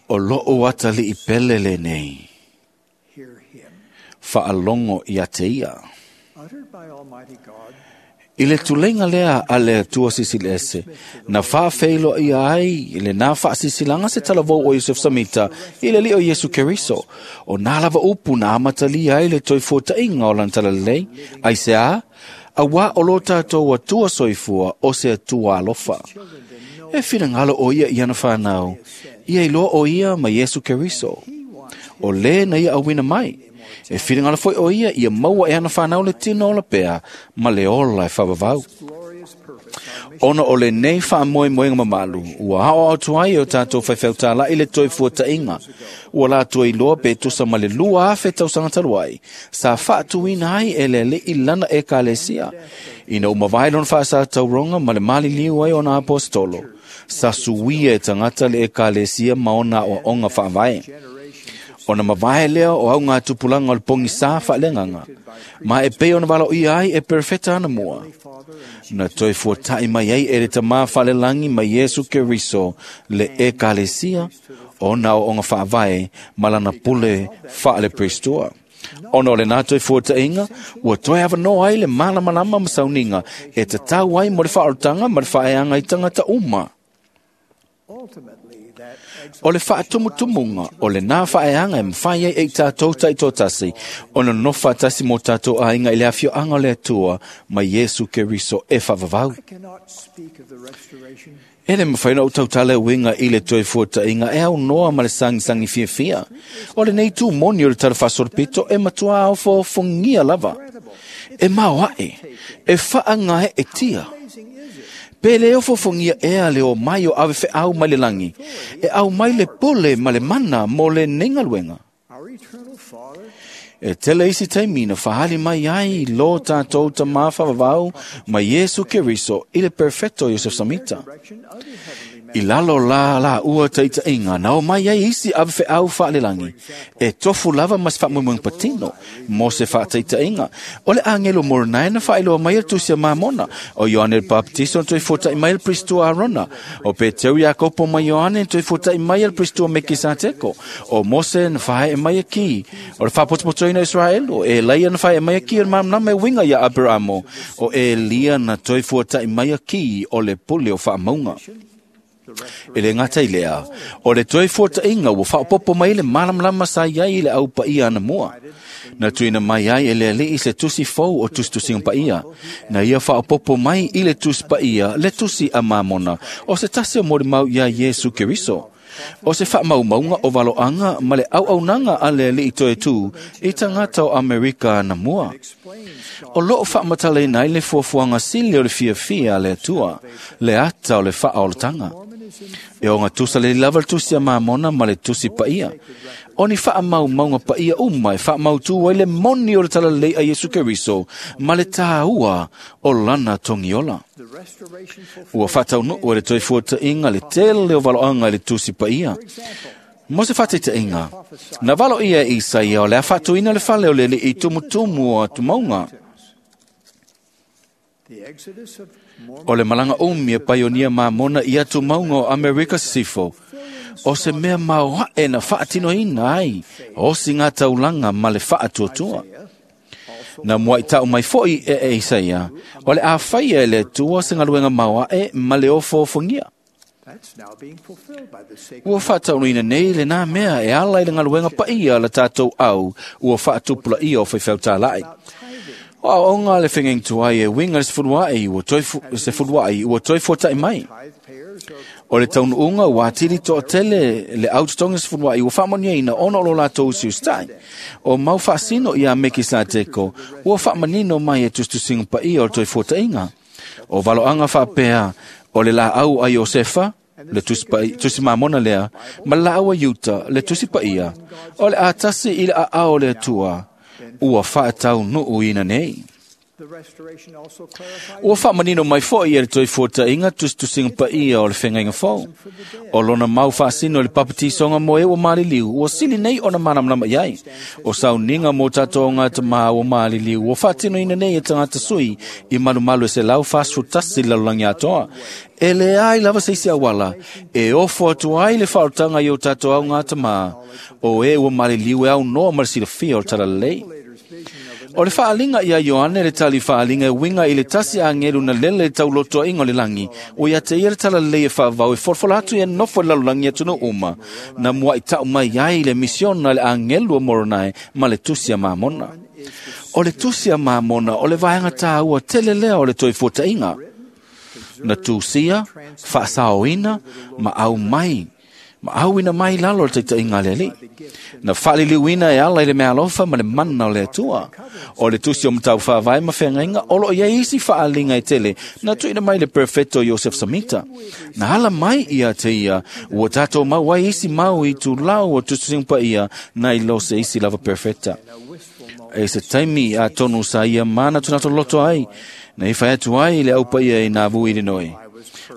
O lo'o atalii pele lenei. Faalogo ia te ia. I le tuleiga lea a le Atua Silisili Ese, na faafeiloaia ai lenā faasisilaga se talavou o Iosefu Samita i le Alii o Iesu Keriso. O nā lava upu na amatalia ai le toe fuata'iga o lana talalelei, aiseā, auā o lo tatou Atua soifua o se Atua alofa. E finagalo o ia i ana whanau, ia iloa o ia ma Iesu Keriso. O lē na ia auina mai, e finagalo foi o ia ia maua e ana whanau le tino ola pea ma le ola e faavavau. Ona o lenei faamoemoega mamalu, ua aoao atu ai e o tatou faifeau tāla'i le toe fuata'iga. Ua latou iloa pe tusa ma le lua afe tausaga talu ai, sa faatuina ai e le Alii lana ekalesia. Ina ua mavae lona faasatauroga ma le maliliu ai ona aposetolo, sa suia e tagata le ekalesia ma ona aoaoga faavae. Ona mavae lea o augatupulaga o le pogisā faaleagaga, ma e pei ona valaauia ai e perofeta anamua. Na toe fuata'i mai ai e le Tamā faalelagi ma Iesu Keriso le ekalesia, ona aoaoga faavae ma lana pule faaleperistua. Ona o lenā toe fuata'iga, ua toe avanoa ai le malamalama ma sauniga e tatau ai mo le faaolotaga ma le faaeaga i tagata uma. O le whaatumutumuga o le nā whaeanga e mwhai ai e tātou taitotasi o na nofa tasi mō tātou ainga i le awhioanga o le Atua mai Yesu Keriso e whavavau. E le mwhai na utautale winga i le toi fuatainga e au noa ma le sangi sangi fia fia. O le nei tū moni o le tara whasorpito e matua au fōfungia lava. E maoae, e whaangae e tia. Pe le ofofongia ea le o mai o ave wheau mai le langi, e au mai le pole ma le mana mo le nengaluenga. E tele isi taimi na whahali mai ai lo tātou ta mawhawawau mai Yesu Keriso i le perfecto Yosef Samita. I lalo la la ua taita inga na o mai ai isi ave wheau whaalelangi. E tofu lava mas whamuimung patino mo se whaataita inga. O le angelo Mornai na whaeloa mai el tusia mamona. O Ioane el Baptisto toi fuata i mai el Pristua Arona. O Peteu Iakopo mai Ioane toi fuata i mai el Pristua Mekisateko. O Mose na whae e mai e ki. O le whapotopotoina Israel. O Elaia na whae e mai e ki o le mamnama e winga ia Abramo. O Elia na toi fuata i mai e ki o le pule o whaamaunga. E le ngata i lea, o le toi fuata inga ua whaopopo mai le malamlama sa iai i le au paia ana mua. Na tuina mai ai e le alii se tusi fou o tusi tusinga paia. Na ia whaopopo mai i le tusi paia, le tusi a mamona, o se tasi o mori mau ia Yesu Keriso. O se whaamaumaunga o valoanga ma le au aunanga a le alii toe tū i tangata o Amerika na mua. O loo whaamatale nei le fuafuanga sili o le fiafia a le atua, le ata o le whaaolotanga. E o ngā tusa le lava le tusi a mamona ma le tusi paia. O ni whaamaumaunga paia uma e whaamautu ai le moni o le talalei a Yesu Keriso ma le tāua o lana tongiola. Ua whataunu o le toi fuata inga le tele o valoanga i le tusi paia. Mo se whateita inga, na valo ia Isaia o le awhatuina le whale o le i tumutumu o atumaunga. O le malanga umi e paionia mamona i atu maunga o Amerika Sisifo. O se mea maoae na whaatinoina ai, o si ngā taulanga ma le whaatuatua. Na mua i tau mai foi e e Isaia, o le awhaia e le tua se ngaluenga maoae ma le ofofongia. Ua whaataunuina nei le nā mea e ala i le ngaluenga paia le tātou au, ua whaatupula ia o whaiwhautālai. O aonga le whengeng tuai e winga se furuai ua toi fu, se furuai ua toi fuatai mai. O le taunuunga ua atili toa tele le autotonga se furuai ua whaamania ina ona o lo lātou usiustai. O mau whaasino ia meki sa teko ua whaamanino mai e tustusinga paia o le toi fuatainga. O valoanga whaapea o le la au a Iosefa, le tusi, pa, tusi mamona lea, ma la au a Yuta, le tusi paia, o le atasi i le a ao le atua, ua whaatau nuu ina nei. Ua whaamanino mai foi e le toi fuatainga tustusinga paia o le whengainga fou. O lona mau whaasino le papatisonga mo e ua maliliu, ua sili nei ona manamlama iai. O sauninga mo tātou ngā tamaa ua maliliu, ua whaatino ina nei e tangata sui i malumalu e se lau whaasutasi lalulangi atoa. E le ai lava seisi awala, e ofo atu ai le whaotanga i o tātou au ngā tamaa, o e ua maliliu e au noa marasilafia o talalei. O le whaalinga ia Ioane le tali whaalinga e winga i le tasi angelu na lele taulotoa ingo le langi. O ia te ia le talalei e whaavau e forfola atu e nofo le lalulangi atu no uma. Na mua i tau mai ai le misiona le angelu o Moronai ma le tusi a mamona. O le tusi a mamona o le vaenga tāua tele lea o le toi fuatainga. Na tusia, whaasaoina, ma au mai. Ma auina mai lalo le taita inga le ali. Na whaliliuina e ala i le mea alofa ma le mana o le atua. O le tusi o matau whaavai ma whengainga, o lo ia isi whaalinga e tele, na tuina mai le perfecto Joseph Samita. Na ala mai ia te ia, ua tātou mau ai isi mau i tū lau o tutusimpa ia, na i lo se isi lava perfecta. E se taimi a tonu sa ia mana tunato loto ai, na i whai atu ai le aupa ia i nā vui le noi.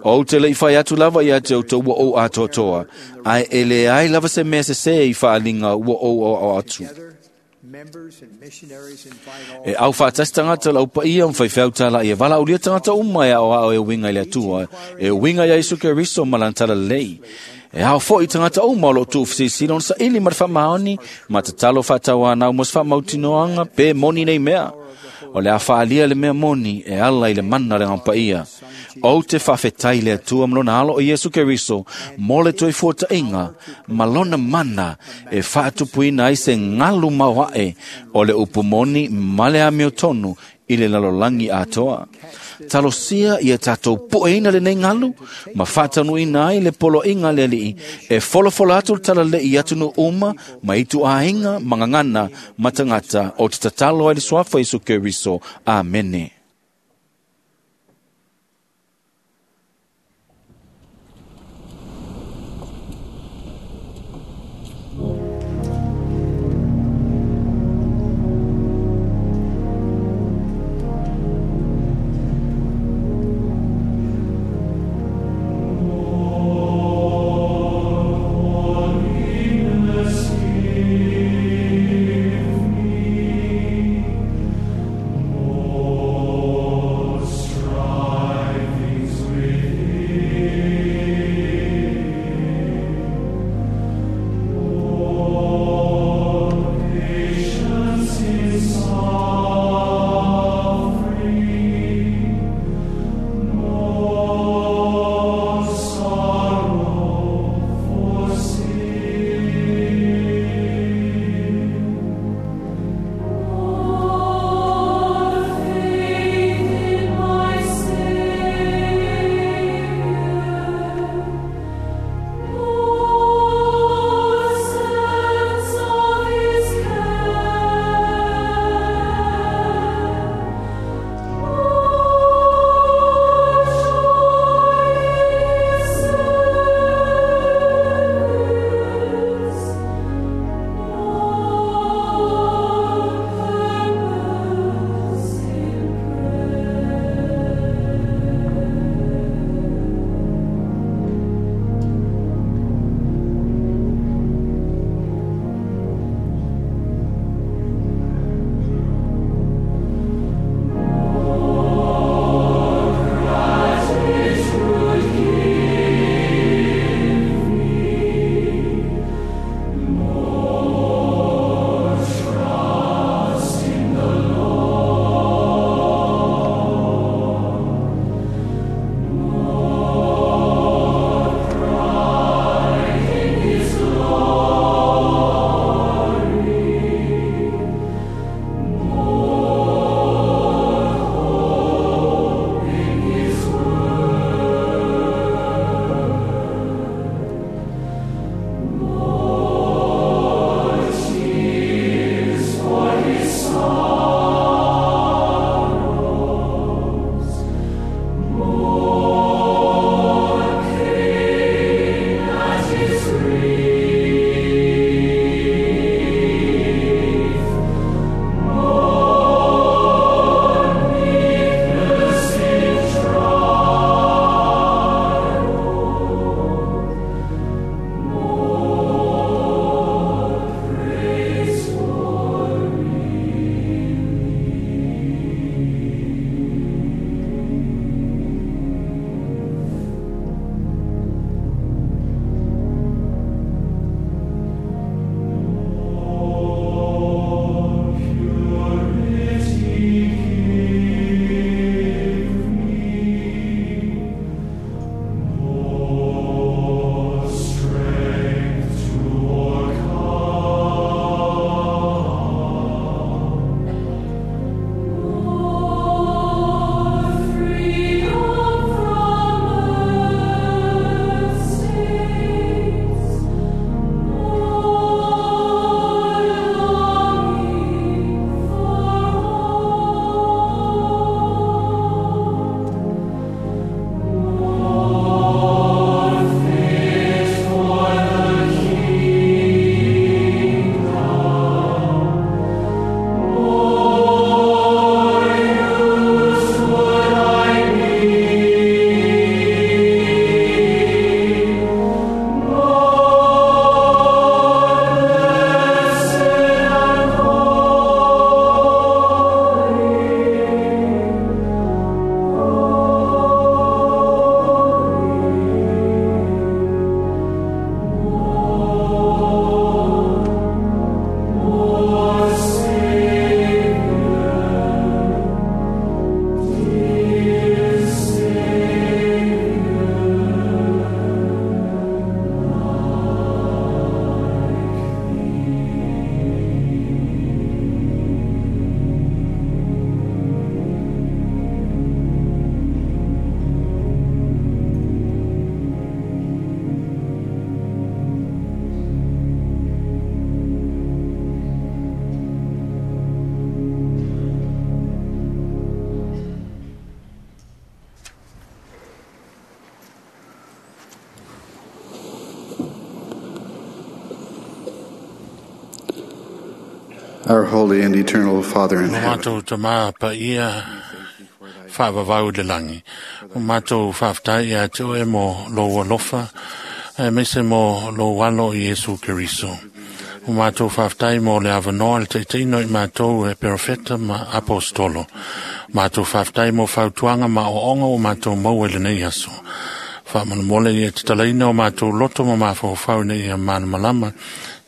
O te le i whai atu lava ia te auto ua o atoatoa, ai e le ai lava se mea se se i whaalinga ua o o o atu. E au whaatasi tangata lau paia mwhai whautala ia wala ulia tangata uma e ao ao e winga i le atua, e winga ia Isu Keriso malantala lei. E hao foi tangata uma o lo tūwhsisilo sa ili marwha maoni, ma te talo whatawa nau mos wha mautinoanga pe moni nei mea. O le a faalia le mea moni e ala i le mana le gapaia. Ou te faafetai le Atua ma lona alo o Iesu Keriso mo le toe fuataʻiga ma lona mana e faatupuina ai se galu maoaʻe o le upu moni ma le amiotonu i le lalolagi atoa. Talosia ia tatou pueina lenei galu ma faataunuuina ai le poloaiga a le Alii e folafola atu le talalei i atunuu uma ma ituaiga ma gagana ma tagata o te tatalo ai le suafa Iesu Keriso. Amene. Give me Our holy and eternal Father in O heaven, mātou tamā pa ia whaavavau i le langi. O mātou whaaftai ia te oe mo lo alofa, e meise mo lo alo i Iesu Keriso. O mātou whaaftai mo le awanoa le teiteino i mātou e perofeta ma apostolo. Mātou whaaftai mo whautuanga ma o onga o mātou mau e lenei aso. Whaamanamole i e te talaina o mātou loto ma mawhawhau nei ia manamalama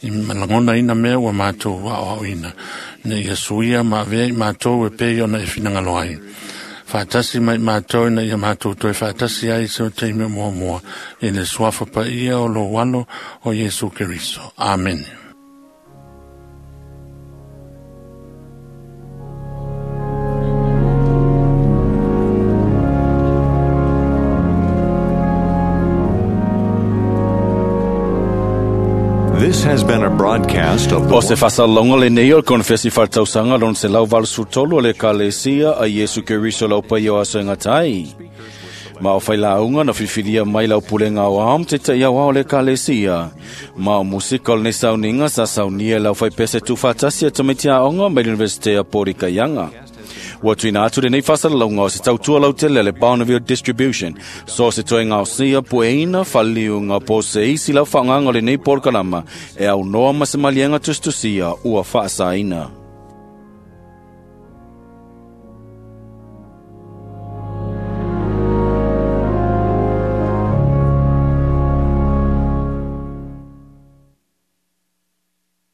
i malangona ina mea ua mātou wa o ina. Ne ia suia ma vea i mātou e pei ona e whinangalo ai. Whaatasi mai mātou na ia mātou toe whaatasi ai se o teime mua mua i le suafa pa ia o lo walo o Iesu Keriso. Amen. This has been a broadcast of the O se fasalonga le nei o le konfesi whaltausanga lon se lau valusutolu o le kalesia a Iesu Keriso lau pai o aso e ngatai. Ma o whailaunga na whiwhiria mai lau pulenga o aom te te iau o le kalesia. Ma o musika o le sauninga sa saunia lau whaipese tūwhatasia tamiti aonga mai le Universite a Porika Ianga. Ua tuina atu lenei faasalasalauga o se tautua lautele a le Bonneville Distribution. So se toe gaosia pueina faliuga po o se isi lau faaaogaga o lenei polokalama e aunoa ma se maliega tusitusia ua faasaina.